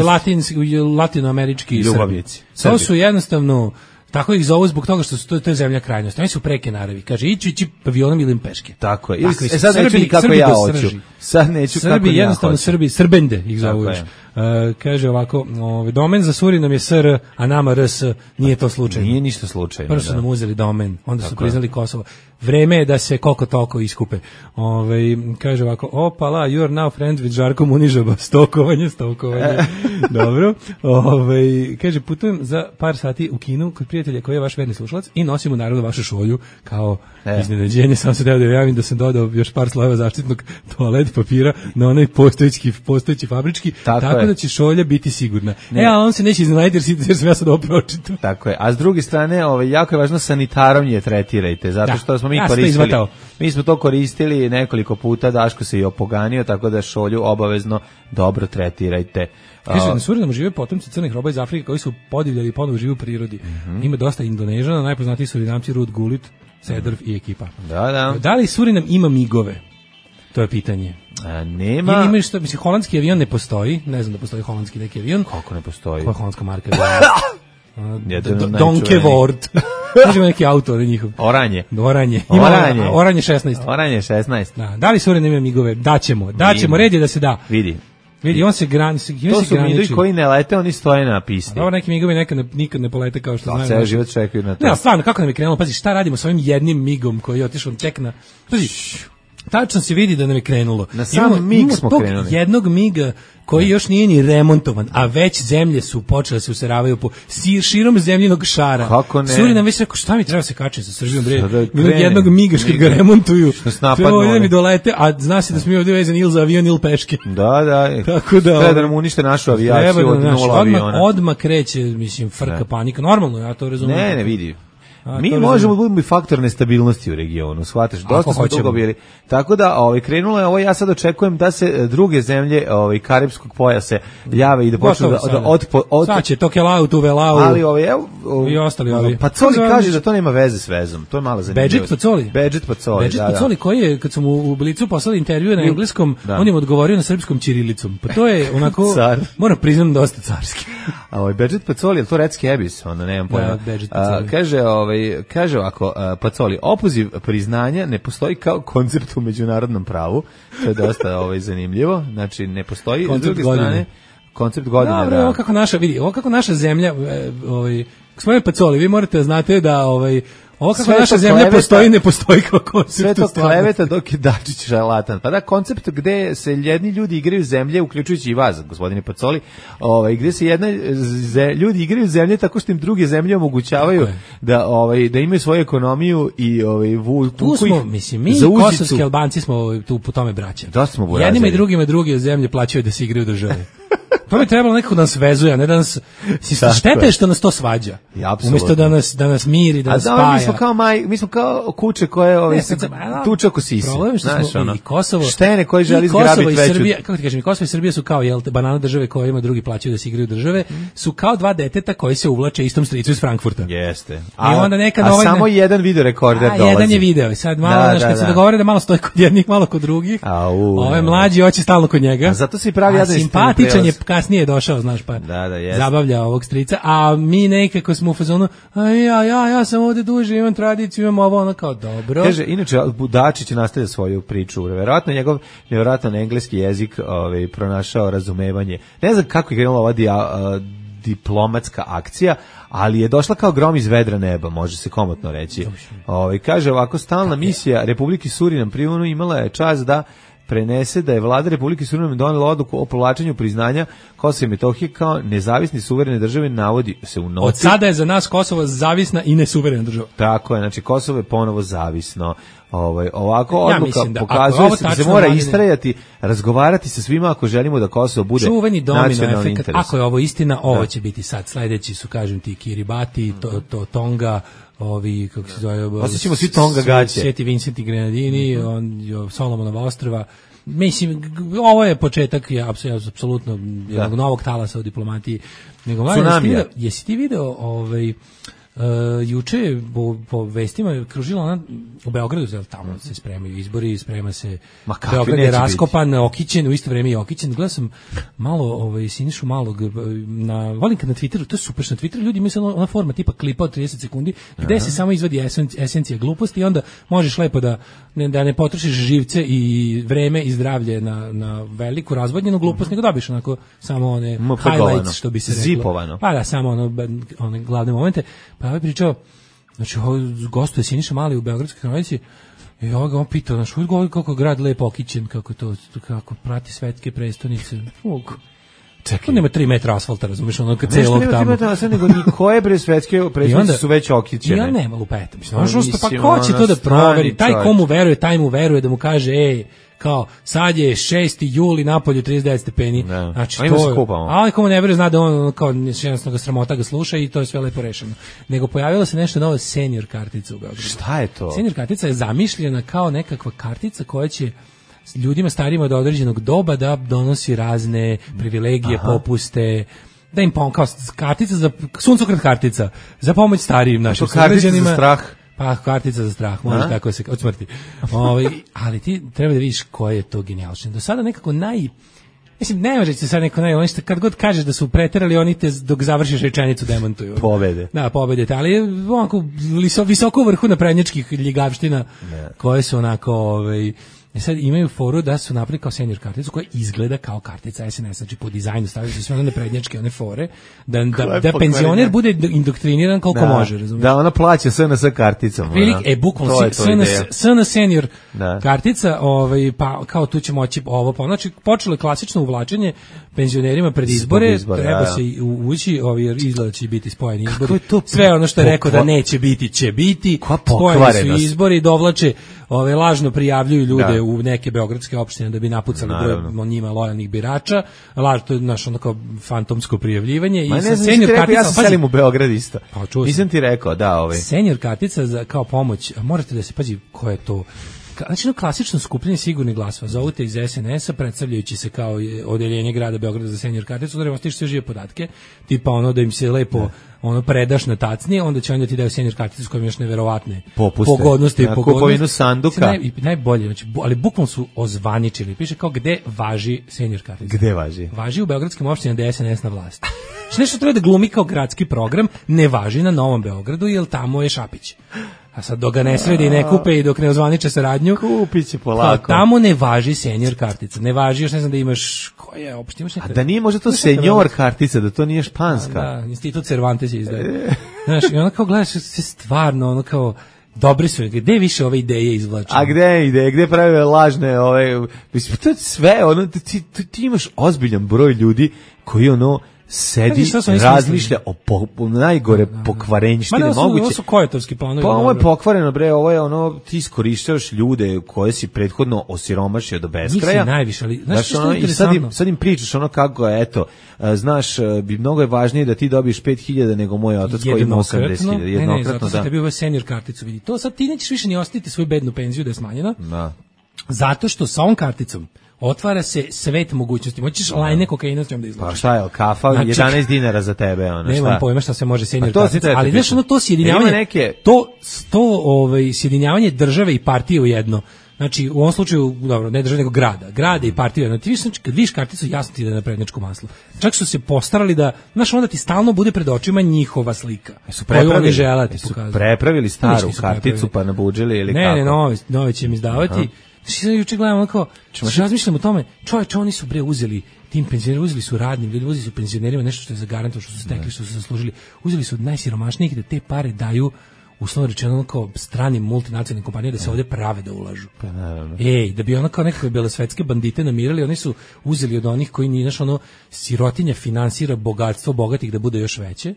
S5: latinski, latinoamerički
S6: ljubavnici.
S5: To su jednostavno... Tako ih zovu zbog toga što su to, to je zemlja krajnosti. Oni su preke naravi. Kaže, ići, ići avionom ili peške.
S6: Tako je. E sad neću ni kako ja hoću. Sad neću kako ja
S5: jednostavno
S6: hoću.
S5: Srbi, Srbende ih zovu još. Uh, kaže ovako, ovaj, domen za Surinam je S R, a nama R S, nije to slučajno.
S6: Nije ništa slučajno.
S5: Prvo su nam uzeli domen, onda tako su priznali je. Kosovo. Vreme je da se koliko toliko iskupe. Ovaj, kaže ovako, opala, you are now friend with Žarko Munižaba. Stokovanje, stokovanje. Dobro. Ovaj, kaže, putujem za par sati u Kinu kod prijatelja koji je vaš verni slušalac i nosim mu naravno vašu šolju kao e. iznenađenje. Samo se da javim da sam dodao još par slojeva zaštitnog toalet papira na onaj postojeći, postojeći fabrički. Tako, tako da će šolja biti sigurna. Ne. E, a on se neće iznenaditi jer sam ja sad ovo pročitao.
S6: Tako je. A s druge strane, ovaj, jako je važno sanitarom je tretirajte, zato što smo mi
S5: ja
S6: koristili. Mi smo to koristili nekoliko puta, Daško se i opoganio, tako da šolju obavezno dobro tretirajte.
S5: Kaže, na Surinamu žive potomci crnih roba iz Afrike koji su podivljali i ponovo žive u prirodi. Mm-hmm. Ima dosta Indonežana, najpoznatiji Surinamci Rud Gulit, Sedrv i ekipa.
S6: Da, da.
S5: Da li Surinam ima migove? To je pitanje.
S6: A, nema.
S5: Ili imaš što, mislim, holandski avion ne postoji, ne znam da postoji holandski neki avion.
S6: Kako ne postoji?
S5: Koja je holandska marka? Donkevort. Kažemo neki auto od njihov.
S6: Oranje.
S5: Oranje. Ima Oranje. Oranje šesnaest.
S6: Oranje šesnaest.
S5: Da, da li Surinam ima migove? Daćemo. Daćemo, red je da se da.
S6: Vidi.
S5: Vidi, on se graniči.
S6: To su migovi koji ne lete, oni stoje na pisti.
S5: Dobro, neki migovi nekad ne, nikad ne polete kao što znaju.
S6: Ceo život čekaju na to.
S5: Ne, stvarno, kako nam je krenulo? Pazi, šta radimo s ovim jednim migom koji je otišao tek na... Pazi, tačno se vidi da nam je krenulo.
S6: Na sam mig smo krenuli.
S5: Jednog miga koji još nije ni remontovan, a već zemlje su počele da se useravaju po širom zemljinog šara.
S6: Kako ne?
S5: Surinam već rekao, šta mi treba se kačiti sa Srbijom, bre? Jednog miga što ga remontuju.
S6: Što se napadnu.
S5: Treba mi dolete, a zna se da smo mi ovdje vezani ili za avion ili peške.
S6: Da, da.
S5: Tako da...
S6: Treba da nam unište našu avijaciju od nula aviona.
S5: Odmah kreće, mislim, frka, panika. Normalno, ja to razumijem.
S6: Ne, ne, vidi.
S5: A,
S6: Mi
S5: to
S6: možemo budemo i faktor nestabilnosti u regionu, shvataš, dosta smo dugo bili. Tako da, ovaj krenulo je ovo, ja sad očekujem da se druge zemlje, ovaj karipskog pojasa jave i da počnu da, da od od
S5: sad će Tokelau tu Velau.
S6: Ali ovaj evo
S5: i ostali ovi.
S6: Pacoli kaže da to nema veze s vezom. To je malo zanimljivo.
S5: Bedžet Pacoli.
S6: Bedžet Pacoli,
S5: Bedžet
S6: da, da.
S5: Pacoli koji je kad sam u Blicu poslali intervju na engleskom, da. On im odgovorio na srpskom ćirilicom. Pa to je onako moram priznam dosta carski.
S6: A ovaj Bedžet Pacoli, je to Redski Ebis, onda nemam pojma. Da, kaže ovaj kaže ovako Pacoli, opoziv priznanja ne postoji kao koncept u međunarodnom pravu. To je dosta ovaj zanimljivo. Znači ne postoji s druge strane koncept godine.
S5: Dobro, da. Ovo kako naša vidi, ovo kako naša zemlja ovaj gospodine Pacoli, vi morate da znate da ovaj ovo kako naša zemlja kleveta, postoji, ne postoji kao koncept.
S6: Sve to kleveta dok je Dačić šarlatan. Pa da, koncept gde se jedni ljudi igraju zemlje, uključujući i vas, gospodine Pacoli, ovaj, gde se jedna ze, ljudi igraju zemlje tako što im druge zemlje omogućavaju da, ovaj, da imaju svoju ekonomiju i ovaj, vu,
S5: tu smo, mislim, mi kosovski Albanci smo tu po tome braća.
S6: Da smo burazili.
S5: Jednima i drugima druge zemlje plaćaju da se igraju države. To bi trebalo nekako da nas vezuje, a ne da nas štete je što nas to svađa. Umjesto da nas da nas miri, da nas spaja.
S6: A da, mi smo kao maj, mi smo kao kuće koje ovaj tuče oko sise.
S5: Problem što znaš, smo ono, i Kosovo,
S6: štene koji želi zgrabiti veću.
S5: Srbija, kako ti kažem, Kosovo i Srbija su kao jel, banana države koje ima drugi plaćaju da se igraju države, su kao dva deteta koji se uvlače istom stricu iz Frankfurta.
S6: Jeste.
S5: A, I onda nekad
S6: a
S5: ovaj,
S6: samo jedan video rekorder dolazi.
S5: Jedan je video, sad malo da, znaš, kad da, se dogovore da malo stoji kod jednih, malo kod drugih. Ovaj mlađi hoće stalno kod njega.
S6: A zato se pravi jedan
S5: simpatičan je kasnije došao, znaš, pa
S6: da, da,
S5: zabavlja ovog strica, a mi nekako smo u fazonu, a ja, ja, ja sam ovde duže, imam tradiciju, imam ovo, ono kao dobro.
S6: Kaže, inače, Dačić nastavlja svoju priču, verovatno njegov nevjerojatan engleski jezik ovaj, pronašao razumevanje. Ne znam kako je krenula ova dia, uh, diplomatska akcija, ali je došla kao grom iz vedra neba, može se komotno reći. Ovaj, kaže ovako, stalna misija Republike Surinam pri U N-u imala je čast da prenese da je vlada Republike Surinam donela odluku o povlačenju priznanja Kosova i Metohije kao nezavisne suverene države, navodi se u noti.
S5: Od sada je za nas Kosovo zavisna i nesuverena država.
S6: Tako je, znači Kosovo je ponovo zavisno. Ovaj ovako odluka ja pokazuje se da se mora istrajati, razgovarati sa svima ako želimo da Kosovo bude
S5: čuveni domino efekat.
S6: Interes.
S5: Ako je ovo istina, ovo da. Će biti sad sledeći su kažem ti Kiribati, to, to Tonga, ovi kako se zove,
S6: osjećamo svi Tonga gaće,
S5: Sveti Vincent i Grenadini, mm -hmm. on Solomonova ostrva. Mislim, ovo je početak je apsolutno jednog novog talasa u diplomatiji. Nego mladen, jesi ti video ovaj Uh, juče po, po vestima je kružila ona u Beogradu, zel, tamo se spremaju izbori, sprema se Beograd je raskopan, okićen, u isto vrijeme i okićen. Gledao sam malo ovaj, Sinišu Malog, na, volim kad na Twitteru, to je super, na Twitteru ljudi imaju ona forma tipa klipa od trideset sekundi, gde Aha. se samo izvadi esencija gluposti i onda možeš lepo da ne, da ne potrošiš živce i vreme i zdravlje na, na veliku razvodnjenu glupost, nego dobiš onako samo one highlights, što bi se reklo.
S6: Zipovano.
S5: Pa da, samo ono, one glavne momente. Pa ovaj pričao, znači gostuje Siniša Mali u Beogradskoj kronici i ovaj ga on pitao, znaš, uvijek kako grad lepo okićen, kako to, kako prati svetske prestonice. Uvijek. Čekaj, nema tri metra asfalta, razumiješ, ono kad celog tamo.
S6: Ne, nema tri metra, nego koje bre svetske prestonice su već okićene.
S5: I on nema lupeta, mislim, pa ko će to da proveri, taj komu veruje, taj mu veruje da mu kaže, ej, kao, sad je šesti juli, napolju trideset devet stepeni,
S6: ne.
S5: Znači to je, ali komu ne veruje zna da on kao jednostavno ga sramota ga sluša i to je sve lepo rešeno. Nego pojavila se nešto novo, senior kartica u Beogradu.
S6: Šta je to?
S5: Senior kartica je zamišljena kao nekakva kartica koja će ljudima starijima do određenog doba da donosi razne privilegije, Aha. popuste, da im pom kao kartica za suncokret kartica za pomoć starijim našim sugrađanima.
S6: Za strah.
S5: Pa kartica za strah, može tako se od smrti. Ovaj, ali ti treba da vidiš koje je to genijalno. Do sada nekako naj mislim ne može se sad neko naj, oni što kad god kažeš da su preterali, oni te dok završiš rečenicu demantuju.
S6: Pobede.
S5: Da, pobede, ali je onako visoko u vrhu naprednjačkih ljigavština koje su onako ovaj E sad imaju foru da su napravili kao senior karticu koja izgleda kao kartica es en es, znači po dizajnu stavili su sve one prednjačke, one fore, da, da, da penzioner bude indoktriniran koliko
S6: da,
S5: može, razumiješ?
S6: Da, ona plaća es en es karticom.
S5: Prilik, e, bukvalno es en es senior da. Kartica, ovaj, pa kao tu će moći ovo, pa znači počelo je klasično uvlačenje penzionerima pred izbore, izbore treba ja, ja. se ući, ovaj, izgleda će biti spojeni izbori, sve ono što je rekao da neće biti, će biti, spojeni su izbori, dovlače, ove, lažno prijavljuju ljude uđe u neke beogradske opštine da bi napucali broj njima lojalnih birača. Laž, to je naš ono kao fantomsko prijavljivanje.
S6: Ma
S5: i
S6: ne
S5: sa
S6: znam,
S5: senior
S6: rekao,
S5: kartica,
S6: ja sam selim u Beograd isto.
S5: Pa,
S6: nisam ti rekao, da, ovaj.
S5: Senior kartica za, kao pomoć, morate da se, pazi, ko je to... Znači, no, klasično skupljanje sigurnih glasova. Zovute iz es en es-a, predstavljajući se kao odeljenje grada Beograda za senior karticu, da remostiš sve žive podatke, tipa ono da im se lepo ono predaš na tacni, onda će onda ti daju senior karticu s kojom još neverovatne
S6: popuste,
S5: pogodnosti i
S6: na
S5: pogodnosti.
S6: kupovinu sanduka.
S5: Naj, i najbolje, znači, ali bukvalno su ozvaničili. Piše kao gde važi senior kartica.
S6: Gde važi?
S5: Važi u beogradskim opštinama da je es en es na vlasti. Znači, nešto treba da glumi kao gradski program, ne važi na Novom Beogradu, jer tamo je Šapić. A sad dok ga ne sredi i ne kupe i dok ne ozvaniče saradnju,
S6: kupit će polako.
S5: Tamo ne važi senior kartica. Ne važi, još ne znam da imaš, koja je opština, imaš neka...
S6: A da nije možda to senior kartica, da to nije španska.
S5: Da, institut Cervantes je izdaje. Znaš, i ono kao gledaš se stvarno, ono kao, dobri su, gde više ove ideje izvlače?
S6: A gde ideje, gde prave lažne, ove, mislim, to je sve, ono, ti, ti, ti imaš ozbiljan broj ljudi koji, ono, sedi, razmišlja o po, po, najgore da, da, da. pokvarenjštine
S5: moguće.
S6: moguće.
S5: Ovo su kojetovski planovi.
S6: Pa ovo je pokvareno, bre, ovo je ono, ti iskorištavaš ljude koje si prethodno osiromašio do beskraja.
S5: Nisi najviše, ali znaš što
S6: ono,
S5: je
S6: i sad im, sad im pričaš ono kako je, eto, znaš, bi mnogo je važnije da ti dobiješ pet hiljada nego moj otac koji ima osamdeset hiljada.
S5: Jednokratno, ne, ne, zato sam tebi uveo senior karticu, vidi. To sad ti nećeš više ni ostaviti svoju bednu penziju da je smanjena.
S6: Da.
S5: Zato što sa ovom karticom otvara se svet mogućnosti. Moćeš lajne kokaina s njom da izlačiš.
S6: Pa šta je, kafa, znači, jedanaest dinara za tebe, ono, šta?
S5: Nemam pojma šta se može senior
S6: pa
S5: kartica, ali znaš ono to sjedinjavanje, neke... to, to ovaj, sjedinjavanje države i partije u jedno. Znači, u ovom slučaju, dobro, ne države, nego grada. Grada i partije. Znači, ti viš, znači, kad vidiš karticu, jasno ti da je na prednjačko maslo. Čak su se postarali da, znaš, onda ti stalno bude pred očima njihova slika.
S6: Su prepravili,
S5: želati
S6: su prepravili staru karticu pa nabuđili ili
S5: ne,
S6: kako?
S5: Ne, ne, nove, nove će im izdavati. Aha. Znači, sad juče gledamo kao, razmišljamo o tome, čovječe, oni su bre uzeli tim penzionerima, uzeli su radnim ljudima, uzeli su penzionerima nešto što je zagarantovano, što su stekli, što su zaslužili, uzeli su od najsiromašnijih da te pare daju, uslovno rečeno, kao stranim multinacionalnim kompanijama da se ovdje prave da ulažu.
S6: Pa naravno.
S5: Ej, da bi ono kao nekakve belosvetske bandite namirali, oni su uzeli od onih koji nije, znaš, ono, sirotinja finansira bogatstvo bogatih da bude još veće.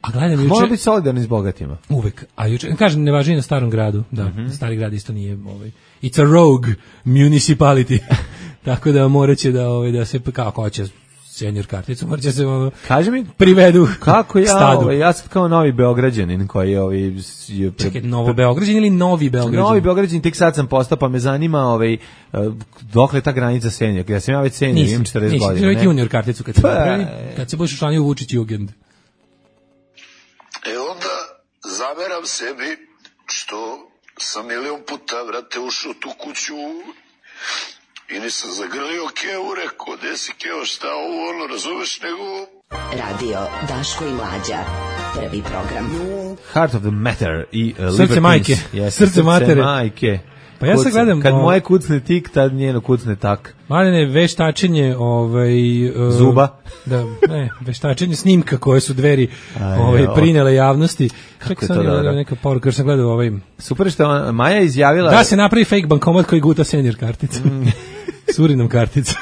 S5: A gledam juče...
S6: Mora biti solidarni s bogatima.
S5: Uvek. A juče, kažem, ne važi na starom gradu. Da, mm-hmm. Stari grad isto nije... Ovaj, it's a rogue municipality. Tako da morat će da, ovaj, da se... Kako hoće senior karticu, morat će se ono,
S6: kaži mi,
S5: privedu
S6: kako ja,
S5: stadu.
S6: Ovaj, ja sam kao novi Beograđanin koji je... Ovaj, je pre...
S5: Čekaj, novo Beograđan ili novi Beograđan?
S6: Novi Beograđan, tek sad sam postao, pa me zanima ovaj, dokle je ta granica senior. Ja sam ja već senior, imam četrdeset godina.
S5: Nisi, nisi junior karticu kad se napravi, kad se budeš učlanio u Vučić Jugend.
S12: E onda zameram sebi što sam milion puta, vrate, ušao tu kuću i nisam zagrlio Keo, rekao, gde si Keo, šta ovo, ono, razumeš, nego...
S10: Radio Daško i Mlađa, prvi program.
S6: Heart of the Matter i uh,
S5: Srce majke,
S6: yes,
S5: srce matere.
S6: Majke.
S5: Pa ja sad gledam...
S6: Kad o... moje kucne tik, tad njeno kucne tak.
S5: Mladene, veštačenje ovaj, uh,
S6: zuba.
S5: Da, ne, veštačenje snimka koje su dveri ovaj, prinele javnosti. Kako je to dobro? Neka poruka, jer sam gledao ovaj...
S6: Super što Maja izjavila...
S5: Da se napravi fake bankomat koji guta senior karticu. Mm. Surinom kartica.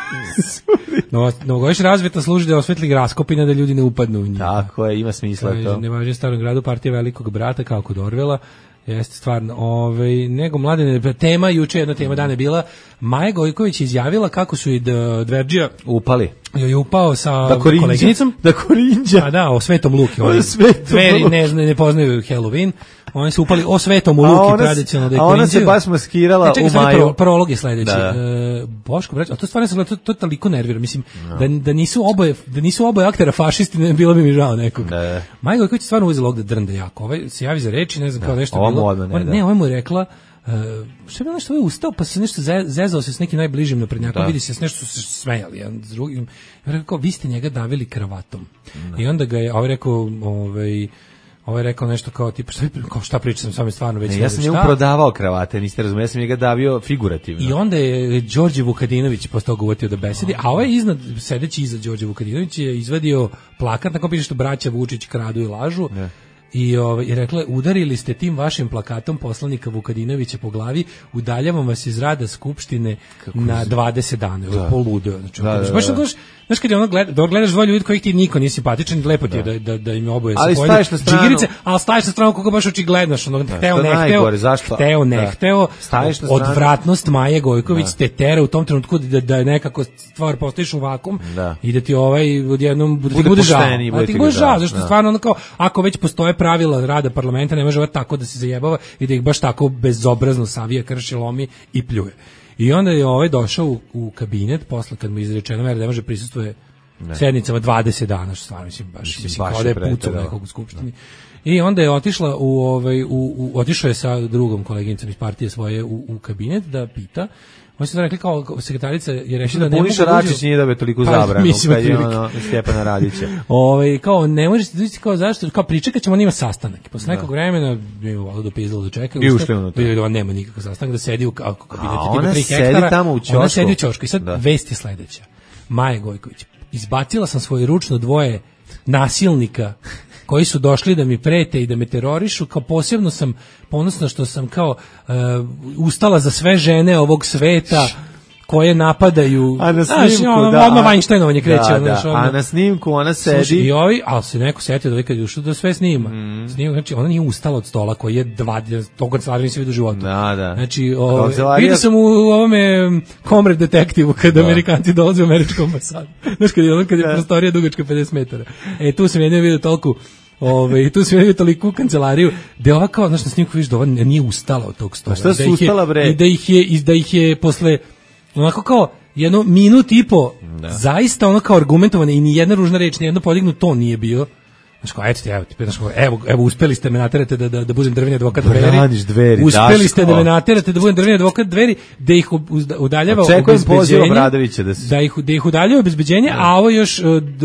S5: No, novogodišnja razveta služi da osvetli raskopina da ljudi ne upadnu u njih.
S6: Tako je, ima smisla to.
S5: Ne važi starom gradu partija velikog brata, kao kod Orvela. Jeste stvarno, ovaj, nego mladene, tema, juče jedna tema dana je bila, Maja Gojković izjavila kako su i Dverđija
S6: upali.
S5: Je upao sa
S6: da
S5: koleginicom.
S6: Da korinđa.
S5: A da, o Svetom Luki.
S6: O Svetom
S5: Dveri ne, ne poznaju Halloween. Oni su upali o Svetom u Luki tradicionalno da je
S6: a ona se baš maskirala
S5: čekaj,
S6: u Maju. Pro,
S5: prolog je sledeći.
S6: Da.
S5: E, Boško, brać, a to stvarno sam to, to toliko nervira. Mislim, no. da, da, nisu oboje, da nisu oboje aktera fašisti, ne bilo bi mi žao nekog. Da. Maja Gojković stvarno uzela ovde drnde jako. Ovaj se javi za reči, ne znam, da. Kao nešto
S6: ovo
S5: bilo.
S6: Odno, ne,
S5: ne, ovo mu je rekla, Uh, što je bilo nešto, ovaj ustao, pa se nešto zezao se s nekim najbližim naprednjakom, vidi se s nešto su se smejali jedan s drugim. Ja rekao, vi ste njega davili kravatom. Da. I onda ga je, ovaj rekao, ovaj, ovaj rekao nešto kao, tipa, šta, kao, šta pričam s vami stvarno već.
S6: Ne, ja sam njemu prodavao kravate, niste razumeli, ja sam njega davio figurativno.
S5: I onda je Đorđe Vukadinović postao govorio da besedi, a ovaj iznad, sedeći iza Đorđe Vukadinović je izvadio plakat na kom piše što braća Vučić kradu i lažu. Ne. I ovaj je rekla, udarili ste tim vašim plakatom poslanika Vukadinovića po glavi, udaljavam vas iz rada skupštine kako na dvadeset dana, da. Poludo, znači,
S6: da, da,
S5: baš
S6: da.
S5: baš Znaš kad je ono gleda, da gledaš dvoje ljudi kojih ti niko nije simpatičan, lepo ti je da, da, da im oboje
S6: ali
S5: sa
S6: staješ na stranu,
S5: džigirice, ali staješ na stranu kako baš očigledno, ono, hteo, ne hteo, hteo, ne hteo, odvratnost Maje Gojković te tera u tom trenutku da, da nekako stvar postojiš u vakum
S6: da.
S5: I da ti ovaj odjednom da ti
S6: bude
S5: bude žao.
S6: pošteni,
S5: A ti bude žao, zašto stvarno ono kao, ako već postoje pravila rada parlamenta, ne može tako da se zajebava i da ih baš tako bezobrazno savija, krši, lomi i pljuje. I onda je ovaj došao u, u kabinet posle kad mu izrečeno da ne može prisustvuje ne. sednicama dvadeset dana, što stvarno mislim baš, mislim, mislim kao da je pucao nekog u skupštini. Da. I onda je otišla u ovaj u, u otišao je sa drugom koleginicom iz partije svoje u, u kabinet da pita. Oni su rekli kao sekretarica je rešila da ne može.
S6: Račić nije dobio toliko pa, zabranu kad je ono Stjepana Radića.
S5: Ovaj kao ne možete doći kao zašto kao pričekaćemo njima sastanak. Posle da. nekog vremena je volio do pizdalo da čeka.
S6: I ušli unutra.
S5: I nema nikakav sastanak da sedi u kabinetu
S6: tipa tri hektara. Ona tamo u ćošku.
S5: Ona sedi u ćošku. I sad da. vest je sledeća. Maja Gojković. Izbacila sam svoje ručno dvoje nasilnika koji su došli da mi prete i da me terorišu, kao posebno sam ponosna što sam kao uh, ustala za sve žene ovog sveta koje napadaju.
S6: A na snimku,
S5: znaš, ono,
S6: da.
S5: Odmah Weinsteinovanje kreće.
S6: Da,
S5: ono,
S6: da.
S5: ono,
S6: a na snimku ona sedi.
S5: Sluši, i ovi, ali se neko setio da ovaj kad je ušao da sve snima. Mm. Snima, znači, ona nije ustala od stola koji je dva, tog kancelarija nisi vidio u životu.
S6: Da, da.
S5: Znači, vidio sam u, u ovome Comrade detektivu kada da. Amerikanci dolaze u američku ambasadu. Znaš, kad je, ono, kad je da. prostorija dugačka pedeset metara. E, tu sam jednom vidio toliko Ove, i tu se vidi toliko u kancelariju da je ova kao, znaš, na snimku vidiš da ova nije ustala od tog stola.
S6: A šta su ustala, bre?
S5: I da ih je, i da ih je posle, onako kao, jedno minut i po, da. zaista ono kao argumentovane i ni jedna ružna reč, ni jedno podignut ton nije bio. Znaš kao, eto ti, evo, ti, znaš kao, evo, evo, uspeli ste me naterate da, da, da budem drveni advokat Dveri.
S6: Dveri.
S5: Uspeli
S6: Daško.
S5: ste da me naterate da budem drveni advokat Dveri, da ih udaljava
S6: obezbeđenje.
S5: Da, da, ih, da ih udaljava obezbeđenje, a ovo još,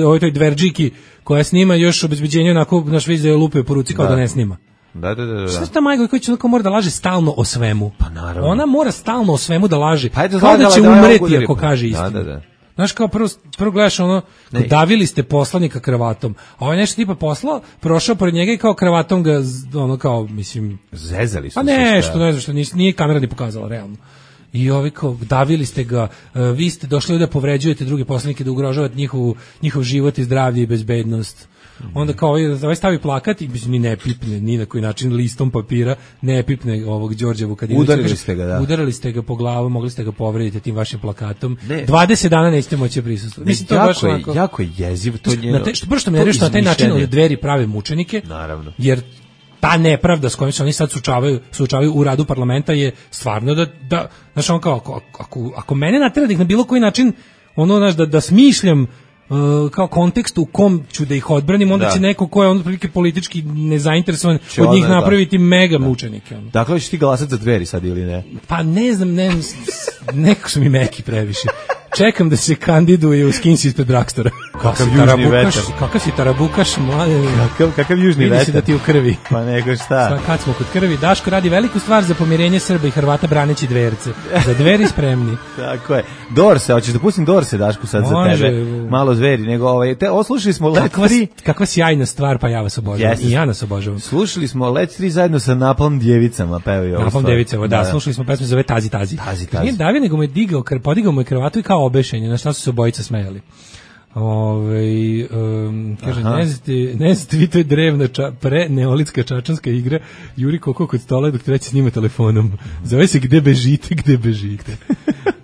S5: ovoj toj Dverđiki koja snima još obezbeđenje onako, naš viz da je lupe po ruci kao da, da ne snima.
S6: Da, da, da, da.
S5: Šta ta Maja Gojković onako mora da laže stalno o svemu?
S6: Pa naravno.
S5: Ona mora stalno o svemu da laže.
S6: Pa
S5: kao da će
S6: da
S5: umreti ako kaže istinu.
S6: Da, da, da.
S5: Znaš, kao prvo, prvo gledaš ono, davili ste poslanika kravatom, a ovaj nešto tipa poslao, prošao pored njega i kao kravatom ga, ono kao, mislim...
S6: Zezali su
S5: pa nešto, ne znam što, nije, nije kamera ni pokazala, realno. I ovi kao, davili ste ga, uh, vi ste došli da povređujete druge poslanike, da ugrožavate njihov, njihov život i zdravlje i bezbednost. Onda kao ovaj stavi plakat i ni ne pipne ni na koji način listom papira, ne pipne ovog Đorđa Vukadinovića.
S6: Udarili ste ga, da.
S5: Udarili ste ga po glavu, mogli ste ga povrediti tim vašim plakatom. Ne. dvadeset dana nećete moći prisustvovati. Mislim to
S6: jako
S5: baš
S6: je,
S5: onako,
S6: jako je jezivo to njeno.
S5: Na te, što što me nervira na taj način od Dveri prave mučenike.
S6: Naravno.
S5: Jer ta nepravda s kojom se oni sad suočavaju, suočavaju u radu parlamenta je stvarno da da znaš on kao ako, ako, ako mene natera da ih na bilo koji način ono znaš da da smišljam Uh, kao kontekst u kom ću da ih odbranim, onda da. će neko ko je on prilike politički nezainteresovan će od njih napraviti da. mega da. mučenike. Ono.
S6: Dakle, ćeš ti glasati za Dveri sad ili ne?
S5: Pa ne znam, ne znam, neko su mi meki previše. Čekam da se kandiduje u Skinsi ispred Dragstora.
S6: Kakav južni vetar.
S5: Kakav si tarabukaš, mladen.
S6: Kakav, kakav južni vetar.
S5: Vidi se da ti u krvi.
S6: Pa nego šta.
S5: Sva, kad smo kod krvi, Daško radi veliku stvar za pomirenje Srba i Hrvata braneći Dverce. Za Dveri spremni.
S6: Tako je. Dorse, hoćeš da pustim Dorse, Daško, sad Može. za tebe. Malo Zveri, nego ovaj, te, oslušali smo Let tri.
S5: Kakva sjajna stvar, pa ja vas obožavam. Yes. I ja nas obožavam.
S6: Slušali smo Let tri zajedno sa Napalm djevicama, pevaju ovo.
S5: Napalm djevicama, da, da, slušali smo pesmu zove Tazi Tazi.
S6: Tazi Tazi.
S5: Nije Davio, nego mu je digao, podigao mu je kravatu i kao obešenje, na šta su se obojica smejali. Ove, um, kaže, ne znate, ne znate vi to je drevna ča, pre neolitska čačanska igra, juri koko kod stola dok treći snima telefonom. Zove se Gde bežite, gde bežite.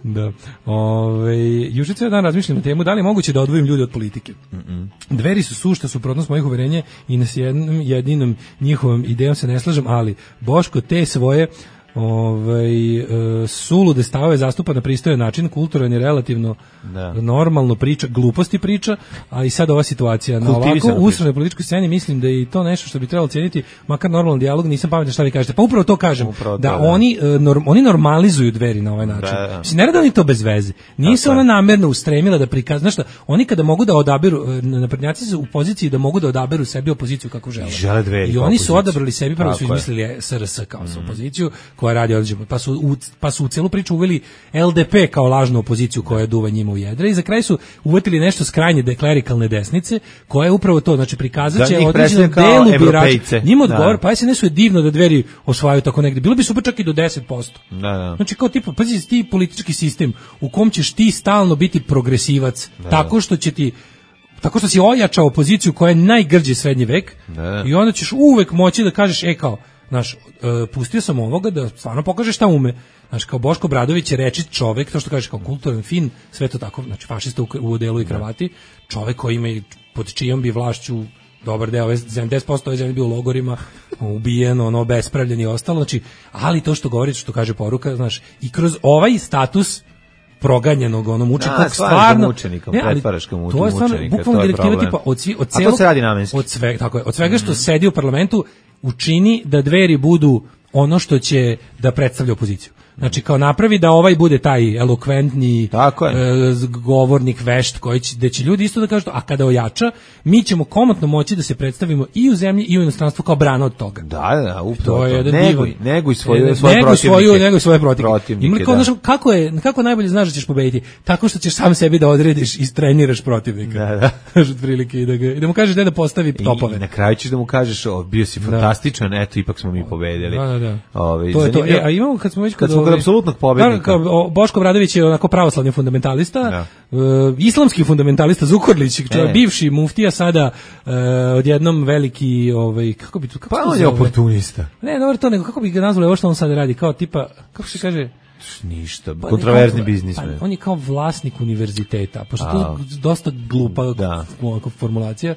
S5: Da. Ove, juče cijel dan razmišljam na temu da li je moguće da odvojim ljude od politike. Mm -mm. Dveri su sušta suprotnost mojih uverenja i na jednom jedinom njihovom idejom se ne slažem, ali Boško te svoje ovaj e, sulude stavove zastupa na pristojan način, kulturan i relativno da. normalno priča, gluposti priča, a i sad ova situacija na ovako usrednjoj političkoj sceni mislim da je i to nešto što bi trebalo cijeniti, makar normalan dijalog, nisam pametan šta vi kažete. Pa upravo to kažem, upravo to, da, da oni e, norm, oni normalizuju Dveri na ovaj način. Da, da. Mislim, ne rade oni to bez veze. Nije se ona namerno ustremila da prikazuje, znaš šta, oni kada mogu da odaberu, naprednjaci su u poziciji da mogu da odaberu sebi opoziciju kako žele.
S6: Žele Dveri.
S5: I oni su odabrali sebi, prvo su izmislili S R S kao mm. opoziciju, koja koja radi određeno, pa su u, pa su u celu priču uveli L D P kao lažnu opoziciju koja duva njima u jedre i za kraj su uvetili nešto s krajnje deklerikalne desnice koja je upravo to, znači prikazat će određenom delu birača. Njima odgovor, pa S N S-u je divno da Dveri osvajaju tako negde. Bilo bi super čak i do deset posto.
S6: Da, da.
S5: Znači kao tipa, pazi ti politički sistem u kom ćeš ti stalno biti progresivac, da, tako što će ti tako što si ojačao opoziciju koja je najgrđi srednji vek
S6: da.
S5: I onda ćeš uvek moći da kažeš, e kao, znaš, uh, pustio sam ovoga da stvarno pokaže šta ume. Znaš, kao Boško Obradović je rečit čovek, to što kažeš kao kulturan, fin, sve to tako, znači fašista u, u delu i kravati, čovek koji ima i pod čijom bi vlašću dobar deo, sedamdeset posto ove zemlje bio u logorima, ubijen, ono, bespravljen i ostalo, znači, ali to što govori, što kaže poruka, znaš, i kroz ovaj status proganjenog onom mučenika stvarno
S6: mučenikom, ne, pretvaraš ga mučenika,
S5: to je stvarno bukvalno direktiva tipa od svi, od celog,
S6: a to se radi namenski.
S5: Od svega, tako je, od svega što mm. sedi u parlamentu učini da Dveri budu ono što će da predstavlja opoziciju. Znači kao napravi da ovaj bude taj elokventni e, govornik, vešt koji će, da će ljudi isto da kažu to, a kada ojača, mi ćemo komotno moći da se predstavimo i u zemlji i u inostranstvu kao brana od toga.
S6: Da, da, upravo.
S5: To je jedan
S6: neguj, neguj svoje,
S5: ne,
S6: svoje
S5: neguj
S6: protivnike.
S5: Svoju, neguj svoje protivnike.
S6: protivnike
S5: Ima kao,
S6: da.
S5: znaš, kako, je, kako najbolje znaš da ćeš pobediti? Tako što ćeš sam sebi da odrediš i treniraš protivnika.
S6: Da, da.
S5: Znaš, otprilike, i da, ga, i da mu kažeš da da postavi topove.
S6: I, i na kraju ćeš da mu kažeš, o, bio si fantastičan, da. Eto, ipak smo mi pobedili.
S5: Da, da, da.
S6: Ove,
S5: to je to. E, a imamo kad smo već
S6: kad smo kod apsolutnog pobednika.
S5: Kao, Boško Obradović je onako pravoslavni fundamentalista, ja. uh, islamski fundamentalista Zukorlić, čovjek bivši muftija, sada uh, odjednom veliki, ovaj, kako bi to, kako
S6: pa
S5: to
S6: on je oportunista.
S5: Ne, dobro to, nego kako bi ga nazvali, ovo što on sad radi, kao tipa, kako se kaže,
S6: ništa, pa, kontroverzni biznismen.
S5: Pa, on je kao vlasnik univerziteta, pošto to je dosta glupa da. formulacija,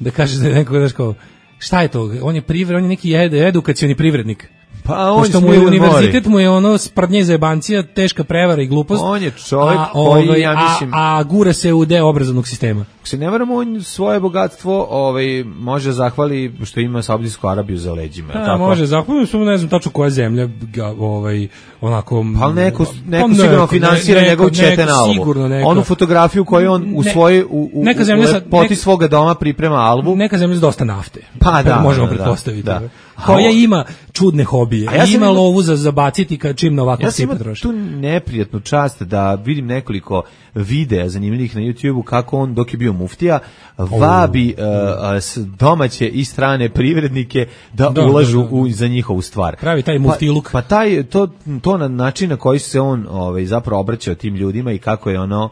S5: da kaže da je neko, znaš kao, šta je to, on je privred, on je neki ed, edukacioni privrednik.
S6: Pa on
S5: što mu je univerzitet mu je ono sprdnje zajebancija, teška prevara i glupost.
S6: On je čovjek
S5: a,
S6: koji
S5: ovaj,
S6: ja mislim
S5: a, a gura se u deo obrazovnog sistema.
S6: Ako se ne varamo, on svoje bogatstvo ovaj može zahvali što ima Saudijsku Arabiju za leđima,
S5: da,
S6: tako.
S5: Može zahvali, samo ne znam tačno koja zemlja ga ovaj onako
S6: pa neko neko pa, sigurno finansira njegov četen album. Onu fotografiju koju on u svoje u, u neka zemlja sa poti svoga doma priprema album.
S5: Neka zemlja s dosta nafte.
S6: Pa da,
S5: možemo
S6: da,
S5: pretpostaviti.
S6: Da.
S5: Koja ima čudne hobije. A ja ima lovu za zabaciti kad čim na ovakvu cipu troši.
S6: Ja sam tu neprijatnu čast da vidim nekoliko videa zanimljivih na YouTubeu kako on dok je bio muftija vabi oh. uh, domaće i strane privrednike da, da ulažu da, da, da. U, za njihovu stvar.
S5: Pravi taj muftiluk.
S6: Pa, pa taj, to, to na način na koji se on ovaj, zapravo obraćao tim ljudima i kako je ono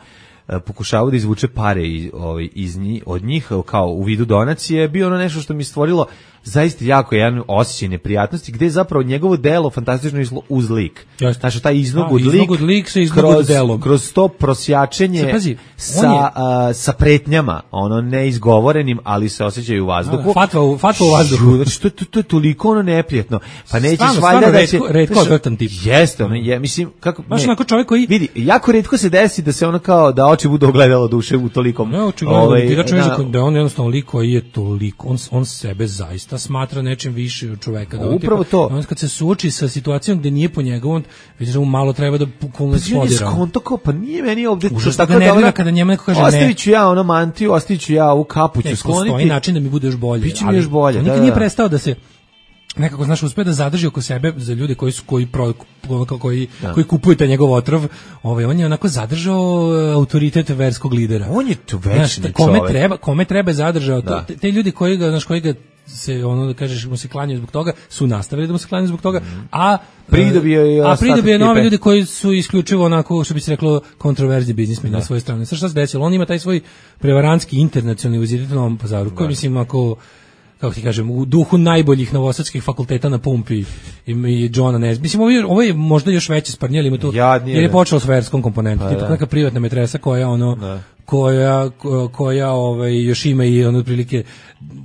S6: pokušavao da izvuče pare iz, ovaj, iz njih, od njih kao u vidu donacije, bio ono nešto što mi stvorilo zaista jako jedan osjećaj neprijatnosti, gde je zapravo njegovo delo fantastično izlo uz lik. Znači, taj iznog od lik,
S5: lik se kroz,
S6: kroz to prosjačenje pazi, sa, je, a, sa pretnjama, ono neizgovorenim, ali se osjećaju u vazduhu.
S5: A, fatva, u, fatva u vazduhu.
S6: Znači, to, to, to je toliko ono neprijatno. Pa nećeš
S5: stvarno,
S6: valjda da će...
S5: Redko odvrtan tip.
S6: Jeste, ono, je, mislim, kako...
S5: Baš onako čovjek koji...
S6: Vidi, jako redko se desi da se ono kao, da oči budu ogledalo duše u tolikom...
S5: Ne, očigledno, ovaj, ti da čuješ da je on jednostavno lik koji je toliko, on, on sebe zaista smatra nečim više od čoveka. Da
S6: upravo to.
S5: On kad se suoči sa situacijom gde nije po njegovom, vidiš da mu malo treba da bukvalno eksplodira.
S6: Pa skonto kao, pa nije meni ovde...
S5: Užasno ga nervira kada njemu neko kaže ne.
S6: Ostavit ću ja ono mantiju, ostavit ću ja u kapuću skloniti.
S5: Postoji način da mi bude još bolje.
S6: Biće mi još bolje,
S5: on nikad nije prestao da se nekako, znaš, uspe da zadrži oko sebe za ljude koji su koji pro, koji da. koji kupuju taj njegov otrov, ovaj on je onako zadržao autoritet verskog lidera.
S6: On je tu večni
S5: kome
S6: čovjek.
S5: treba, kome treba zadržao to, te, te ljudi koji ga, znaš, koji ga se ono da kažeš mu se klanjaju zbog toga, su nastavili da mu se klanjaju zbog toga, mm. a
S6: pridobio je
S5: a pridobio nove ljude koji su isključivo onako, što bi se reklo, kontroverzni biznismeni na svojoj strani. Sad šta se desilo? On ima taj svoj prevarantski internacionalni univerzitet u Novom Pazaru, koji mislim ako kako ti kažem, u duhu najboljih novosadskih fakulteta na pumpi i, i Johna Nes. Mislim, ovo je, ovo je možda još veće sparnje, ima tu,
S6: Jadnije,
S5: jer je počelo s verskom komponentom, pa, neka privatna metresa koja ono, da. koja, koja ovaj, još ima i ono otprilike,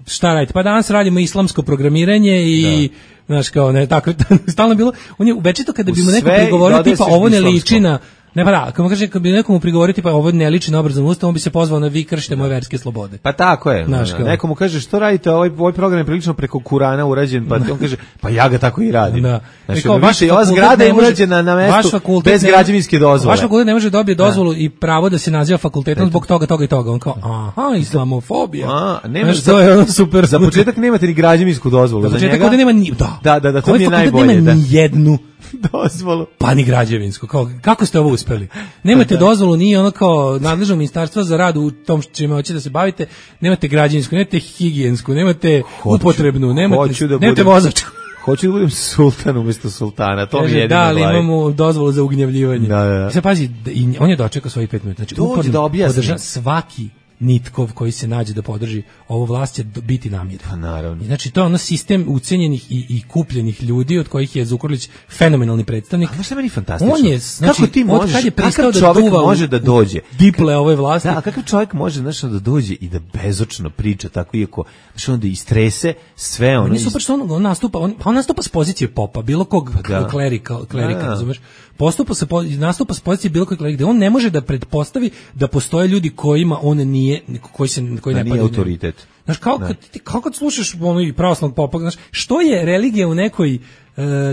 S5: šta radite? Pa danas radimo islamsko programiranje i, da. Znaš, kao ne, tako, stalno bilo, on je večito kada bi mu neko prigovorio, tipa, ovo ne liči na, ne pa da, kako kaže, kad bi nekomu prigovoriti pa ovo ne liči na obrazovni ustav, on bi se pozvao na vi kršite moje verske slobode.
S6: Pa tako je.
S5: Znaš,
S6: da, nekomu kaže što radite, ovaj ovaj program je prilično preko Kurana urađen, pa on kaže pa ja ga tako i radim.
S5: Da.
S6: Znači, kao, više ova zgrada je urađena na mestu bez građevinske dozvole.
S5: Vaš fakultet ne može dobije dozvolu da. I pravo da se naziva fakultetom zbog toga, toga i toga. On kao, aha, islamofobija.
S6: A, nema
S5: to je ono super.
S6: Za početak nemate ni građevinsku dozvolu
S5: za
S6: njega.
S5: Za početak ovde nema ni, da.
S6: Da, da, da, to mi je
S5: najbolje.
S6: Nema
S5: ni jednu
S6: dozvolu.
S5: Pa ni građevinsku. Kao, kako ste ovo uspeli? Nemate da. dozvolu, nije ono kao nadležno ministarstvo za rad u tom čime hoćete da se bavite, nemate građevinsku, nemate higijensku, nemate hoću, upotrebnu, nemate, da nemate vozačku.
S6: Hoću da budem sultan umjesto sultana, to
S5: Kaže,
S6: mi je jedino
S5: da, ali
S6: glavi.
S5: imamo dozvolu za ugnjavljivanje.
S6: Da, da.
S5: Sad pazi, i on je dočekao svojih pet minuta. Znači,
S6: dođe da objasni.
S5: Podrža svaki nitkov koji se nađe da podrži ovu vlast će biti namiren.
S6: Pa naravno.
S5: I znači to je ono sistem ucenjenih i, i kupljenih ljudi od kojih je Zukorlić fenomenalni predstavnik.
S6: A znaš šta meni fantastično?
S5: On je, znači,
S6: kako ti možeš,
S5: kad je pristao
S6: kakav
S5: da
S6: čovjek
S5: duva
S6: može da dođe?
S5: Diple ove vlasti.
S6: Da, a kakav čovjek može znači, da dođe i da bezočno priča tako iako znači onda istrese sve ono.
S5: On je super što on, on nastupa, on, on nastupa s pozicije popa, bilo kog
S6: da.
S5: klerika, klerika, da. razumeš? Postupa se nastupa s pozicije bilo kog klerika, gde on ne može da pretpostavi da postoje ljudi kojima on nije, koji se koji
S6: da
S5: ne
S6: nije autoritet.
S5: Znaš, kao kad, ti, kao kad slušaš ono i pravoslavnog popa, znaš, što je religija u nekoj,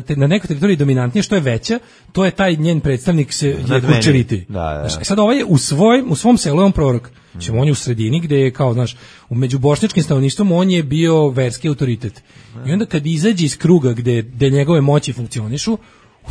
S5: te, na nekoj teritoriji dominantnije, što je veća, to je taj njen predstavnik se je vučeviti.
S6: Da, da.
S5: Znaš, sad ovaj je u, svoj, u svom selu je on prorok. Znači, on je u sredini gde je kao, znaš, u među bošnjačkim stanovništvom on je bio verski autoritet. I onda kad izađe iz kruga gde, gde njegove moći funkcionišu,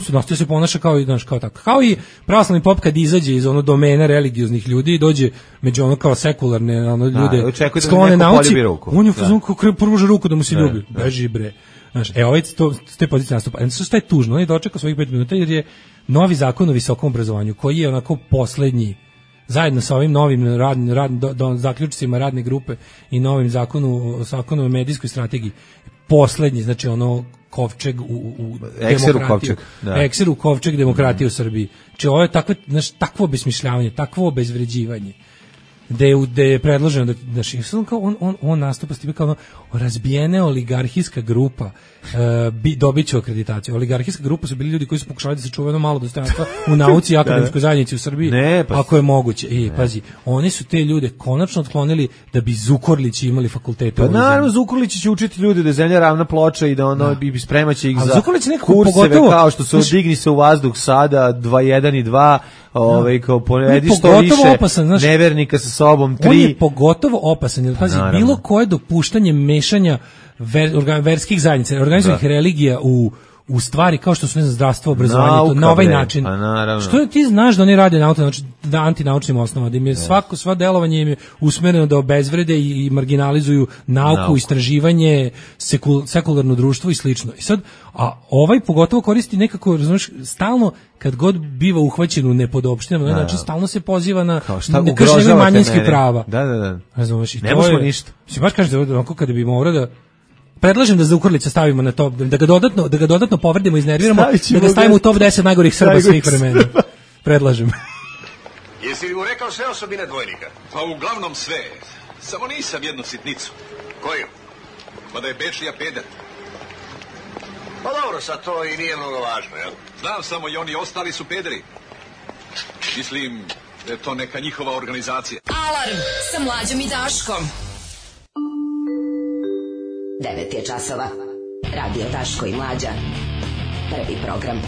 S5: nastoji se ponaša kao i znaš kao tako. Kao i pravoslavni pop kad izađe iz ono domena religioznih ljudi i dođe među ono kao sekularne ono ljude
S6: da,
S5: sklone nauci. On je fazon kako pruža ruku da mu se ljubi. Beži bre. Znaš, e ovaj to s te pozicije nastupa. E što je tužno, on je dočekao svojih pet minuta jer je novi zakon o visokom obrazovanju koji je onako poslednji zajedno sa ovim novim radnim rad, do, do, zaključcima radne grupe i novim zakonu zakonu o medijskoj strategiji poslednji, znači ono kovčeg u, u
S6: Ekseru kovčeg, da.
S5: Ekseru kovčeg demokratije mm. u Srbiji. Znači ovo je takvo, znaš, takvo obesmišljavanje, takvo obezvređivanje. Da je, da je predloženo da, da kao on, on, on nastupa s time kao ono, razbijene oligarhijska grupa uh, bi, dobit će akreditaciju. Oligarhijska grupa su bili ljudi koji su pokušali da se čuvaju malo dostojanstva u nauci i akademskoj zajednici u Srbiji,
S6: ne, pa,
S5: ako je moguće. E, pazi, oni su te ljude konačno otklonili da bi Zukorlići imali fakultete.
S6: Pa naravno, Zukorlići će učiti ljude da je zemlja ravna ploča i da ono bi spremaće ih
S5: a
S6: za kurseve pogotovo, kao što su znaš, digni se u vazduh sada dva jedan i dva, ovaj kao ponedi što više opasan, znaš, nevernika sa sobom tri.
S5: On je pogotovo opasan, jer pazi, naravno, bilo koje dopuštanje mešanja ver, organ, verskih zajednica, organizovanih religija u u stvari kao što su ne znam, zdravstvo, obrazovanje, nauka, to, na ovaj bre, način. Što ti znaš da oni rade na, znači, na antinaučnim osnovama, da im je svako, sva delovanje im je usmereno da obezvrede i, i marginalizuju nauku, nauku. istraživanje, sekul, sekularno društvo i slično. I sad, a ovaj pogotovo koristi nekako, razumiješ, stalno kad god biva uhvaćen u nepodopštinama, da, znači stalno se poziva na kršenje manjinskih prava.
S6: Da, da, da.
S5: Razumiješ, i
S6: ne
S5: to
S6: možemo
S5: je,
S6: ništa.
S5: Si baš kažeš da onako kada bi morao da predlažem da Zukorlića stavimo na top, da ga dodatno, da ga dodatno povredimo, iznerviramo, da ga stavimo u top deset najgorih Srba svih vremena. Predlažem.
S13: Jesi li mu rekao sve osobine dvojnika?
S14: Pa uglavnom sve. Samo nisam jednu sitnicu.
S13: Koju?
S14: Pa da je Bečija peder.
S13: Pa dobro, sad to i nije mnogo važno, jel?
S14: Znam samo i oni ostali su pederi. Mislim da je to neka njihova organizacija.
S2: Alarm sa Mlađom i Daškom.
S10: devet je časova. Radio Daško i Mlađa. Prvi program.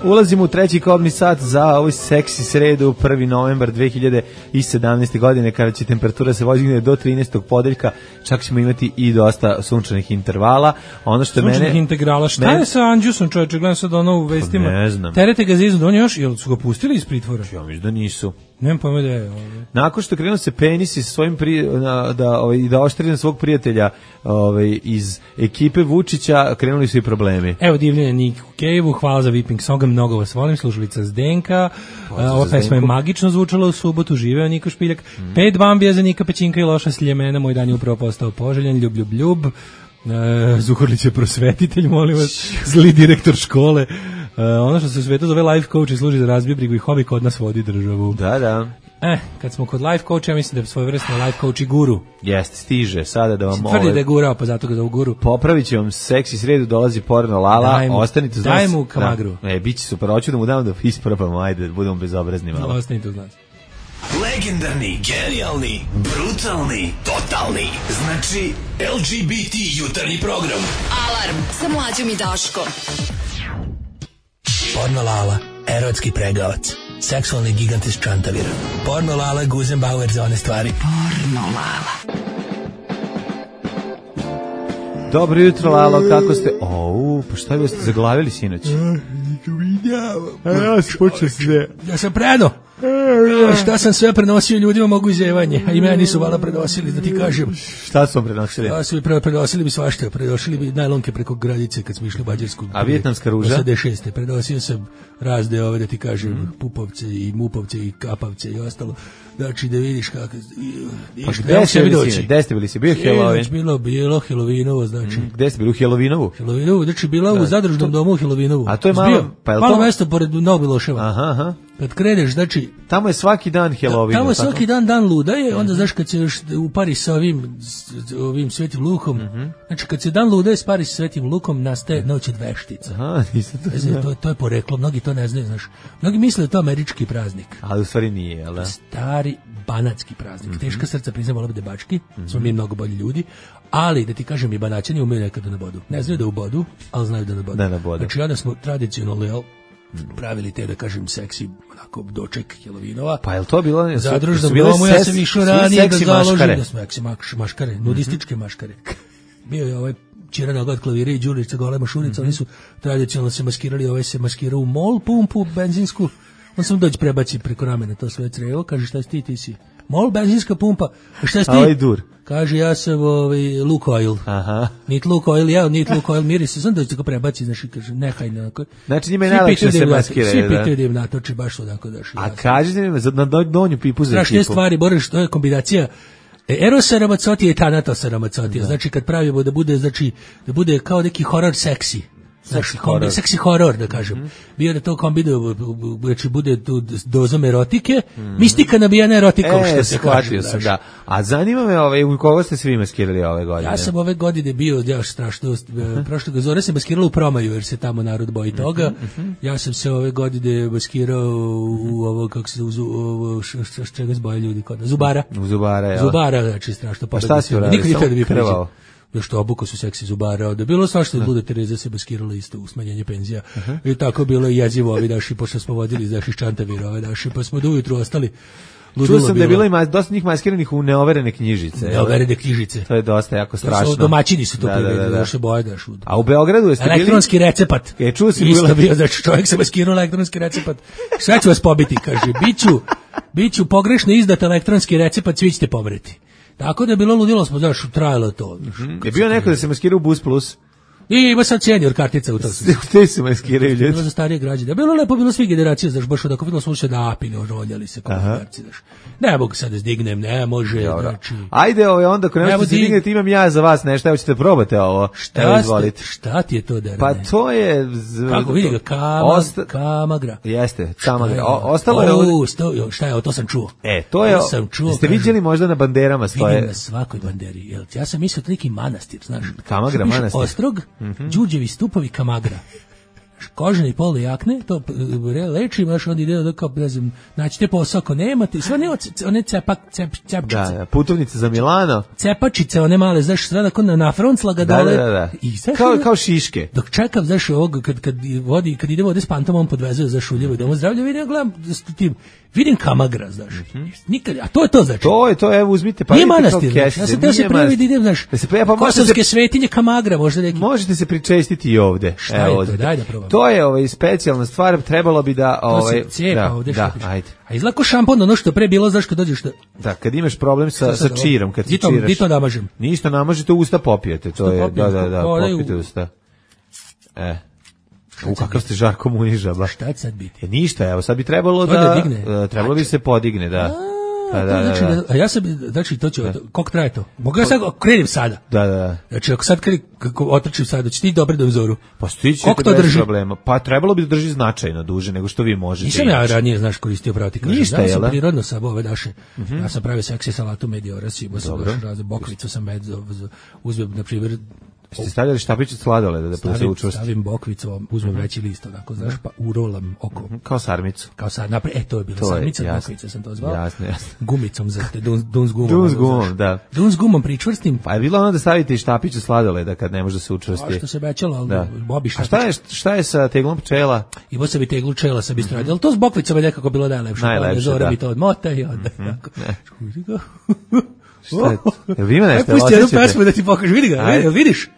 S6: Ulazimo u treći kobni sat za ovoj seksi sredu, prvi novembar dve hiljade sedamnaeste. godine, kada će temperatura se voziti do trinaestog podeljka, čak ćemo imati i dosta sunčanih intervala. Ono što
S5: sunčanih
S6: mene
S5: integrala. Šta men... je sa Andjusom, čovječe, gledam sad ono u vestima.
S6: Ne znam.
S5: Terete ga za iznudu, on još, jel su ga pustili iz pritvora?
S6: Ja mislim da nisu.
S5: Nemam pojma da je. Ovaj.
S6: Nakon što krenuo se penisi sa svojim pri, na, da ovaj da oštri na svog prijatelja, ovaj iz ekipe Vučića, krenuli su i problemi.
S5: Evo divljenje Niku Kejevu, hvala za Whipping Song, mnogo vas volim, slušalica Zdenka. Ova pesma je magično zvučala u subotu, živeo Niko Špiljak. Mm. Pet bambija za Nika Pećinka i loša sljemena, moj dan je upravo postao poželjan, ljub, ljub, ljub. Uh, Zukorlić je prosvetitelj, molim vas, zli direktor škole. Uh, ono što se u svetu zove life coach i služi za razbibrigu i hobi, kod nas vodi državu.
S6: Da, da.
S5: Eh, kad smo kod life coacha, ja mislim da je svojevrsno life coach i guru.
S6: Jeste, stiže sada da vam
S5: tvrdi ovaj, da je gurao, pa zato ga da u guru.
S6: Popravit će vam seksi sredu, dolazi porno Lala, daj mu, ostanite uz nas.
S5: Daj mu kamagru.
S6: Da, e, bit će super, hoću da mu dam da isprobamo, ajde, budemo bezobrazni malo.
S5: Ostanite uz nas.
S7: Legendarni, genijalni, brutalni, totalni. Znači, L G B T jutarnji program.
S2: Alarm sa Mlađom i Daškom.
S15: Porno Lala, erotski pregavac. Seksualni gigant iz Čantavira. Porno Lala, Guzenbauer za one stvari.
S2: Porno Lala.
S6: Dobro jutro, Lalo, kako ste? O, pa šta vi ste zaglavili sinoć?
S5: A ja sam počeo sve. Ja sam predao. Šta sam sve prenosio ljudima mogu izjevanje, a i meni su vala prenosili, da ti kažem.
S6: Šta su vam prenosili?
S5: Ja su pre, prenosili bi svašta, prenosili bi najlonke preko granice kad smo išli u Mađarsku.
S6: A vijetnamska ruža?
S5: osamdeset šeste Prenosio sam razne ove, da ti kažem, mm. Pupovce i Mupovce i Kapavce i ostalo. Znači da vidiš kako...
S6: Pa gde ste bili si? Gde ste bili si? Bio Halloween?
S5: Bilo, bilo Halloweenovo, znači.
S6: Mm. Gde ste bili u Halloweenovu?
S5: Halloweenovu, znači bila u zadružnom domu u Halloweenovu.
S6: A to je malo...
S5: Pa je malo to... mesto pored Nobiloševa.
S6: Aha, aha.
S5: Kad kreneš, znači...
S6: Tamo je svaki dan Halloween.
S5: Tamo je svaki dan dan luda je, onda znaš kad se još upari sa ovim, ovim Svetim Lukom, mm-hmm. znači kad se dan luda je spari sa Svetim Lukom, nastaje noć od veštica.
S6: Aha, nisam to znao.
S5: To, to je poreklo, mnogi to ne znaju, znaš. Mnogi misle da je to američki praznik.
S6: Ali u stvari nije, jel da?
S5: Stari banatski praznik. Mm-hmm. Teška srca priznam, vola bi debački, mm-hmm. smo mi mnogo bolji ljudi, ali da ti kažem i banaćani umeju nekad da nabodu. Ne znaju da ubodu, ali znaju da nabodu.
S6: Da nabodu.
S5: Znači onda smo tradicionalno, jel, pravili te, da kažem, seksi onako doček Halloweenova.
S6: Pa je li to bilo...
S5: Zadružnom domu, ja sam išao ranije da založim da smo seksi maškare, nudističke maškare. Bio je ovaj Čira Noga od klavira i Đurica Golema Šurica, oni su tradicionalno se maskirali, ovaj se maskirao u mol pumpu benzinsku, on sam dođe prebaci preko ramena to sve crevo, kaže šta si ti, ti si mol benzinska pumpa, šta si ti?
S6: Ovaj dur.
S5: Kaže, ja sam ovaj, Lukoil.
S6: Aha.
S5: Nit Lukoil, ja, nit Lukoil miris. Sam dođe da ga prebaci, znaš, i kaže, nehaj nekako.
S6: Znači, njima je najlakše se maskiraju,
S5: svi da? Svi pitaju da im natoči, baš odako daš.
S6: A kažete mi, na donju pipu za ekipu.
S5: Strašne stvari, Boris, to je kombinacija Erosa Ramazzottija i Thanatosa Ramazzottija. Da. Znači, kad pravimo da bude, znači, da bude kao neki horor seksi. Seksi horor. Seksi horor, da kažem. Mm-hmm. Bio da to kombinuje, znači bude tu dozom erotike, mm-hmm. mistika nabijana erotikom,
S6: e,
S5: što se kaže.
S6: Sam, da. A zanima me, ovaj, u koga ste svi maskirali ove godine?
S5: Ja sam ove godine bio, ja strašno, mm-hmm. prošle zore se maskirala u Promaju, jer se tamo narod boji toga. Mm-hmm. Ja sam se ove godine maskirao u ovo, kako se uzu, ovo, š, š, š, čega zboje ljudi kod Zubara.
S6: U Zubara, ja.
S5: Zubara, znači strašno.
S6: Pa šta si uradio?
S5: Nikad nikad da bi prevao. Još to obuko su seksi Zubara, da bilo svašta, da Luda Tereza se maskirala isto u smanjenje penzija. Uh-huh. I tako bilo i jezivo ovi naši, pošto smo vodili znaš iz Čantavira ove naši, pa smo do ujutru ostali.
S6: Čuo sam da je bilo i mas, dosta njih maskiranih u neoverene knjižice.
S5: Neoverene knjižice.
S6: To je dosta jako strašno.
S5: Su, domaćini su to
S6: da,
S5: privredili,
S6: da, da, da.
S5: da se boje da šu.
S6: A u Beogradu jeste bili...
S5: Elektronski recept.
S6: E, čuo si
S5: isto bio, znači čovjek se maskirao elektronski recept. Sve ću vas pobiti, kaže, biću, biću pogrešno izdat elektronski recept, svi ćete pomreti. Tako da je bilo ludilo, smo, znaš, trajalo to.
S6: Mm-hmm. Je bio neko da se maskira u Bus Plus?
S5: I ima sad senior kartica u to.
S6: Te se maskiraju ljudi.
S5: Bilo za starije građane. Bilo lepo, bilo svi generacije, znaš, baš odako videlo smo se napili, ožoljali se komunikaci, znaš. Ne mogu sad da zdignem, ne može,
S6: dobro.
S5: Znači.
S6: Ajde, ovo, onda ako ne možete se dignete, imam ja za vas nešto, evo ćete probate ovo.
S5: Šta,
S6: evo, izvolite.
S5: Šta ti je to, Derane?
S6: Pa to je... Z...
S5: Kako vidi ga, kama, Osta... kamagra.
S6: Jeste, kamagra. O, ostalo
S5: je...
S6: O,
S5: sto, šta je, to sam čuo.
S6: E, to je...
S5: To sam čuo.
S6: Ste vidjeli možda na banderama stoje?
S5: Vidim na svakoj banderi. Jel, ja sam mislio to neki manastir, znaš.
S6: Kamagra, manastir.
S5: Ostrog, mm-hmm. Đurđevi stupovi Kamagra. Kožene pole jakne, to leči, baš onda ide da kao, ne znam, naćete posao ako nemate, sve ne, one cepak, cep, cepčice.
S6: Da, da, putovnice za Milano.
S5: Cepačice, one male, znaš, sve da na, na froncla ga dole.
S6: Da, da, da.
S5: I, znaš,
S6: kao, kao šiške.
S5: Dok čekam, znaš, ovog, kad, kad, vodi, kad ide vode s pantom, on podvezuje za šuljevo i domu zdravlja, vidim, gledam, tim, vidim Kamagra, znaš. Mm-hmm. Nikad, a to je to, znači.
S6: To je to, evo, uzmite, pa
S5: nije manastir, znači. Ja sam teo se prvi da idem, znaš,
S6: da se pre, pa
S5: kosovske se, svetinje Kamagra, možda neki.
S6: Možete se pričestiti i ovde.
S5: Šta evo, je to, daj da probam.
S6: To je ovaj specijalna stvar, trebalo bi da ovaj
S5: to se cepa
S6: da,
S5: ovde
S6: da,
S5: što
S6: ajde.
S5: A izlako šampon, ono što pre bilo, zašto dođeš da...
S6: Da, kad imaš problem sa sa čirom, kad ti čiraš.
S5: Di to namažem?
S6: Ništa namažete, usta popijete, to je, da, da, da, popijete usta. E. U kakav ste Žarko Munižaba.
S5: Šta će sad biti?
S6: E, ništa, evo, sad bi trebalo da, uh, trebalo bi se podigne, da.
S5: A, da, znači, da, da. A ja sam, znači, to ću, koliko traje to? Mogu ja sad, krenim sada.
S6: Da, da.
S5: Znači, ako sad krenim, kako otrčim sada, će ti dobro da uzoru.
S6: Pa stići to bez problema. Pa trebalo bi da drži značajno duže nego što vi možete.
S5: Nisam ja ranije, znaš, koristio pravo ti kažem.
S6: Ništa,
S5: ja
S6: sam
S5: prirodno sa ove naše. Mm-hmm. Ja sam pravio seksi salatu mediora, sibo sam baš razne bokvicu sam med, uzmem, na primjer,
S6: ste stavljali štapić od sladoleda da
S5: stavim,
S6: se učvrsti?
S5: Stavim bokvicu, uzmem mm-hmm. veći list, onako, znaš, pa urolam oko.
S6: Mm-hmm. Kao sarmicu.
S5: Kao sad, napred, e, to je bila to sarmica, je, bokvica sam to zvao.
S6: Jasno, jasno.
S5: Gumicom za te, dun, dun s gumom.
S6: Dun s gumom, da.
S5: Dun s gumom pričvrstim.
S6: Pa je bilo ono da stavite i štapić od sladoleda kad ne može da se učvrsti.
S5: A što se bećalo, ali
S6: da.
S5: Bobi štapić.
S6: A šta je, šta je sa teglom pčela?
S5: Imao sam i teglu pčela sa bistro, mm-hmm. ali to s bokvicama je nekako bilo najlepše.
S6: Najlepše,
S5: Zora
S6: da.
S5: mi to odmota i onda.
S6: Mm-hmm. Šta je to? Jel vi ima nešto?
S5: Pusti jednu pesmu da ti pokažem, vidi ga, vidiš?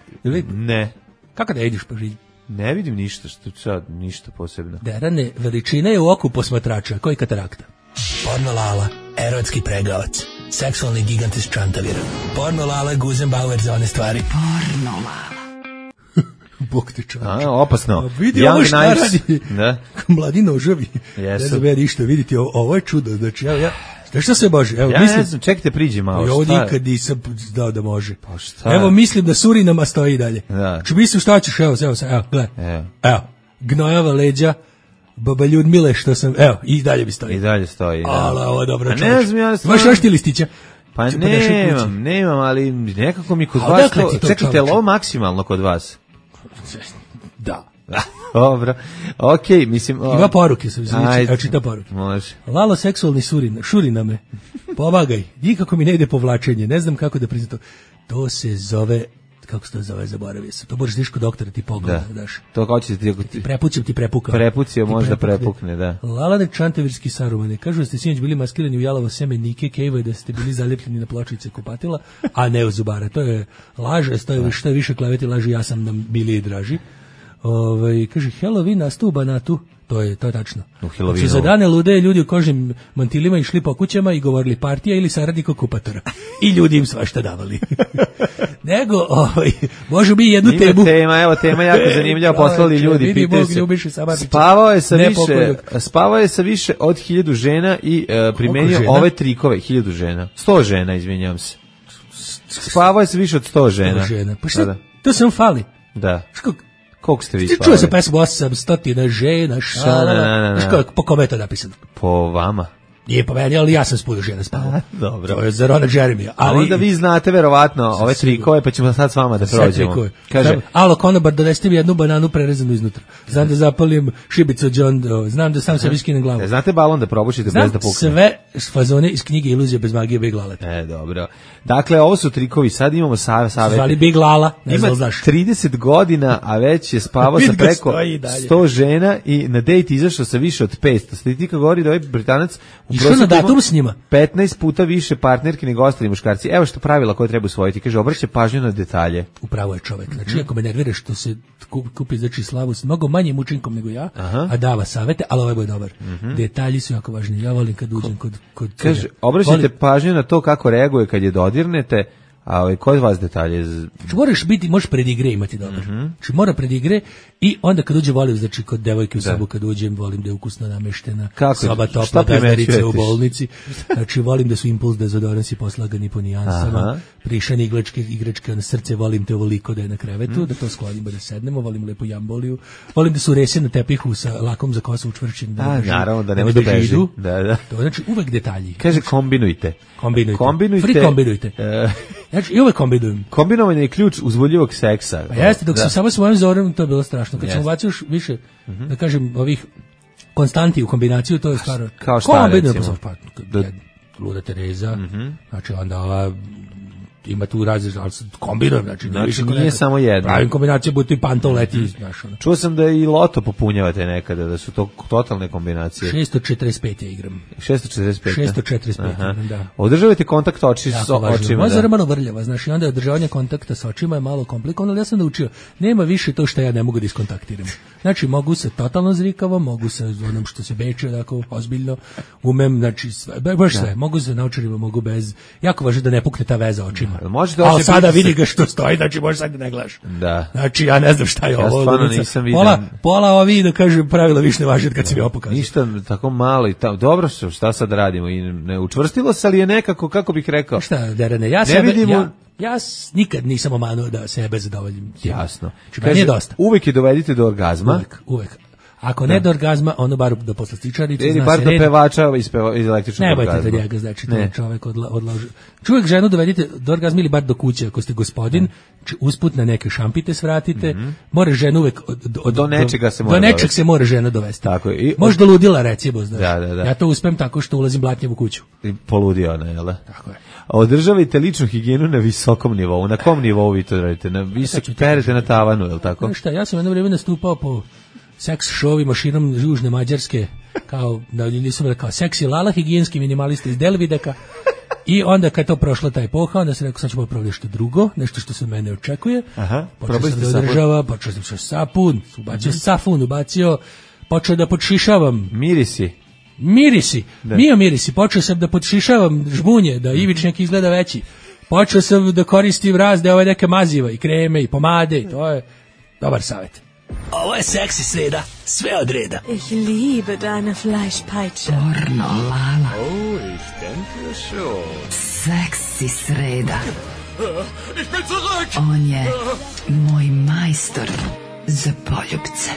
S6: Ne.
S5: Kako da ideš po žiđi?
S6: Ne vidim ništa, što sad, ništa posebno.
S5: Derane, veličina je u oku posmatrača, koji katarakta?
S15: Porno Lala, erotski pregavac, seksualni gigant iz Čantavira. Porno Lala, Guzenbauer za one stvari.
S2: Porno Lala.
S5: Bog te čovječe.
S6: A, opasno.
S5: A vidi ovo šta radi.
S6: Da.
S5: Mladi noževi.
S6: Jesu.
S5: Ne znam ja ništa, vidite, ovo, ovo je čudo. Znači, ja, ja, znaš šta se Bože? Evo,
S6: ja
S5: mislim,
S6: ne znam, čekajte, priđi malo.
S5: I ovo
S6: šta
S5: nikad nisam znao da može.
S6: Pa šta?
S5: Evo, mislim da Surinama stoji i dalje.
S6: Da.
S5: Či mislim šta ćeš, evo, evo, evo, gledaj.
S6: Evo.
S5: Evo, gnojava leđa, baba Ljudmile, što sam, evo, i dalje mi stoji.
S6: I dalje stoji, da.
S5: Ale, ovo je dobro čovječe.
S6: Ne znam, ja stvarno...
S5: Imaš još ti listića?
S6: Pa nemam, nemam, ali nekako mi kod
S5: A
S6: vas
S5: odakle
S6: to...
S5: ti to,
S6: Čekajte, je li
S5: čoveče?
S6: ovo maksimalno kod vas?
S5: Da.
S6: Dobro, okej, okay, mislim... O...
S5: Ima poruke, sam znači,
S6: Ajde,
S5: evo čita poruke.
S6: Može.
S5: Lalo seksualni surin, šurina me. Pomagaj, nikako mi ne ide povlačenje, ne znam kako da priznam to. To se zove, kako se to zove, zaboravio sam. To možeš tiš kod doktora ti pogleda,
S6: Da.
S5: daš.
S6: To kao će ti...
S5: Ti prepućem, ti prepukao.
S6: Prepucio,
S5: Ti
S6: možda
S5: prepukne.
S6: prepukne, da.
S5: Lalane Čantavirski Sarumane, kažu da ste sinoć bili maskirani u jalovo seme Nike Kejva i da ste bili zaljepljeni na pločice kupatila, a ne u zubara. To je laž, to je, što je više kleveti laži, ja sam nam bili i draži. Ovaj kaže Halloween nastup Banatu, to je to je tačno.
S6: U Halloweenu.
S5: Znači, za dane lude ljudi u kožnim mantilima išli po kućama i govorili partija ili saradnik okupatora. I ljudi im svašta davali. Nego, ovaj, može bi jednu
S6: Ima
S5: temu.
S6: tema, evo tema jako zanimljiva, poslali ljudi,
S5: Vidi
S6: pitaju
S5: Bog,
S6: se.
S5: ljubiše Samardžića.
S6: Spavao je sa
S5: Ne
S6: više,
S5: pokojnog.
S6: spavao je sa više od hiljadu žena i uh, primenio
S5: žena?
S6: ove trikove, hiljadu žena. Sto žena, izvinjam se. Spavao je sa više od sto žena.
S5: žena. Pa šta,
S6: Da,
S5: to sam fali.
S6: da.
S5: Što
S6: Koliko ste vi
S5: ti
S6: spavali?
S5: čuo se pesmu osam stotina žena, šalala.
S6: Da, da, da, da.
S5: Znaš kako, po kome je to napisano?
S6: Po vama.
S5: Nije po meni, ali ja sam s puno žena spavao.
S6: Dobro.
S5: To je za Rona Jeremija.
S6: Ali
S5: Ali
S6: onda vi znate verovatno ove trikove, pa ćemo sad s vama da
S5: sve
S6: prođemo.
S5: trikove.
S6: Kaže,
S5: Znam, alo, konobar, donesite mi jednu bananu prerezanu iznutra. Znam da zapalim šibicu od John Doe. Znam da sam se viskinem glavu.
S6: e, znate balon da probušite
S5: Znam
S6: bez da pukne?
S5: sve fazone iz knjige Iluzija bez magije Big Lala.
S6: E, dobro. Dakle, ovo su trikovi, sad imamo sa, savete.
S5: Zvali Big Lala, ne
S6: Ima
S5: znam, znaš.
S6: trideset godina, a već je spavao sa
S5: Vidi ga
S6: preko
S5: stoji i dalje.
S6: sto žena i na dejt izašao sa više od petsto. Statistika govori da ovaj Britanac u
S5: Išao na
S6: prosjeku ima
S5: datum s njima.
S6: petnaest puta više partnerki nego ostali muškarci. Evo što pravila koje treba usvojiti. Kaže, obraća pažnju na detalje.
S5: Upravo je čovek. Znači, ako me nervira što se kupi, kupi znači slavu s mnogo manjim učinkom nego ja,
S6: Aha.
S5: a dava savete, ali ovaj je dobar. Detalji su jako važni. Ja volim kad uđem kod... kod
S6: Kaže,
S5: cure.
S6: obraćajte
S5: Volim-
S6: pažnju na to kako reaguje kad je dodirnete, a ovaj, kod vas detalje? Z-
S5: Znači, moraš biti, možeš predigre imati dobar. Znači, mora predigre i onda kad uđe volim, znači kod devojke u sobu kad uđem, volim da je ukusno nameštena,
S6: Kako?
S5: soba
S6: Šta
S5: topla, gazdarice
S6: primećujete?
S5: u bolnici. Znači, volim da su impuls dezodoransi poslagani po nijansama,
S6: Aha.
S5: prišane igračke, igračke na srce, volim te ovoliko da je na krevetu, da to sklonimo, da sednemo, volim lepo jamboliju, volim da su rese na tepihu sa lakom za kosu učvršćen, da,
S6: A,
S5: ne beži-
S6: naravno, da ne
S5: ne
S6: može da beži.
S5: židu.
S6: Da, da.
S5: To znači uvek detalji.
S6: Kaže, kombinujte.
S5: Kombinujte.
S6: Kombinujte.
S5: Free kombinujte.
S6: E,
S5: Znači, i uvek kombinujem.
S6: kombinovanje je ključ uzbuljivog seksa.
S5: Pa jeste, dok
S6: Da.
S5: sam samo s mojim zorom, to je bilo strašno. Kad sam
S6: Jeste.
S5: ubacio još više, da kažem, ovih konstanti u kombinaciju, to je stvarno...
S6: Kao šta,
S5: Kombinujem,
S6: recimo?
S5: Pa, pa, jed- Luda Tereza, znači onda ova ima tu različite, ali sad kombinujem, znači,
S6: Znači,
S5: više
S6: nije
S5: nekad-
S6: samo jedno.
S5: Pravim kombinacije, budu i pantol leti, znaš, ono.
S6: Čuo sam da i loto popunjavate nekada, da su to totalne kombinacije.
S5: šesto četrdeset pet ja igram.
S6: šesto četrdeset pet.
S5: šesto četrdeset pet,
S6: Aha.
S5: da.
S6: Održavajte kontakt oči s
S5: Jako važno.
S6: očima.
S5: Moja
S6: Da.
S5: zora je malo vrljava, znaš, i onda je održavanje kontakta sa očima je malo komplikovano, ali ja sam naučio, nema više to što ja ne mogu da iskontaktiram. Znači, mogu se totalno zrikavo, mogu se onom što se beče, tako, ozbiljno, umem, znači, sve, be- baš sve, mogu se naučarima, mogu bez, jako važno da ne pukne ta veza očima.
S6: Da, možete
S5: Ali
S6: oči
S5: sada
S6: pritisak-
S5: vidi ga što stoji, znači, možeš sad da ne gledaš.
S6: Da.
S5: Znači, ja ne znam šta je
S6: Ja
S5: ovo.
S6: stvarno
S5: ludica.
S6: nisam vidio.
S5: Pola, pola ovi, da kažem, pravila više ne važi od kad si mi ovo pokazao.
S6: Ništa tako malo i ta, dobro što šta sad radimo i ne učvrstilo se, ali je nekako, kako bih rekao,
S5: Šta, Derene, ja
S6: Ne
S5: sebe,
S6: vidimo-
S5: ja, ja s- nikad nisam omanuo da sebe zadovoljim.
S6: jasno.
S5: Znači, meni je dosta.
S6: Uvek je dovedite do orgazma.
S5: Uvek, uvek. Ako ne do orgazma, ono bar do poslastičarice,
S6: Ili
S5: zna
S6: bar
S5: se
S6: do
S5: red.
S6: pevača iz, peva, iz električnog
S5: Ne
S6: orgazma.
S5: bojte da njega, znači to
S6: Ne.
S5: je čovek odla, odlaže. Čovjek ženu dovedite do orgazma ili bar do kuće, ako ste gospodin, či usput na neke šampite svratite, more ženu uvek od, od,
S6: Do nečega se mora
S5: do nečeg
S6: dovesti.
S5: se mora žena dovesti.
S6: Tako je. I-
S5: Možda ludila, recimo, znaš.
S6: Da, da, da.
S5: Ja to uspem tako što ulazim blatnjev u kuću.
S6: I poludio ona, jel da?
S5: Tako je.
S6: Održavajte ličnu higijenu na visokom nivou. Na kom nivou vi to radite? Na visok,
S5: ću ti
S6: perete na tavanu, jel tako?
S5: Znaš šta, ja sam jedno vrijeme nastupao po seks šovima širom Južne Mađarske, kao, da nisam rekao, seksi lala, higijenski minimalista iz Delvideka, I onda kad to prošla ta epoha, onda se rekao sad ćemo probati nešto drugo, nešto što se od mene očekuje.
S6: Aha,
S5: počeo sam da održava, počeo sam sa sapun, ubacio mm-hmm. safun, ubacio, počeo da podšišavam.
S6: Mirisi.
S5: Mirisi, da. Mio mirisi, počeo sam da podšišavam žbunje, da ivičnjak izgleda veći. Počeo sam da koristim razne ove neke maziva i kreme i pomade, i to je dobar savjet.
S15: Ovo je seksi sreda, sve od reda.
S16: Ich liebe deine Fleischpeitsche.
S2: Pornolala.
S14: Oh, ich denke schon.
S2: Seksi sreda.
S14: Ich bin zurück!
S2: On je moj majstor za poljubce.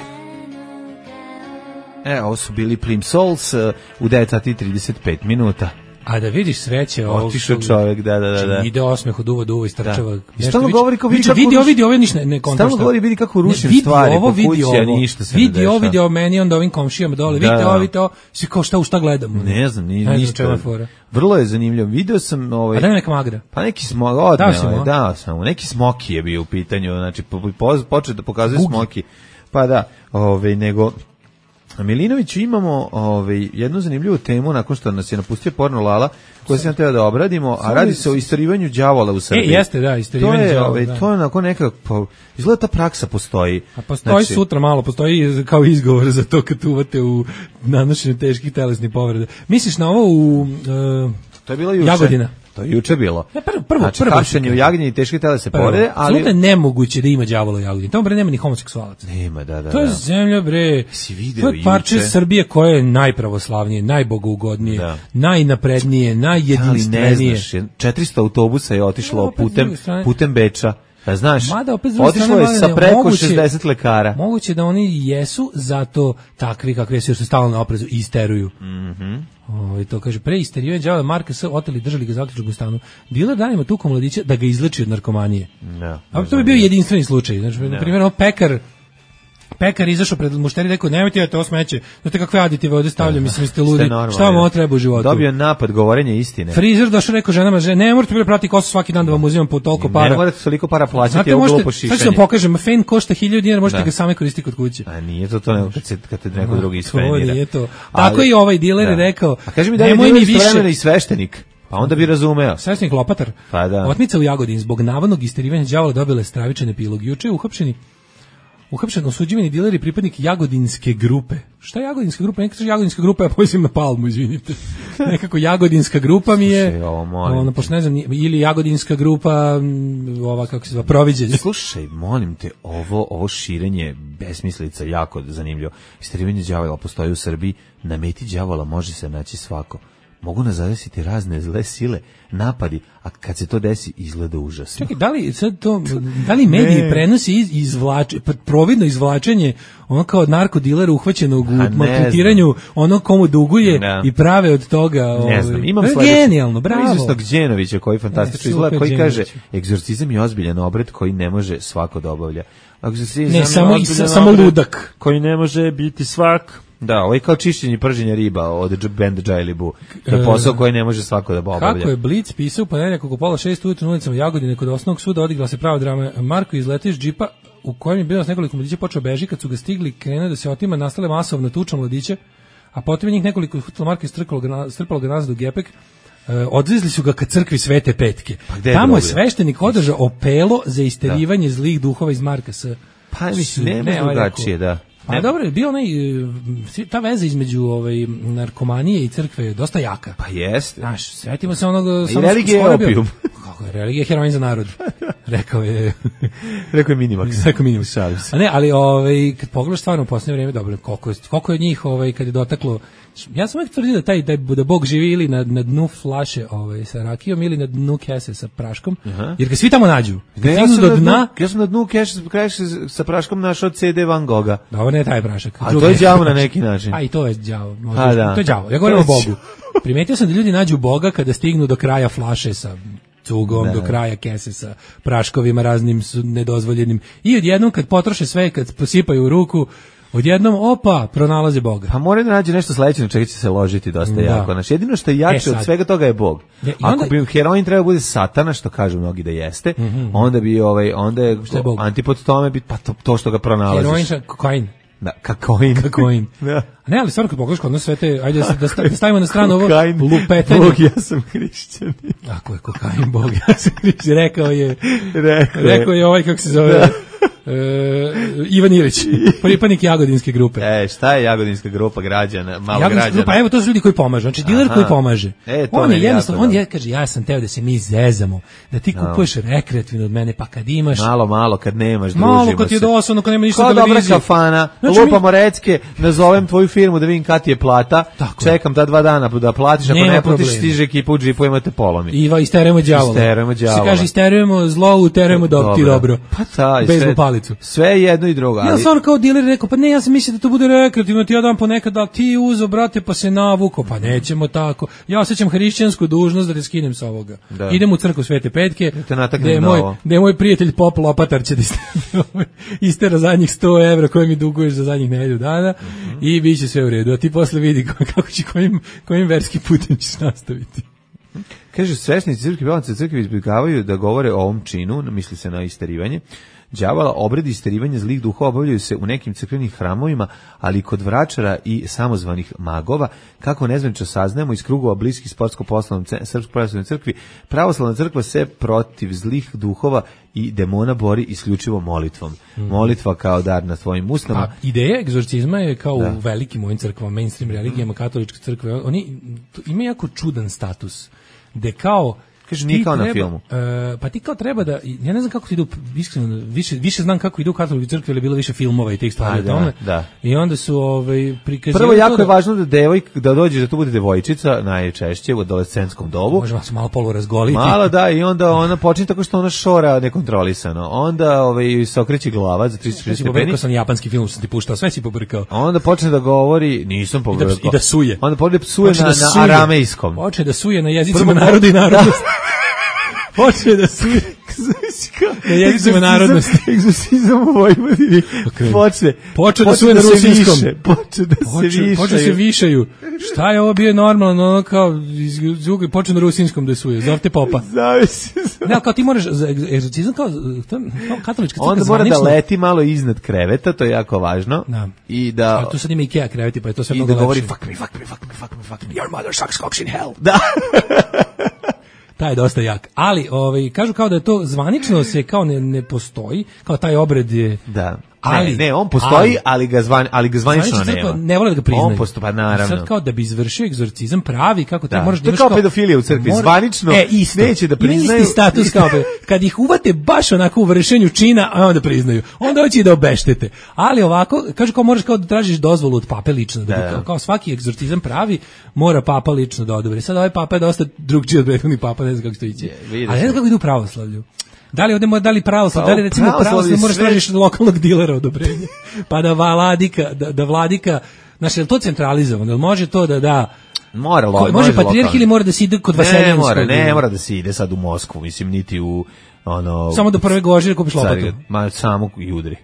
S6: E, ovo su bili Plim Souls uh, u devet sati i trideset pet minuta.
S5: A da vidiš sreće ovog...
S6: Otišao čovjek, da, da, da. da.
S5: Ide osmeh od uva do uva i strčava.
S6: I stalno govori kao vidi kako...
S5: Vidi ovo, vidi ovo, ništa ne, ne kontra.
S6: Stalno govori vidi kako rušim stvari po kući, a ništa se ne dešava.
S5: Vidi ovo, vidi ovo meni, onda ovim komšijama dole.
S6: Da,
S5: vidite
S6: da.
S5: ovo, vidite ovo. Svi kao šta u šta gledamo.
S6: Ne znam, ni,
S5: ne
S6: ništa. Vrlo je zanimljivo. Video sam... Ovaj,
S5: a da je neka magra?
S6: Pa neki smok, odmeo, dao sam mu. Neki smoki je bio u pitanju, znači po, po, počeo da pokazuje Gugi. Smoki. Pa da, ovaj, nego... A Milinoviću imamo ovaj, jednu zanimljivu temu nakon što nas je napustio Porno Lala, koju sam teo da obradimo, a radi se o istorivanju đavola u Srbiji.
S5: E, jeste, da, istorivanje đavola.
S6: Ovaj,
S5: da.
S6: To je onako neka, pa, izgleda ta praksa postoji.
S5: A postoji
S6: znači,
S5: sutra malo, postoji kao izgovor za to kad uvate u nanošenju teških telesnih povreda. Misliš na ovo u uh,
S6: to je bilo juče.
S5: Jagodina?
S6: To je juče bilo.
S5: Ne, prvo, prvo,
S6: znači,
S5: prvo.
S6: hapšenje u Jagodini i teške telesne povrede, ali...
S5: Absolutno je nemoguće da ima đavola u Jagodini. Tamo bre nema ni homoseksualaca.
S6: Nema, da, da.
S5: To je
S6: da.
S5: zemlja bre.
S6: Si video
S5: to je parče juče Srbije koje je najpravoslavnije, najbogougodnije, da. najnaprednije, najjedinstvenije.
S6: Ne znaš, četiristo autobusa je otišlo no, putem, putem Beča. Da znaš,
S5: mada, opet,
S6: otišlo je sa preko moguće, šezdeset lekara.
S5: Moguće da oni jesu zato takvi kakvi su, jer su stalno na oprezu i isteruju.
S6: Mhm.
S5: Ovaj to kaže pre isterio đavola Marka S oteli držali ga zaključak u stanu. Diler danima tuko mladića da ga izleči od narkomanije.
S6: Da.
S5: A to bi bio jedinstveni slučaj. Znači na primjer, pekar Pekar izašao pred mušteri i rekao, nemojte ja to smeće, znate kakve aditive ovdje stavljam, mislim, ste ludi, šta vam ovo treba u životu?
S6: Dobio napad govorenja istine.
S5: Frizer došao rekao ženama, že, ne morate bilo prati kosu svaki dan da vam uzimam po toliko para.
S6: Ne morate toliko para plaćati, je uglo po šišanje.
S5: Sad ću vam pokažem, fen košta hiljadu dinara, možete da. ga same koristiti kod kuće.
S6: A nije to to, nego kad, se, kad te neko drugi isfenira.
S5: Nije to. Tako ali, i ovaj diler je rekao,
S6: a kaži mi da je diler istovremeno i sveštenik. Pa onda bi razumeo.
S5: Sveštenik Lopatar.
S6: Pa da.
S5: Otmica u Jagodini zbog navodnog isterivanja đavola dobila je stravičan epilog. Juče je uhapšeni Uhapšen osuđivani diler i pripadnik Jagodinske grupe. Šta je Jagodinska grupa? Neka kaže Jagodinska grupa, ja pomislim na Palmu, izvinite. Nekako Jagodinska grupa mi je...
S6: Slušaj, ovo molim
S5: ono, pošto ne znam, ili Jagodinska grupa, ova, kako se zva, Proviđenje.
S6: Slušaj, molim te, ovo, ovo širenje besmislica jako zanimljivo. Isterivanje đavola postoji u Srbiji, na meti đavola može se naći svako. Mogu nas zadesiti razne zle sile, napadi, a kad se to desi izgleda užasno.
S5: Čekaj, da li sad to, da li mediji prenosi iz, izvlač, providno izvlačenje ono kao narkodilera uhvaćenog u maltretiranju, ono komu duguje ne. i prave od toga...
S6: Ne
S5: ovaj,
S6: znam, imam
S5: sledeći. Genijalno, bravo.
S6: Izvestnog Đenovića koji fantastično izgleda, koji kaže, egzorcizam je ozbiljan obred koji ne može svako da obavlja.
S5: Ne, samo, i, samo ludak.
S6: Koji ne može biti svak... Da, ovo je kao čišćenje i prženje riba od benda Džajlibu. To je posao koji ne može svako da obavlja.
S5: Kako je Blic pisao ponedeljak oko pola šest ujutru na ulicama Jagodine kod osnovnog suda odigrala se prava drama. Marko izletio iz džipa u kojem je bilo s nekoliko mladića počeo beži, kad su ga stigli krenuo da se otima, nastale masovna tuča mladića, a potom je njih nekoliko hutilo Marko istrpalo ga, strpalo ga nazad u gepek. Uh, odvezli su ga ka crkvi Svete Petke.
S6: Pa
S5: tamo je sveštenik održao opelo za isterivanje da. zlih duhova iz Marka S.
S6: Pa mislim, nema drugačije, da.
S5: Pa ne. Dobro, je bio onaj, ta veza između ovaj, narkomanije i crkve je dosta jaka.
S6: Pa jeste.
S5: Znaš, svetimo se onog...
S6: I religija je opijum.
S5: Kako je, religija je heroin za narod. Rekao je...
S6: Rekao je Minimax.
S5: Rekao je Minimax. A ne, ali ovaj, kad pogledaš stvarno u posljednje vrijeme, dobro, koliko je, koliko je njih ovaj, kad je dotaklo... Ja sam uvijek tvrdio da taj da, da Bog živi ili na, na dnu flaše ovaj, sa rakijom ili na dnu kese sa praškom, uh-huh. jer ga svi tamo nađu.
S6: Ne, ja, sam do dna, ja sam na dnu kese sa praškom našao ce de Van Gogha.
S5: Dobro, ne taj prašak.
S6: A to je đavo na neki način.
S5: A i to je đavo. Da. To je đavo. Ja govorim o Bogu. Primetio sam da ljudi nađu Boga kada stignu do kraja flaše sa cugom, ne. do kraja kese sa praškovima raznim nedozvoljenim. I odjednom kad potroše sve, kad posipaju u ruku, odjednom, opa, pronalaze Boga.
S6: Pa mora da nađe nešto sledeće na čega će se ložiti dosta da. jako. Znači, jedino što je jače e od svega toga je Bog. Ja, onda, ako bi heroin trebao bude satana, što kažu mnogi da jeste, mm-hmm. onda bi ovaj, onda je, je antipod tome bi pa to, to što ga pronalaziš.
S5: Heroin, kokain.
S6: Da, kakoin.
S5: Kakoin.
S6: Da.
S5: Ne, ali stvarno kad pogledaš kod nas sve te, ajde da, da, da stavimo na stranu ovo
S6: Kokain,
S5: lupetanje.
S6: Bog, ja sam hrišćanin.
S5: Ako je kokain, Bog, ja sam hrišćanin. Rekao je,
S6: rekao,
S5: rekao je ovaj, kako se zove, da. Uh, Ivan Ilić, pripadnik Jagodinske grupe.
S6: E, šta je Jagodinska grupa građana, malo
S5: Jagodinska
S6: građana?
S5: Grupa, evo to su ljudi koji pomažu, znači diler koji pomaže.
S6: E, to
S5: on je
S6: jednostavno,
S5: on je, kaže, ja sam teo da se mi zezamo, da ti kupuješ no. rekreativno od mene, pa kad imaš...
S6: Malo, malo, kad nemaš, družimo se.
S5: Malo, kad ti je dosadno, kad nema ništa
S6: Kao
S5: televizije.
S6: Kao dobra kafana, znači, lupamo mi... recke, nazovem tvoju firmu da vidim kad ti je plata, tako čekam ta dva dana da platiš, ako nema ne platiš, stiže ekipa u džipu, imate polomi.
S5: Iva, isterujemo đavola.
S6: Isterujemo đavola.
S5: Se kaže, isterujemo zlo, uterujemo do, ti dobro.
S6: Pa taj,
S5: bejzbol palicu.
S6: Sve jedno i drugo.
S5: Ja sam kao diler rekao, pa ne, ja sam mislio da to bude rekreativno, ti ja dam ponekad, da ti uzo, brate, pa se navuko, pa nećemo tako. Ja osjećam hrišćansku dužnost da te skinem sa ovoga. Da. Idem u crkvu Svete Petke, gde je, moj, gde je moj prijatelj Pop Lopatar će da istera zadnjih sto evra koje mi duguješ za zadnjih nedelju dana mm-hmm. i bit će sve u redu. A ti posle vidi kako će, kojim, kojim verski putem ćeš nastaviti.
S6: Kaže, svešnici crkve, pevnice crkve izbjegavaju da govore o ovom činu, misli se na isterivanje. Đavola, obredi isterivanja zlih duhova obavljaju se u nekim crkvenim hramovima, ali i kod vračara i samozvanih magova. Kako nezvanično saznajemo iz krugova bliskih sportsko-poslovnom Srpskoj pravoslavnoj crkvi, pravoslavna crkva se protiv zlih duhova i demona bori isključivo molitvom. Mm. Molitva kao dar na svojim usnama.
S5: A ideja egzorcizma je kao da. u velikim ovim crkvama, mainstream religijama, katoličke crkve, oni imaju jako čudan status, gde kao
S6: kaže nije kao na filmu.
S5: Uh, pa ti kao treba da, ja ne znam kako ti idu, iskreno, više, više znam kako idu u katoličkoj crkvi, ali je bilo više filmova i tih stvari o tome.
S6: Da.
S5: I onda su ovaj, prikazivali...
S6: Prvo, jako da, je važno da devojk, da dođeš da to bude devojčica, najčešće u adolescentskom dobu.
S5: Možemo se malo polu razgoliti.
S6: Malo da, i onda ona počinje tako što ona šora nekontrolisano. Onda ovaj, se okreće glava za tristo šezdeset stepeni.
S5: Pobrkao sam japanski film, sam ti puštao, sve si pobrkao.
S6: Onda počne da govori, nisam pobrkao.
S5: I da, i da suje.
S6: Onda počne da psuje na, da na aramejskom.
S5: Počne da suje na jezicima naroda i narodnosti. Počne da suje na jezicima narodnosti.
S6: Egzorcizam u Vojvodini. Počne.
S5: Počne da suje na rusinskom.
S6: Počne da se višaju.
S5: Počne se višaju. Šta je ovo bio normalno, ono kao počne na rusinskom da suje. Zovte popa.
S6: Zavisi.
S5: Ne, kao ti moraš, egzorcizam kao, kao katolička crkva.
S6: Onda mora da leti malo iznad kreveta, to je jako važno.
S5: Da.
S6: I da...
S5: A tu sad ima Ikea kreveti, pa je to sve mnogo lepše.
S6: I da govori fuck me, fuck me, fuck me, fuck me, fuck me.
S5: Your mother sucks cocks in hell.
S6: Da.
S5: Taj je dosta jak. Ali, ovaj, kažu kao da je to zvanično se kao ne, ne postoji, kao taj obred je...
S6: Da. Ali, ne, ne, on postoji, ali, ali ga zvan, ali ga zvanično nema.
S5: Ne vole da ga priznaju.
S6: On postoji, pa naravno.
S5: Sad kao da bi izvršio egzorcizam pravi, kako ti
S6: da.
S5: možeš da
S6: imaš kao... To je kao pedofilija u crkvi, mora... zvanično
S5: e, isto.
S6: Neće da priznaju.
S5: Isti status kao kad ih uvate baš onako u vršenju čina, a onda priznaju. Onda hoće i da obeštete. Ali ovako, kažu kao moraš kao da tražiš dozvolu od pape lično. Da, da. Kao, kao svaki egzorcizam pravi, mora papa lično da odobri. Sad ovaj papa je dosta drugčiji od prethodnih papa, ne znam kako to ići. Ali ne znam kako idu u pravoslavlju. Da li ovdje mora, da li pravoslav, da li recimo pravoslav moraš tražiš lokalnog dilera odobrenje, pa da vladika, da, da vladika, znači, je li to centralizovano, može to da da,
S6: mora, lo,
S5: može, može patrijarh ili mora da se ide kod Vaseljenskog?
S6: Ne mora, ne mora da se ide sad u Moskvu, mislim, niti u, ono...
S5: Samo do prve gožire kupiš lopatu.
S6: Ma, samo i udri.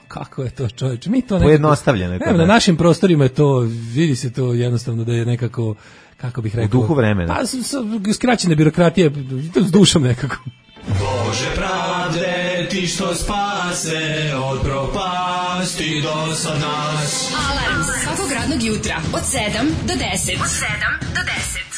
S5: Kako je to, čovječe, mi to nekako...
S6: Pojednostavljeno.
S5: Evo, na našim prostorima je to, vidi se to jednostavno da je nekako, kako bih rekao...
S6: U duhu vremena.
S5: Pa, skraćena birokratija, s dušom nekako.
S7: Bože pravde, ti što spase od propasti do sad nas.
S2: Alarm svakog radnog jutra od sedam do deset. Od sedam do deset.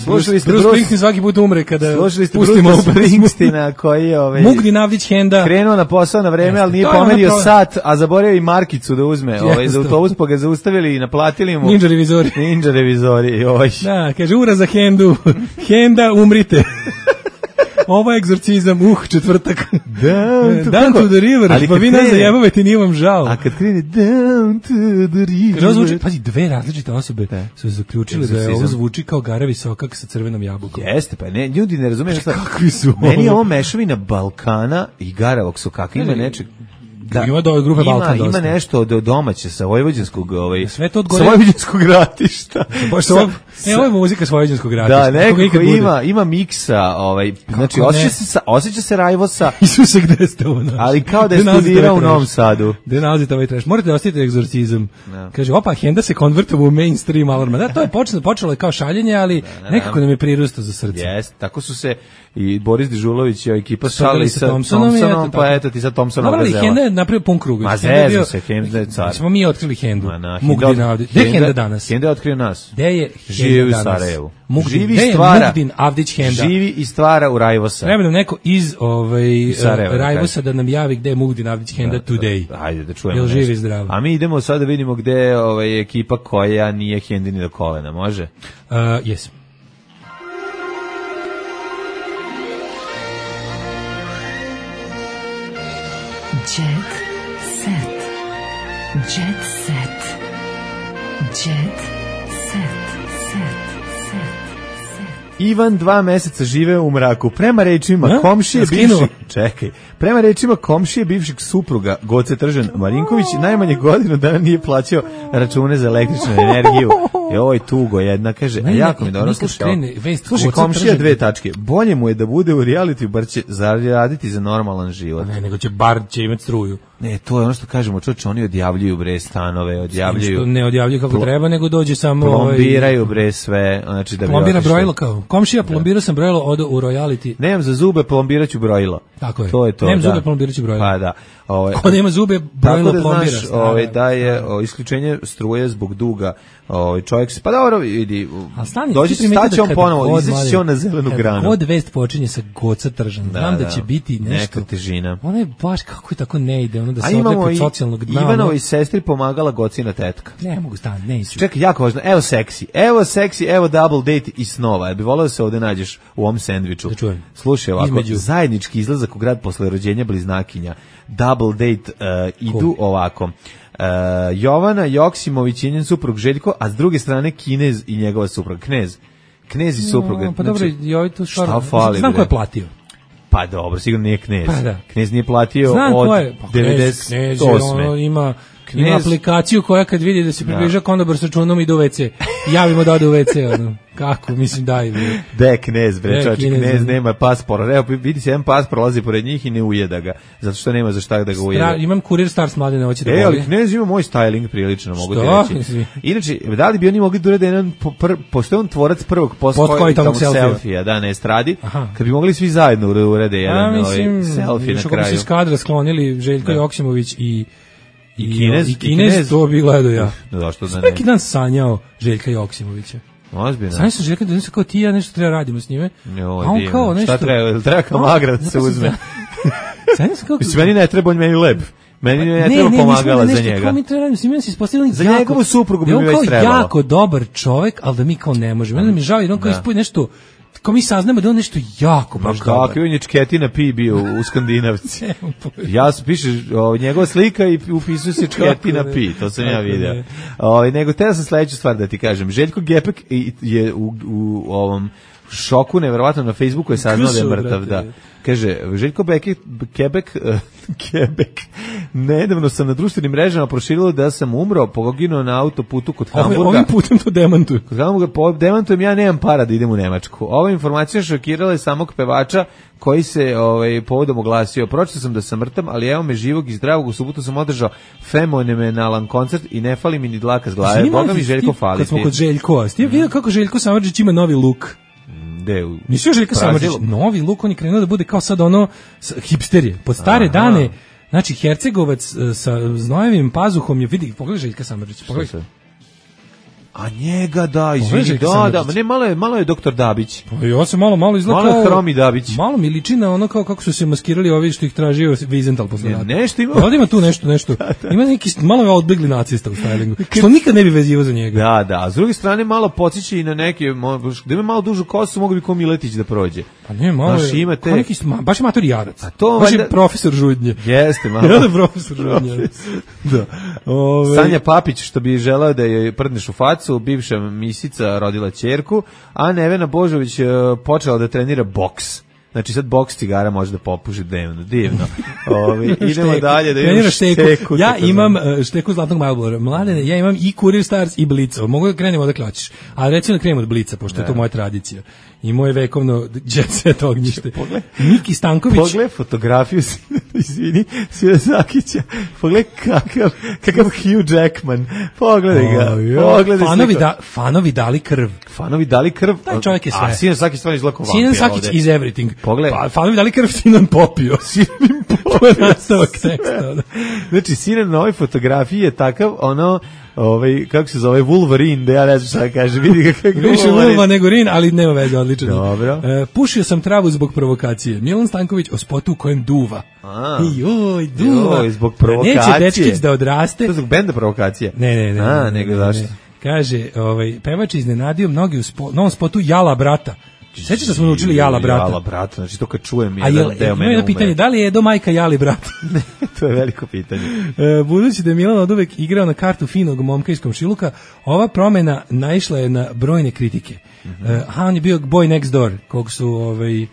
S6: Slušali ste
S5: Bruce Springsteen svaki put umre kada
S6: pustimo Bruce Springsteena koji je ovaj
S5: Mugdi Navdić Henda
S6: krenuo na posao na vreme, ali nije pomerio sat, a zaboravio i markicu da uzme, ovaj za autobus, pa ga zaustavili i naplatili mu
S5: Ninja revizori.
S6: Ninja revizori, oj.
S5: Da, kaže ura za Hendu. Henda umrite. Ovo je egzorcizam, uh, četvrtak.
S6: Down to,
S5: down to the river, ali pa vi nas zajebavate, nije vam žao.
S6: A kad krene down to the river...
S5: Kaže, ovo zvuči, pazi, dve različite osobe da. su zaključili da je ovo zvuči kao Gara Visokak sa crvenom jabukom.
S6: Jeste, pa ne, ljudi ne razumiju šta...
S5: Kakvi su
S6: meni je ovo mešavina Balkana i Gara Visokaka, ima nečeg...
S5: Da, ima do grupe Balkan
S6: dosta. Ima nešto od domaće sa vojvođanskog, ovaj,
S5: sve to od gore...
S6: sa vojvođanskog ratišta.
S5: Baš
S6: sa,
S5: E, ovo je muzika s vojvođanskog rata.
S6: Da, nekako ima, ima miksa, ovaj, znači osjeća se, osjeća se Rajvosa.
S5: Isuse, gde ste ovo našli?
S6: Ali kao da je studirao u Novom Sadu.
S5: Gde nalazite ovaj trash? Morate da ostavite egzorcizam. No. Kaže, opa, Henda se konvertovao u mainstream alarma. Da, to je počelo, počelo je kao šaljenje, ali da, da, nekako nam je prirustao za srce.
S6: Jeste, tako su se i Boris Dežulović i ekipa šalili sa Thompsonom, Thompsonom pa eto ti sa Thompsonom
S5: gazela.
S6: Dobro,
S5: Henda je napravio pun krug.
S6: Ma zezu se, Henda je car.
S5: Smo mi otkrili Hendu. Mugdin Avdić. Gde je Henda danas?
S6: Henda je otkrio nas.
S5: Gde je
S6: Živi u Sarajevu.
S5: Živi i stvara. Mugdin Avdić Henda.
S6: Živi i stvara u Rajvosa.
S5: Treba nam neko iz ovaj, Rajvosa da nam javi gde je Mugdin Avdić Henda today.
S6: Hajde da čujemo.
S5: Jel živi zdravo?
S6: A mi idemo sad da vidimo gde je ovaj, ekipa koja nije Hendini do kolena, može?
S5: Uh, yes.
S2: Jet set. Jet set. Jet set.
S6: Ivan dva meseca žive u mraku. Prema rečima ja? komšije bivšeg, čekaj, prema rečima komšije bivšeg supruga Goce Tržan Marinković najmanje godinu dana nije plaćao račune za električnu energiju. I ovo je tugo jedna, kaže, a jako mi dobro slušao. Slušaj, komšija dve tačke. Bolje mu je da bude u reality, bar će zaraditi za normalan život.
S5: Ne, nego će bar će imati struju.
S6: Ne, to je ono što kažemo, čoče, oni odjavljuju bre stanove, odjavljuju.
S5: Što ne odjavljuju kako pl- treba, nego dođe samo
S6: plombiraju bre sve, znači da bi
S5: plombira brojilo kao. Komšija plombirao sam brojilo odo u royalty.
S6: Nemam za zube, plombiraću brojilo.
S5: Tako je.
S6: To je to.
S5: Nemam
S6: da.
S5: zube, plombiraću brojilo.
S6: Pa da. Ovaj
S5: ko nema zube, brojilo da plombira.
S6: Znaš, ovaj da je o, isključenje struje zbog duga. Ovaj čovjek se pa dobro vidi. Dođi staće on ponovo, izaći on na zelenu granu.
S5: Kod vest počinje sa Goca Tržan. Znam da, da će biti nešto
S6: težina.
S5: Ona je baš kako je tako ne ide, ono da se odlepi od socijalnog dna.
S6: Ivanovoj sestri pomagala Gocina tetka.
S5: Ne mogu stan, neću.
S6: Čekaj, jako važno. Evo seksi. Evo seksi, evo double date i snova. Ja bih voleo da se ovde nađeš u ovom sendviču.
S5: Da čujem.
S6: Slušaj, ovako, između zajednički izlazak u grad posle rođenja bliznakinja. Double date uh, idu cool. ovako. Uh, Jovana Joksimović i njen suprug Željko, a s druge strane Kinez i njegova suprug Knez. Knez i supruga.
S5: No, pa dobro,
S6: znači,
S5: joj tu
S6: šta fali?
S5: Znam ko je platio.
S6: Pa dobro, sigurno nije Knez.
S5: Pa da.
S6: Knez nije platio
S5: znam
S6: od
S5: je, pa devedeset osme. Ono ima, Knez, ima aplikaciju koja kad vidi da se približa da. konobar s računom ide u ve ce. Javimo da ode u ve ce. Ono. Kako, mislim, daj. Bre.
S6: De Knez, bre, čovječ, Knez nema paspor. Evo, vidi se, jedan paspor lazi pored njih i ne ujeda ga. Zato što nema za šta da ga ujeda. Stra,
S5: imam kurir Stars Mladene, hoće da
S6: boli. E, ali Knez ima moj styling prilično, mogu ti reći. Inače, da li bi oni mogli da urede jedan, pošto je on tvorac prvog post-koitalnog selfija, da, na estradi, kad bi mogli svi zajedno urede jedan ovaj selfie na kraju.
S5: Kako se iz kadra sklonili Željko Joksimović i
S6: I Kinez,
S5: i Kinez, to bi gledao ja.
S6: Zašto da ne?
S5: Svaki dan sanjao Željka Joksimovića.
S6: Ozbiljno.
S5: Sanjao sam Željka da nešto kao ti ja nešto treba radimo s njime.
S6: Jo, a on divno. Kao nešto. Šta treba? Treba kao magra da se uzme.
S5: Sanjao sam kao...
S6: Mislim, meni ne treba, on meni lep. Meni ne, ne treba ne, pomagala za njega.
S5: Kao mi treba radimo s njime, se ispostavili
S6: za njegovu suprugu bi mi već trebalo.
S5: On kao jako dobar čovjek, ali da mi kao ne možemo. Onda mi žao, jer on kao ispoji nešto... Kao mi saznamo da on nešto jako baš dobar.
S6: Kako je Čketina Pi bio u Skandinavci. Ja sam piše o, njegova slika i upisuje se Čketina Pi, to sam ja video. O, nego te sam sledeću stvar da ti kažem. Željko Gepek je u, u ovom šoku, neverovatno na Facebooku je saznao da je mrtav. Da. Kaže, Željko Beke, Kebek, uh, Kebek, nedavno sam na društvenim mrežama proširilo da sam umro, poginuo na autoputu kod Hamburga.
S5: Ove, ovim putem to demantuju.
S6: Kod Hamburga po, demantujem, ja nemam para da idem u Nemačku. Ova informacija šokirala je samog pevača koji se ovaj, povodom oglasio. Pročitao sam da sam mrtav, ali evo me živog i zdravog. U subotu sam održao fenomenalan koncert i ne fali mi ni dlaka s glave. Boga mi Željko fali.
S5: Kad smo kod Željkova, ti vidio kako Željko Samardžić ima novi luk?
S6: De,
S5: nisi još Željka Samardžić, novi luk, on je krenuo da bude kao sad ono hipsterije. Pod stare Aha. dane, znači Hercegovac sa znojevim pazuhom je, vidi, pogledaj Željka Samardžić, pogledaj.
S6: A njega da, izvini, da, da, ne, malo je, malo je doktor Dabić.
S5: Pa ja se malo, malo izgleda
S6: malo kao... Hromi Dabić.
S5: Malo mi liči na ono kao kako su se maskirali ovi što ih tražio Vizental posle rata.
S6: Ne, nešto ima.
S5: Ovdje ima tu nešto, nešto. Da, da. Ima neki malo je odbegli nacista u stylingu, što nikad ne bi vezivao za njega.
S6: Da, da, a s druge strane malo podsjeća i na neke, da ima malo dužu kosu, mogu bi ko Miletić da prođe.
S5: Pa ne, malo
S6: Znaš,
S5: je,
S6: imate...
S5: neki, baš je mator Jarac.
S6: A to
S5: baš
S6: valjda...
S5: je profesor Žudnje.
S6: Jeste, malo.
S5: Ja da profesor Žudnje. Da.
S6: Ove... Sanja Papić, što bi želeo da je prdneš u facu, bivša misica rodila ćerku, a Nevena Božović počela da trenira boks. Znači sad boks cigara može da popuši dnevno, divno. Ove, idemo
S5: Šteku.
S6: dalje da
S5: Trenira
S6: imamo
S5: šteku.
S6: šteku.
S5: Ja
S6: tako
S5: imam
S6: znam.
S5: uh, šteku zlatnog Marlbora. Mladene, ja imam i Courier Stars i Blica. Mogu da krenemo odakle hoćeš. Ali recimo da krenemo od Blica, pošto je to moja tradicija. I moje vekovno jet set ognjište. Miki Stanković.
S6: Pogled fotografiju, izvini, Svira Zakića. Pogled kakav, kakav Hugh Jackman. Pogledaj ga. Pogledaj
S5: Fanovi, da, fanovi dali krv.
S6: Fanovi dali krv.
S5: Taj čovjek je sve.
S6: A Sinan Sakić stvarno izgleda kao vampir.
S5: Sinan Sakić is everything.
S6: Pogledaj.
S5: Pa, fanovi dali krv, Sinan popio.
S6: Sinan popio.
S5: To je nastavak teksta.
S6: Znači, Sinan na ovoj fotografiji je takav, ono, ovaj, kako se zove, Wolverine, da ja ne znam šta kaže, vidi ga kako
S5: Više Wolva nego Rin, ali nema veze, odlično.
S6: Dobro.
S5: E, pušio sam travu zbog provokacije. Milan Stanković o spotu u kojem duva.
S6: A.
S5: Joj, duva.
S6: Joj, zbog provokacije.
S5: Neće dečkić da odraste.
S6: To je zbog benda provokacije.
S5: Ne, ne, ne.
S6: A,
S5: ne,
S6: nego
S5: ne,
S6: zašto?
S5: ne. Kaže, ovaj, pevač iznenadio mnogi u spo, novom spotu Jala brata. Sećaš da smo naučili Jala brata?
S6: Jala brata, znači to kad čujem
S5: A
S6: jedan
S5: je,
S6: deo
S5: ima
S6: mene
S5: jedno pitanje,
S6: umre.
S5: da li je do majka Jali brat?
S6: To je veliko pitanje.
S5: E, budući da je Milan oduvek igrao na kartu finog momka iz komšiluka, ova promena naišla je na brojne kritike.
S6: Mhm.
S5: E, a on je bio boy next door, kog su ovaj, e,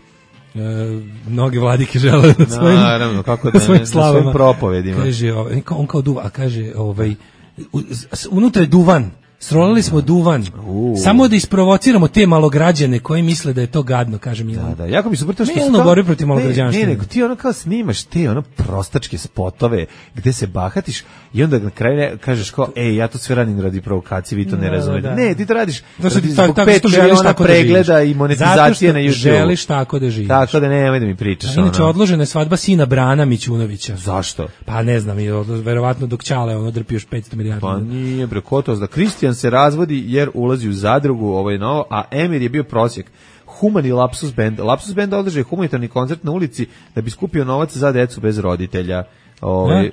S5: mnoge vladike žele na svojim,
S6: Naravno, kako da
S5: na svojim
S6: ne, na
S5: slavama.
S6: svojim propovedima.
S5: Kaže, ovaj, on kao duva, a kaže, ovaj, u- s- unutra je duvan. Srolali smo duvan.
S6: U.
S5: Samo da isprovociramo te malograđane koji misle da je to gadno, kaže Milan.
S6: Da, da, jako mi super to što
S5: Milno
S6: kao-
S5: borbi protiv
S6: ne,
S5: malograđanština.
S6: Ne, nego ti ono kao snimaš te ono prostačke spotove gde se bahatiš i onda na kraju ne- kažeš kao, ej, ja to sve radim radi provokacije, vi to ne
S5: Da,
S6: razumete.
S5: da.
S6: Ne, ti to radiš
S5: Zato što ti
S6: radi
S5: tako-
S6: zbog
S5: tako
S6: pet
S5: što želiš
S6: miliona
S5: tako da
S6: pregleda
S5: živiš.
S6: i monetizacije na
S5: Zato što
S6: YouTube.
S5: želiš tako da živiš.
S6: Tako da nemoj da mi pričaš.
S5: A inače,
S6: ono.
S5: odložena je svadba sina Brana Mićunovića.
S6: Zašto?
S5: Pa ne znam, i odlo- verovatno dok Ćale ono drpi još petsto milijardi.
S6: Pa nije bre, kotos da Kristijan se razvodi jer ulazi u zadrugu, ovo je novo, a Emir je bio prosjek. Humani Lapsus Band. Lapsus Band održao je humanitarni koncert na ulici da bi skupio novac za decu bez roditelja. Ovaj
S5: Ne?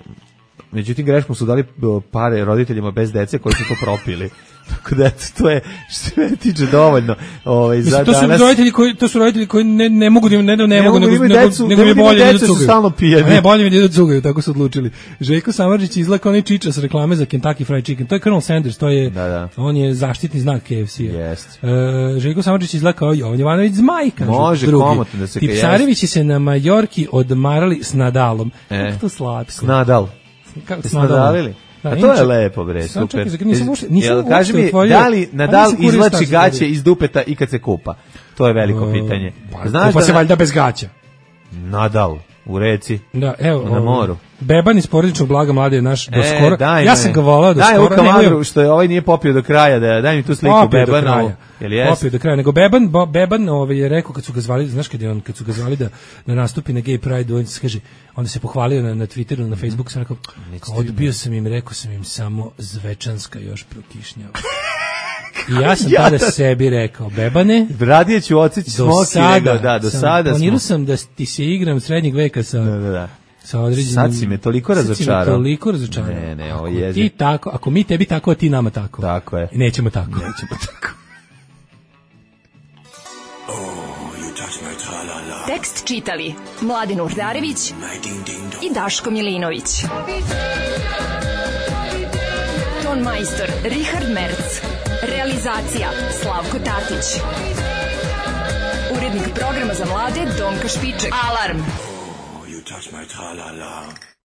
S6: Međutim, greškom su dali o, pare roditeljima bez dece koji su to propili. Tako da, eto, to je što se mene tiče dovoljno. Ovaj, za
S5: Mislim, to su
S6: danas...
S5: roditelji koji to su roditelji koji ne ne mogu da im- ne, ne, ne,
S6: Ne
S5: mogu
S6: mogu da
S5: nego
S6: imaju
S5: nego,
S6: decu,
S5: nego
S6: ne
S5: mi je
S6: mogu da
S5: bolje
S6: imaju
S5: da
S6: decu, su
S5: cugaju.
S6: stalno pijani.
S5: A ne, bolje mi je da cugaju, tako su odlučili. Željko Samardžić izlako onaj čiča s reklame za Kentucky Fried Chicken. To je Colonel Sanders, to je
S6: Da, da.
S5: on je zaštitni znak K F C-a.
S6: Jest.
S5: E, Željko Samardžić izlakao Jovan Jovanović Zmaj, kažu
S6: Može
S5: drugi.
S6: komotno da se kaže,
S5: Tipsarevići se na Majorki odmarali s Nadalom.
S6: E.
S5: Kako to slatko.
S6: Snadal.
S5: Kako
S6: Jesi
S5: s Nadalom?
S6: nadalili?
S5: Da,
S6: A to
S5: inače-
S6: je lepo, bre,
S5: Samo
S6: super.
S5: čekaj, nisam uopšte- nisam
S6: Jel,
S5: uopšte
S6: kaži mi,
S5: otvorio-
S6: da li
S5: a
S6: Nadal
S5: nisam Courier
S6: izvlači
S5: Stars
S6: gaće
S5: otvorio.
S6: iz dupeta i kad se kupa? To je veliko pitanje.
S5: Pa, Znaš kupa se valjda bez gaća.
S6: Nadal u reci.
S5: Da, evo,
S6: Na
S5: ovaj,
S6: moru.
S5: Beban iz porodičnog blaga mlade je naš do
S6: E,
S5: skoro.
S6: daj
S5: Ja
S6: me.
S5: sam ga volao do
S6: daj
S5: skoro.
S6: Daj
S5: nemoj-
S6: Kamagru, što je ovaj nije popio do kraja, da daj mi tu sliku
S5: Popio do
S6: Bebana.
S5: kraja.
S6: Jel jes?
S5: Popio do kraja. Nego Beban, bo, Beban ovaj, je rekao kad su ga zvali, znaš kad je on, kad su ga zvali da, da nastupi na Gay Pride, on se kaže, onda se pohvalio na, na Twitteru, na Facebooku, sam rekao, kao, odbio sam im, rekao sam im samo Zvečanska još prokišnjava. I ja sam
S6: Ja
S5: tada
S6: da-
S5: sebi rekao, Bebane,
S6: Radije ću odsjeći
S5: do
S6: smoki
S5: sada,
S6: nego, da, do
S5: sam,
S6: sada
S5: planirao
S6: smo.
S5: sam da ti se igram srednjeg veka sa,
S6: Da, da, da.
S5: sa određenim...
S6: Sad si me toliko
S5: sad si me
S6: razočarao.
S5: toliko razočarao.
S6: Ne, ne, ovo
S5: Ako
S6: je
S5: ti tako, ako mi tebi tako, a ti nama tako.
S6: Tako je.
S5: Nećemo tako.
S6: Nećemo tako.
S2: Tekst čitali Mladin Urdarević i Daško Milinović. Ton majstor Richard Merc. Realizacija Slavko Tatić. Urednik programa za mlade Donka Špiček. Alarm!
S7: You touch my tra-la-la.